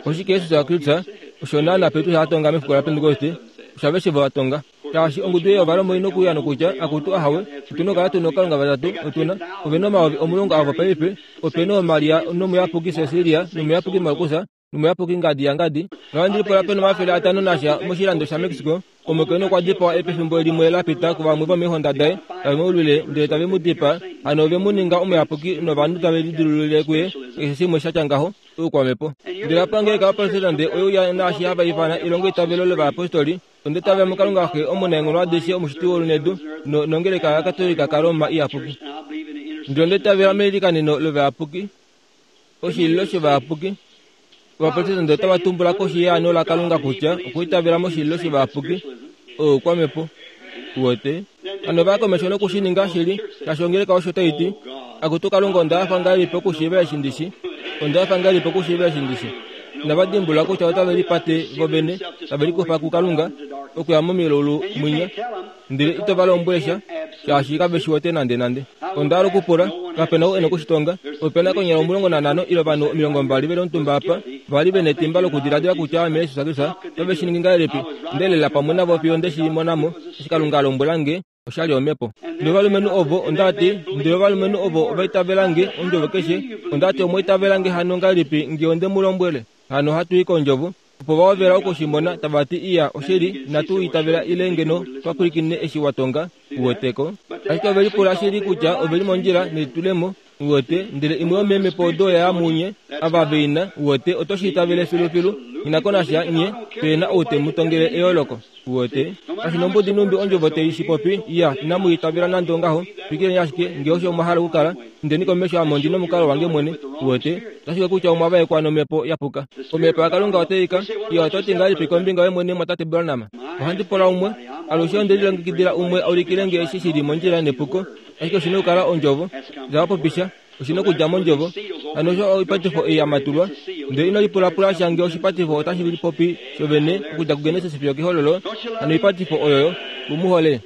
oshike Jesus Kristus, osho naana Petrus a tonga mefiku laPentekoste, osho aveshe vo va tonga. Shaashi ongudu ei yovalombo ina okuuya nokutya, akutu ahawe, otuna okukala tuna ookalunga vatatu, otuna, ove na omayovi omulongo avo paife, ope na ooMaria nomuyapuki Cecilia nomuyapuki Markus nomuyapuki ngadi yangadi. Nohandi lipula pena omafele atano nasha moshilando shaMexico, omukainhu okwa dipawa pefimbo limwe la pita kuvamwe vomeehonda daye, tave mu lwile ndele tave mu dipaa. Hano ove mu ninga omuyapuki novanhu tave lidilulile kuye keshe shimwe sha tya ngaho, oukwamhepo. Ndele apa ongeleka yoProtestand oye uya naashi hava ifana elongoitavelo lovayapostoli, onde tava muKalunga Xe omunaenghono adishe omushiti weulu nedu, nongeleka yaKatolika kaRoma iyapuki. Ndele onde tavela meilikaneno lovayapuki, oshililo shovayapuki. Ovaprotestante otava tumbula koshi yeano laKalunga kutya okwiitavela moshililo shovayapuki oukwamhepo. Uwete, hano ovaya komesho nokushininga shili, shaashi ongeleka osho tai ti, akutu Kalunga onda hafa ngahelipi okushiiva eshi ndishi, onda hafa ngahelipi okushiiva eshi ndishi. Inava dimbulula kutya otave lipate vovene, tave likufa kuKalunga, okuya momilaulu mwinya. Ndele ito va lombwele sha, shaashi kave shi wete nande nande. Onda hala okupula, kapena ou e na okushitonga. Opena konyala omulongo nanhano ile ovanhu omilongo mbali veli omutumba apa, vali vena etimba lokudiladila kutya ame Jesus Kristus, otave shi ningi ngahelipi? Ndelela pamwe navo fiyo nde shi mona mo, eshi Kalunga a lombwela nge, oshali omhepo. Ndele ovalumenhu ovo, onda ti, ndele ovalumenhu ovo ova itavela nge ondjovo keshe, onda ti omwa itavela nge hano ngahelipi nge onde mu lombwele? Hano hatu i kondjovo. Opo va hovela okushimona tava ti iya oshili inatu itavela ile ngeno twa pwilikine eshi wa tonga, uweteko. Ashike ove lipula shili kutya ove li mondjila nelitulemo, uwete, ndele imwe yomeemhepo odo ya munye ava veina, uwete, oto shi itavele filufilu, ina konasha nye, pena ou te mu tongele eyooloko, uwete. Kashi nombudi numbi ondjovo tei shi popi, iya, inamu itavela nande ongaho, twikileni ashike, nge osho mwa hala okukala, indeni komesho ame ondi nomukalo wange mwene, uwete, otashi kutya omwa vaekwa nomhepo ya puka. Omhepo yaKalunga oteika, iya oto ti ngahelipi kombinga yomwene mwatate Branham? Ohandi pula umwe, alushe onde lilongekidila umwe a ulikile nge eshi shili mondjila nepuko, ashike oshina okukala ondjovo, davapopisha, oshina okudja mondjovo. Hano osho oipatifo ei ya matulwa, ndele ino lipulapula sha nge oshipatifo otashi lipopi shovene okudja kuGenesis fiyo kehololo, hano oipatifo oyoyo, u mu hole.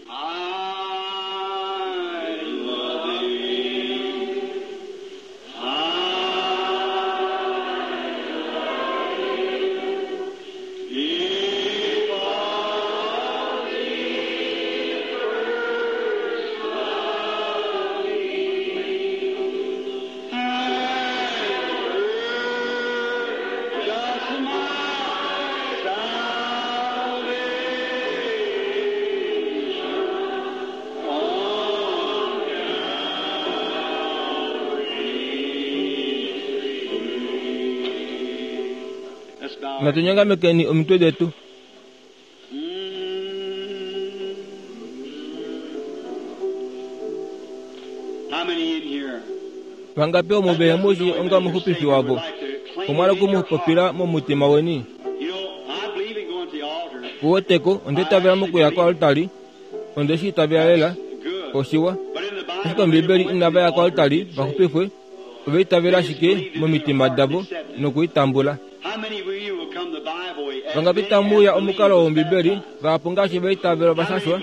Natunyongamekeni omitwe detu. Vangapi omo vehemushi onga omuxupifi wavo? Omwa hala okumupopila momutima weni. Uweteko, onde itavela mokuya koaltari, onde shi itavela lela, oshiwa. Ashike Ombibeli inava ya koaltari vaxupifwe, ova itavela ashike momitima davo nokuitambula. Vangapi tamuuya omukalo wOmbibeli, vahapu ngaashi va itavela ovashashwa?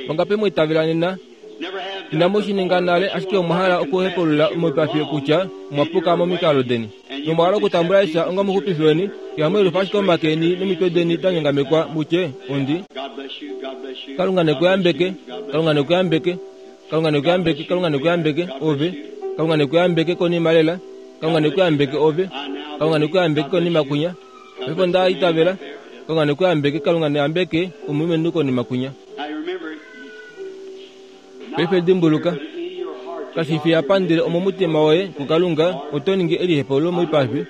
Vangapi mwa itavela nena? Inamu shi ninga nale, ashike omwa hala okuhepulula moipafi kutya omwa puka momikalo deni. Nomwa hala okutambula Jesus onga omuxupifi weni, ihamu yelifa ashike omake eni nomitwe deni da nyongamekwa mutye, ondi. Kalunga nekuyambeke, Kalunga nekuyambeke, Kalunga nekuyambeke, Kalunga nekuyambeke, ove. Kalunga nekuyambeke konima lela, Kalunga nekuyambeke ove. Kalunga nekuyambeke konima kunya. Paife nda itavela, Kalunga nekuyambeke, Kalunga neyambeke omulumenhu konima kunya. Paife dimbuluka, kashi fi apa ndele omomutima woye kuKalunga oto ningi elihepululo moipafi.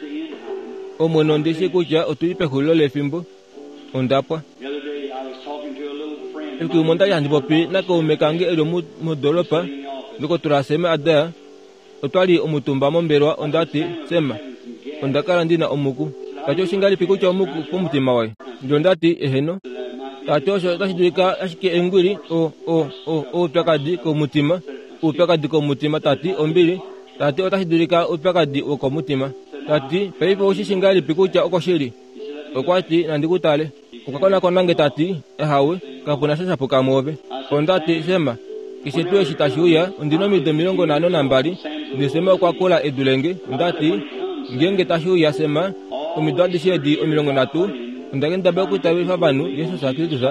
Omwene onde shi kutya otuli pexulilo lefimbo. Ondapwa. Efiku limwe ondali handi popi nakaume kange eli modoolopa Ndokotola Sema Adair. Otwali omutumba mombelewa onda ti, Sema, onda kala ndina omuku. Tati oshingalipi kutya omuku pomutima waye? Ndele onda ti, eheno. Tati osho otashi dulika ashike engwili o o o oupyakadi komutima, oupyakadi komutima, tati ombili, tati otashi dulika oupyakadi wokomutima. Tati paife oushi ngahelipi kutya okoshili? Okwa ti nandi ku tale. Okwa konakona nge tati, ahawe, kapuna sha shapuka mwoove. Onda ti, Sema, keshe tuu eshi tashi uya, ondina omido omilongo nhano nambali, ndele Sema okwa kula edu lenge. Onda ti, ngeenge tashi uya Sema, omido adishe edi omilongo nhatu, onda kendabala okwiitavelifa ovanhu Jesus Kristus,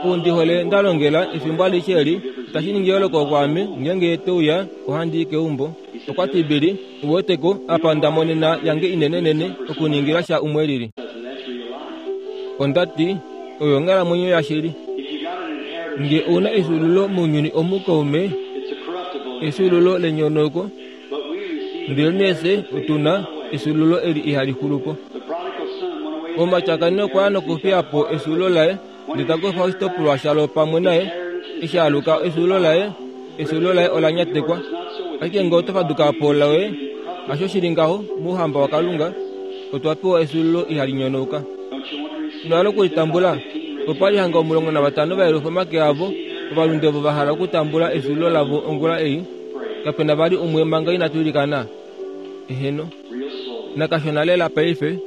ou ndi hole nda longela efimbo alishe eli, itashi ningi eyooloko kwaame ngeenge te uya ohandi i keumbo. Okwa ti Billy, uweteko, apa nda monena yange inenenene okuningila sha umwe lili. Onda ti, oyo onghalamwenyo yashili. Nge ouna efyuululo mounyuni omu kaume, efyuululo lenyonauko, ndele nee otuna efyuululo eli ihali xulu po. Omatyakani okwa ya nokufiya po efyuululo laye, ndele ta kufa oshitopolwa shalo pamwe naye, eshi aluka efyuululo laye, efyuululo laye ola nyatekwa. Ashike ngee oto faduka po loye, hasho shili ngaho mouhamba waKalunga, otwa pewa efyuululo ihali nyonauka. Ino hala okulitambula? Opa li hanga omulongo navatano va yelufa omake avo, ovalunde ovo va hala okutambula efyuululo lavo ongula ei. Kapena vali umwe manga inatu ilikana? Eheno. Nakashona lela paife.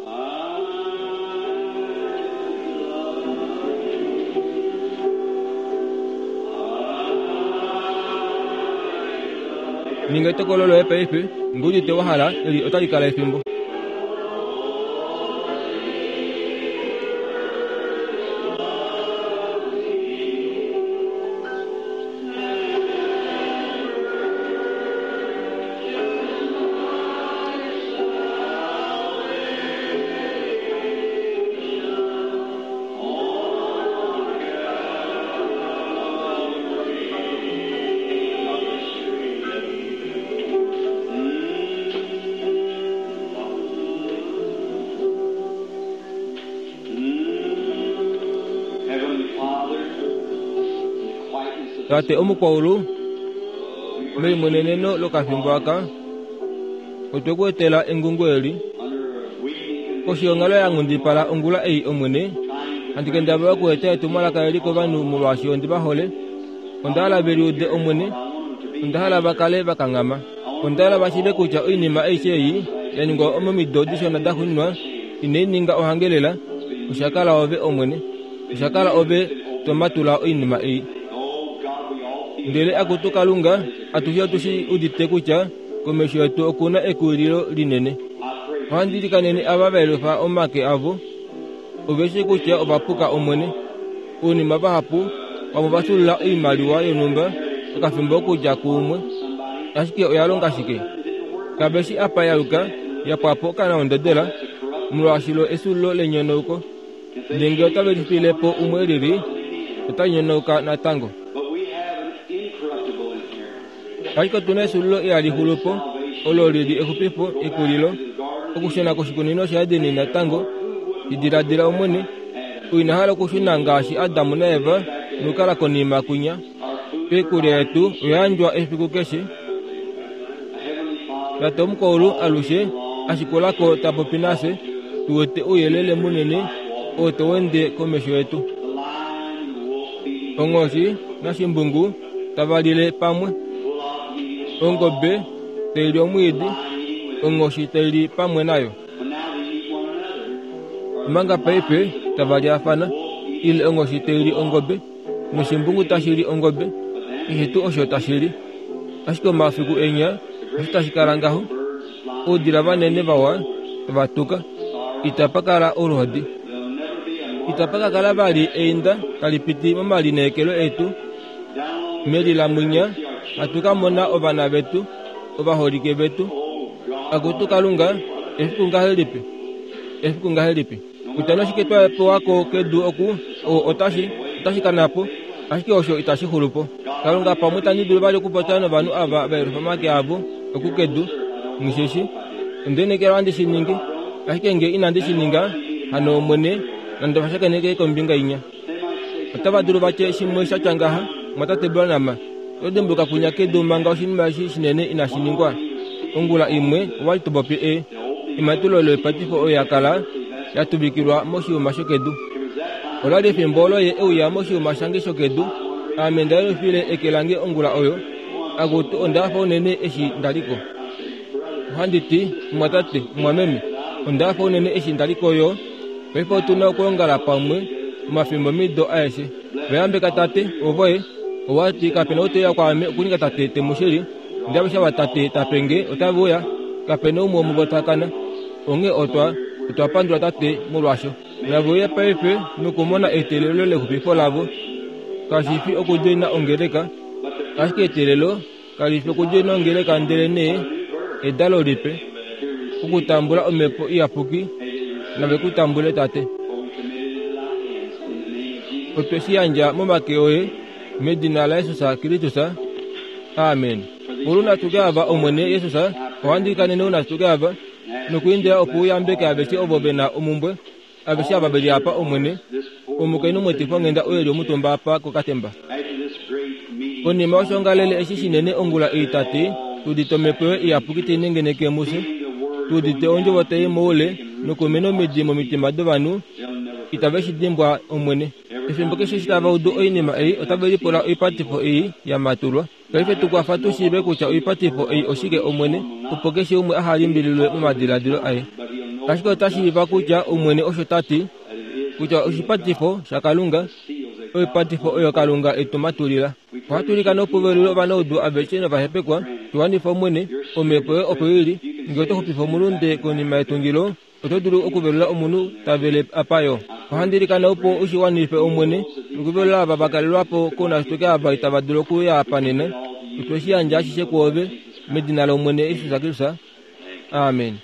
Ninga etokolo loye paife, ngee udite wa hala, eli otali kala efimbo. Tate omukwaulu, meimoneneno lokafimbo aka, otwe ku etela engungo eli koshiyongalo ya nghundipala ongula ei Omwene. Handi kendabala okueta etumwalaka eli kovanhu molwaashi ondi va hole. Onda hala ve liude Omwene, onda hala va kale va kanghama. Onda hala va shiive kutya oinima aishe ei ya ningwa momido dishona da xuuninwa inai ninga ohangelela. Osha kala ove Omwene, osha kala ove tomatula oinima ei. Ndele akutu Kalunga, atushe otushi udite kutya komesho yetu okuna ekuwililo linene. Ohandi likanene ava va yelufa omake avo, ove shi kutya ova puka Omwene. Ounima vahapu vamwe va sulula oimaliwa yonhumba okafimbo okudja kuumwe, ashike oya longa shike? Kave shi apa ya yuka, ya pwa po okanaondodela, molwaashi lo esulilo lenyonauko. Ndele ngee otave lifile po umwe lili, ota nyonauka natango. Ashike otuna esulilo ihali xulu po, olo lili exupifo, ekulilo, okushuna koshikunino shaEden natango. Diladila Omwene, ina hala okushuna ngaashi Adamu naEva nokukala konima kwinya. Oikulya yetu oya yandjwa efiku keshe. Tate omukwaulu alushe ashikulako ta popi nafye, tu wete ouyelele munene oo tau ende komesho yetu. Onghoshi nashimbungu tava lile pamwe, ongobe tai li omwiidi, onghoshi tai li pamwe nayo. Omanga paife tava lyaafana, ile onghoshi tai li ongobe, noshimbungu tashi li ongobe, keshe tuu osho tashi li. Ashike omafiku enya osho tashi kala ngaho, oudila vanene vawa tava tuka, itapa kala oluhodi. Itapa ka kala vali einda tali piti momalineekelo etu. Melilamwinya hatu ka mona ovana vetu, ovaholike vetu. Akutu Kalunga, efiku ngahelipi? Efiku ngahelipi? Kutya noshike twa pewako kedu oku, otashi, otashi kana po, ashike osho itashi xulu po. Kalunga pamwe itandi dulu vali okupopya novanhu ava va yelufa omake avo oku kedu, nghishishi. Onda lineekela ohandi shi ningi, ashike ngee inandi shi ninga, hano Omwene nande va shakeneke kombinga inya. Otava dulu vatye shimwe sha tya ngaha, mwatate Branham, oto dimbuluka kwinya kedu manga oshinima eshi shinene inashi ningwa. Ongula imwe owali to popi e ematulo loipatifo oyo ya kala ya tuvikilwa moshiyuma shokedu. Olali efimbo olo ye euya moshiyuma shange shokedu. Ame nda yelufile eke lange ongula oyo, akutu onda hafa unene eshi ndaliko. Ohandi ti, mwatate, mwameme, onda hafa unene eshi ndaliko yo. Paife otuna okuongala pamwe omafimbo mido aeshe. Vayambeka tate, ovoye, owati kapena oteya kwaame okuninga tate temushili. Ndavesha vatate tapenge otave uya, kapena umwe womuvo ta kana. Onghee otwa otwa pandula tate molwaasho. Nave uye paife nokumona eteelelo lexupifo lavo. Kashi fi okudjoina ongeleka, ashike eteelelo kali fi okudjoina ongeleka, ndelenee edalo lipe, okutambula omhepo iyapuki. Nave ku tambule tate. Otwe shi yandja momake oye medina laJesus Kristus. Amen. Moluna tuke ava Omwene Jesus, ohandi kanene una tuke ava nokuindila opo uyambeke aveshe ovo vena omumbwe, aveshe ava veli apa Omwene. Omukainhu mwetifo nghenda oye li omutumba apa kokatemba. Konima yoshongalele eshi shinene ongula ei tati, tudite omhepo yoye iyapuki tai nengeneke mufye, tudite ondjovo tai moule nokumena omidi momitima dovanhu, itave shi dimbwa Omwene. Efimbo keshe eshi tava udu oinima ei, otave lipula oipatifo ei ya matulwa. Paife tukwafa tu shiive kutya oipatifo ei oshike Omwene, opo keshe umwe aha limbililwe momadiladilo aye. Ashike ota shiiva kutya Omwene osho ta ti, kutya oshipatifo shaKalunga, oipatifo oyo Kalunga etu matulila. Ohatu ilikana opo velule ovanaudu aveshe novahepekwa, Tuwanifa Omwene, omhepo yoye opo ili. Ngee oto xupifa omulunde konima yetungilo, oto dulu okuvelula omunhu ta vele apa yo. Ohandi ilikana opo u shi wanife Omwene, nokuvelula ava va kalelwa po kounashitoke ava itava dulu okuuya apa nena. Otwe shi yandja ashishe kwoove, medina lOmwene Jesus Kristus. Amen.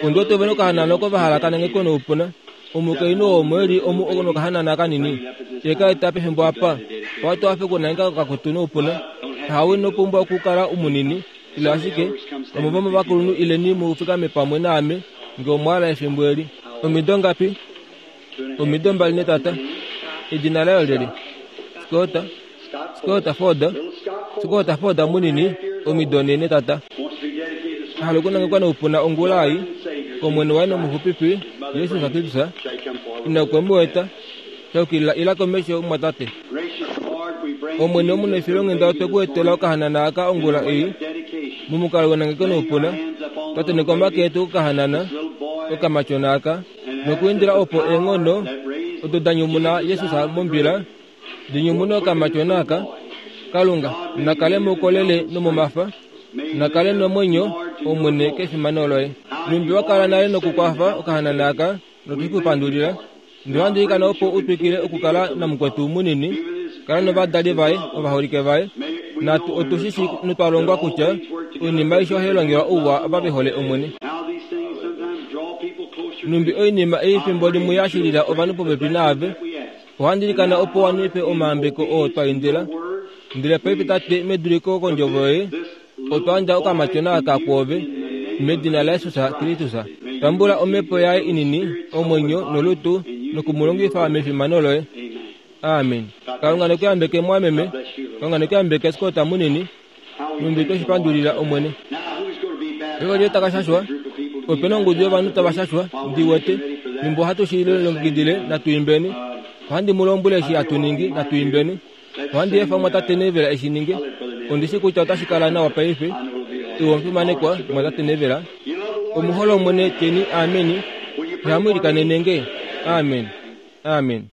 Ondi wete ove nokahanana oko va hala ka nangekwe noupuna. Omukainhu oo omo e li omu nokahanana kanini. Ye ka eta pefimbo apa. Owa afe okunangeka okakutu noupuna. Hawe ino pumbwa okukala umunini, ile ashike vamwe vomovakulunhu ileni mu fikame pamwe naame ngee omwa hala efimbo eli. Omido ngapi? Omido mbali netata. Edina layo lyeli? Scott. Scott Ford. Scott Ford munini, omido nhee netata. Hala okunangekwa noupuna ongula ei kOmwene waye nomuxupifi Jesus Kristus. Ina okwe mu eta. Shaukilila ila komesho mumwatate. Omwene omunefilonghenda otwe ku etela okahanana aka ongula ei momukalo wenangeko noupuna. Twa omake etu kokahanana okamatyona aka nokuindila opo eenghono odo da nyumuna Jesus mombila di nyumune okamatyona aka. Kalunga nakale moukolele nomomafa, nakale nomwenyo Omwene kefimano loye. Numbi wa kala nale nokukwafa okahanana aka notwe ku pandulila. Ndele ohandi ilikana opo u twikile okukala namukwetu munini, kala novadali vaye ovaholike vaye. Natu otu shi shii notwa longwa kutya oinima aishe ohai longelwa ouwa ava ve hole Omwene. Numbi oinima ei fimbo limwe ya shilila ovanhu popepi naave. Ohandi ilikana opo wanife omayambeko oo twa indila. Ndele paife Tate, meduliko kondjovo yoye, otwa yandja okamatyona aka kwoove, medina laJesus Kristus. Tambula omhepo yaye inini, omwenyo nolutu, nokumulongifa mefimano loye. Amen. Kalunga neku yambeke mwameme. Kalunga neku yambeke Scott munini. Numbi twe shi pandulila Omwene. Eko taka shashwa. Opena ongudu yovanhu tava shashwa, ndi wete. Fimbo ohatu shi lilongekidile, natu imbeni. Ohandi mu lombwele eshi hatu ningi, natu imbeni. Ohandi efa mwatate Neville eshi ninge. Ondi shi kutya otashi kala nawa paife. Iwe omufimanekwa mwatate Neville. Omuhole Omwene tyeni ameni. Ihamu ilikanene nge. Amen. Amen.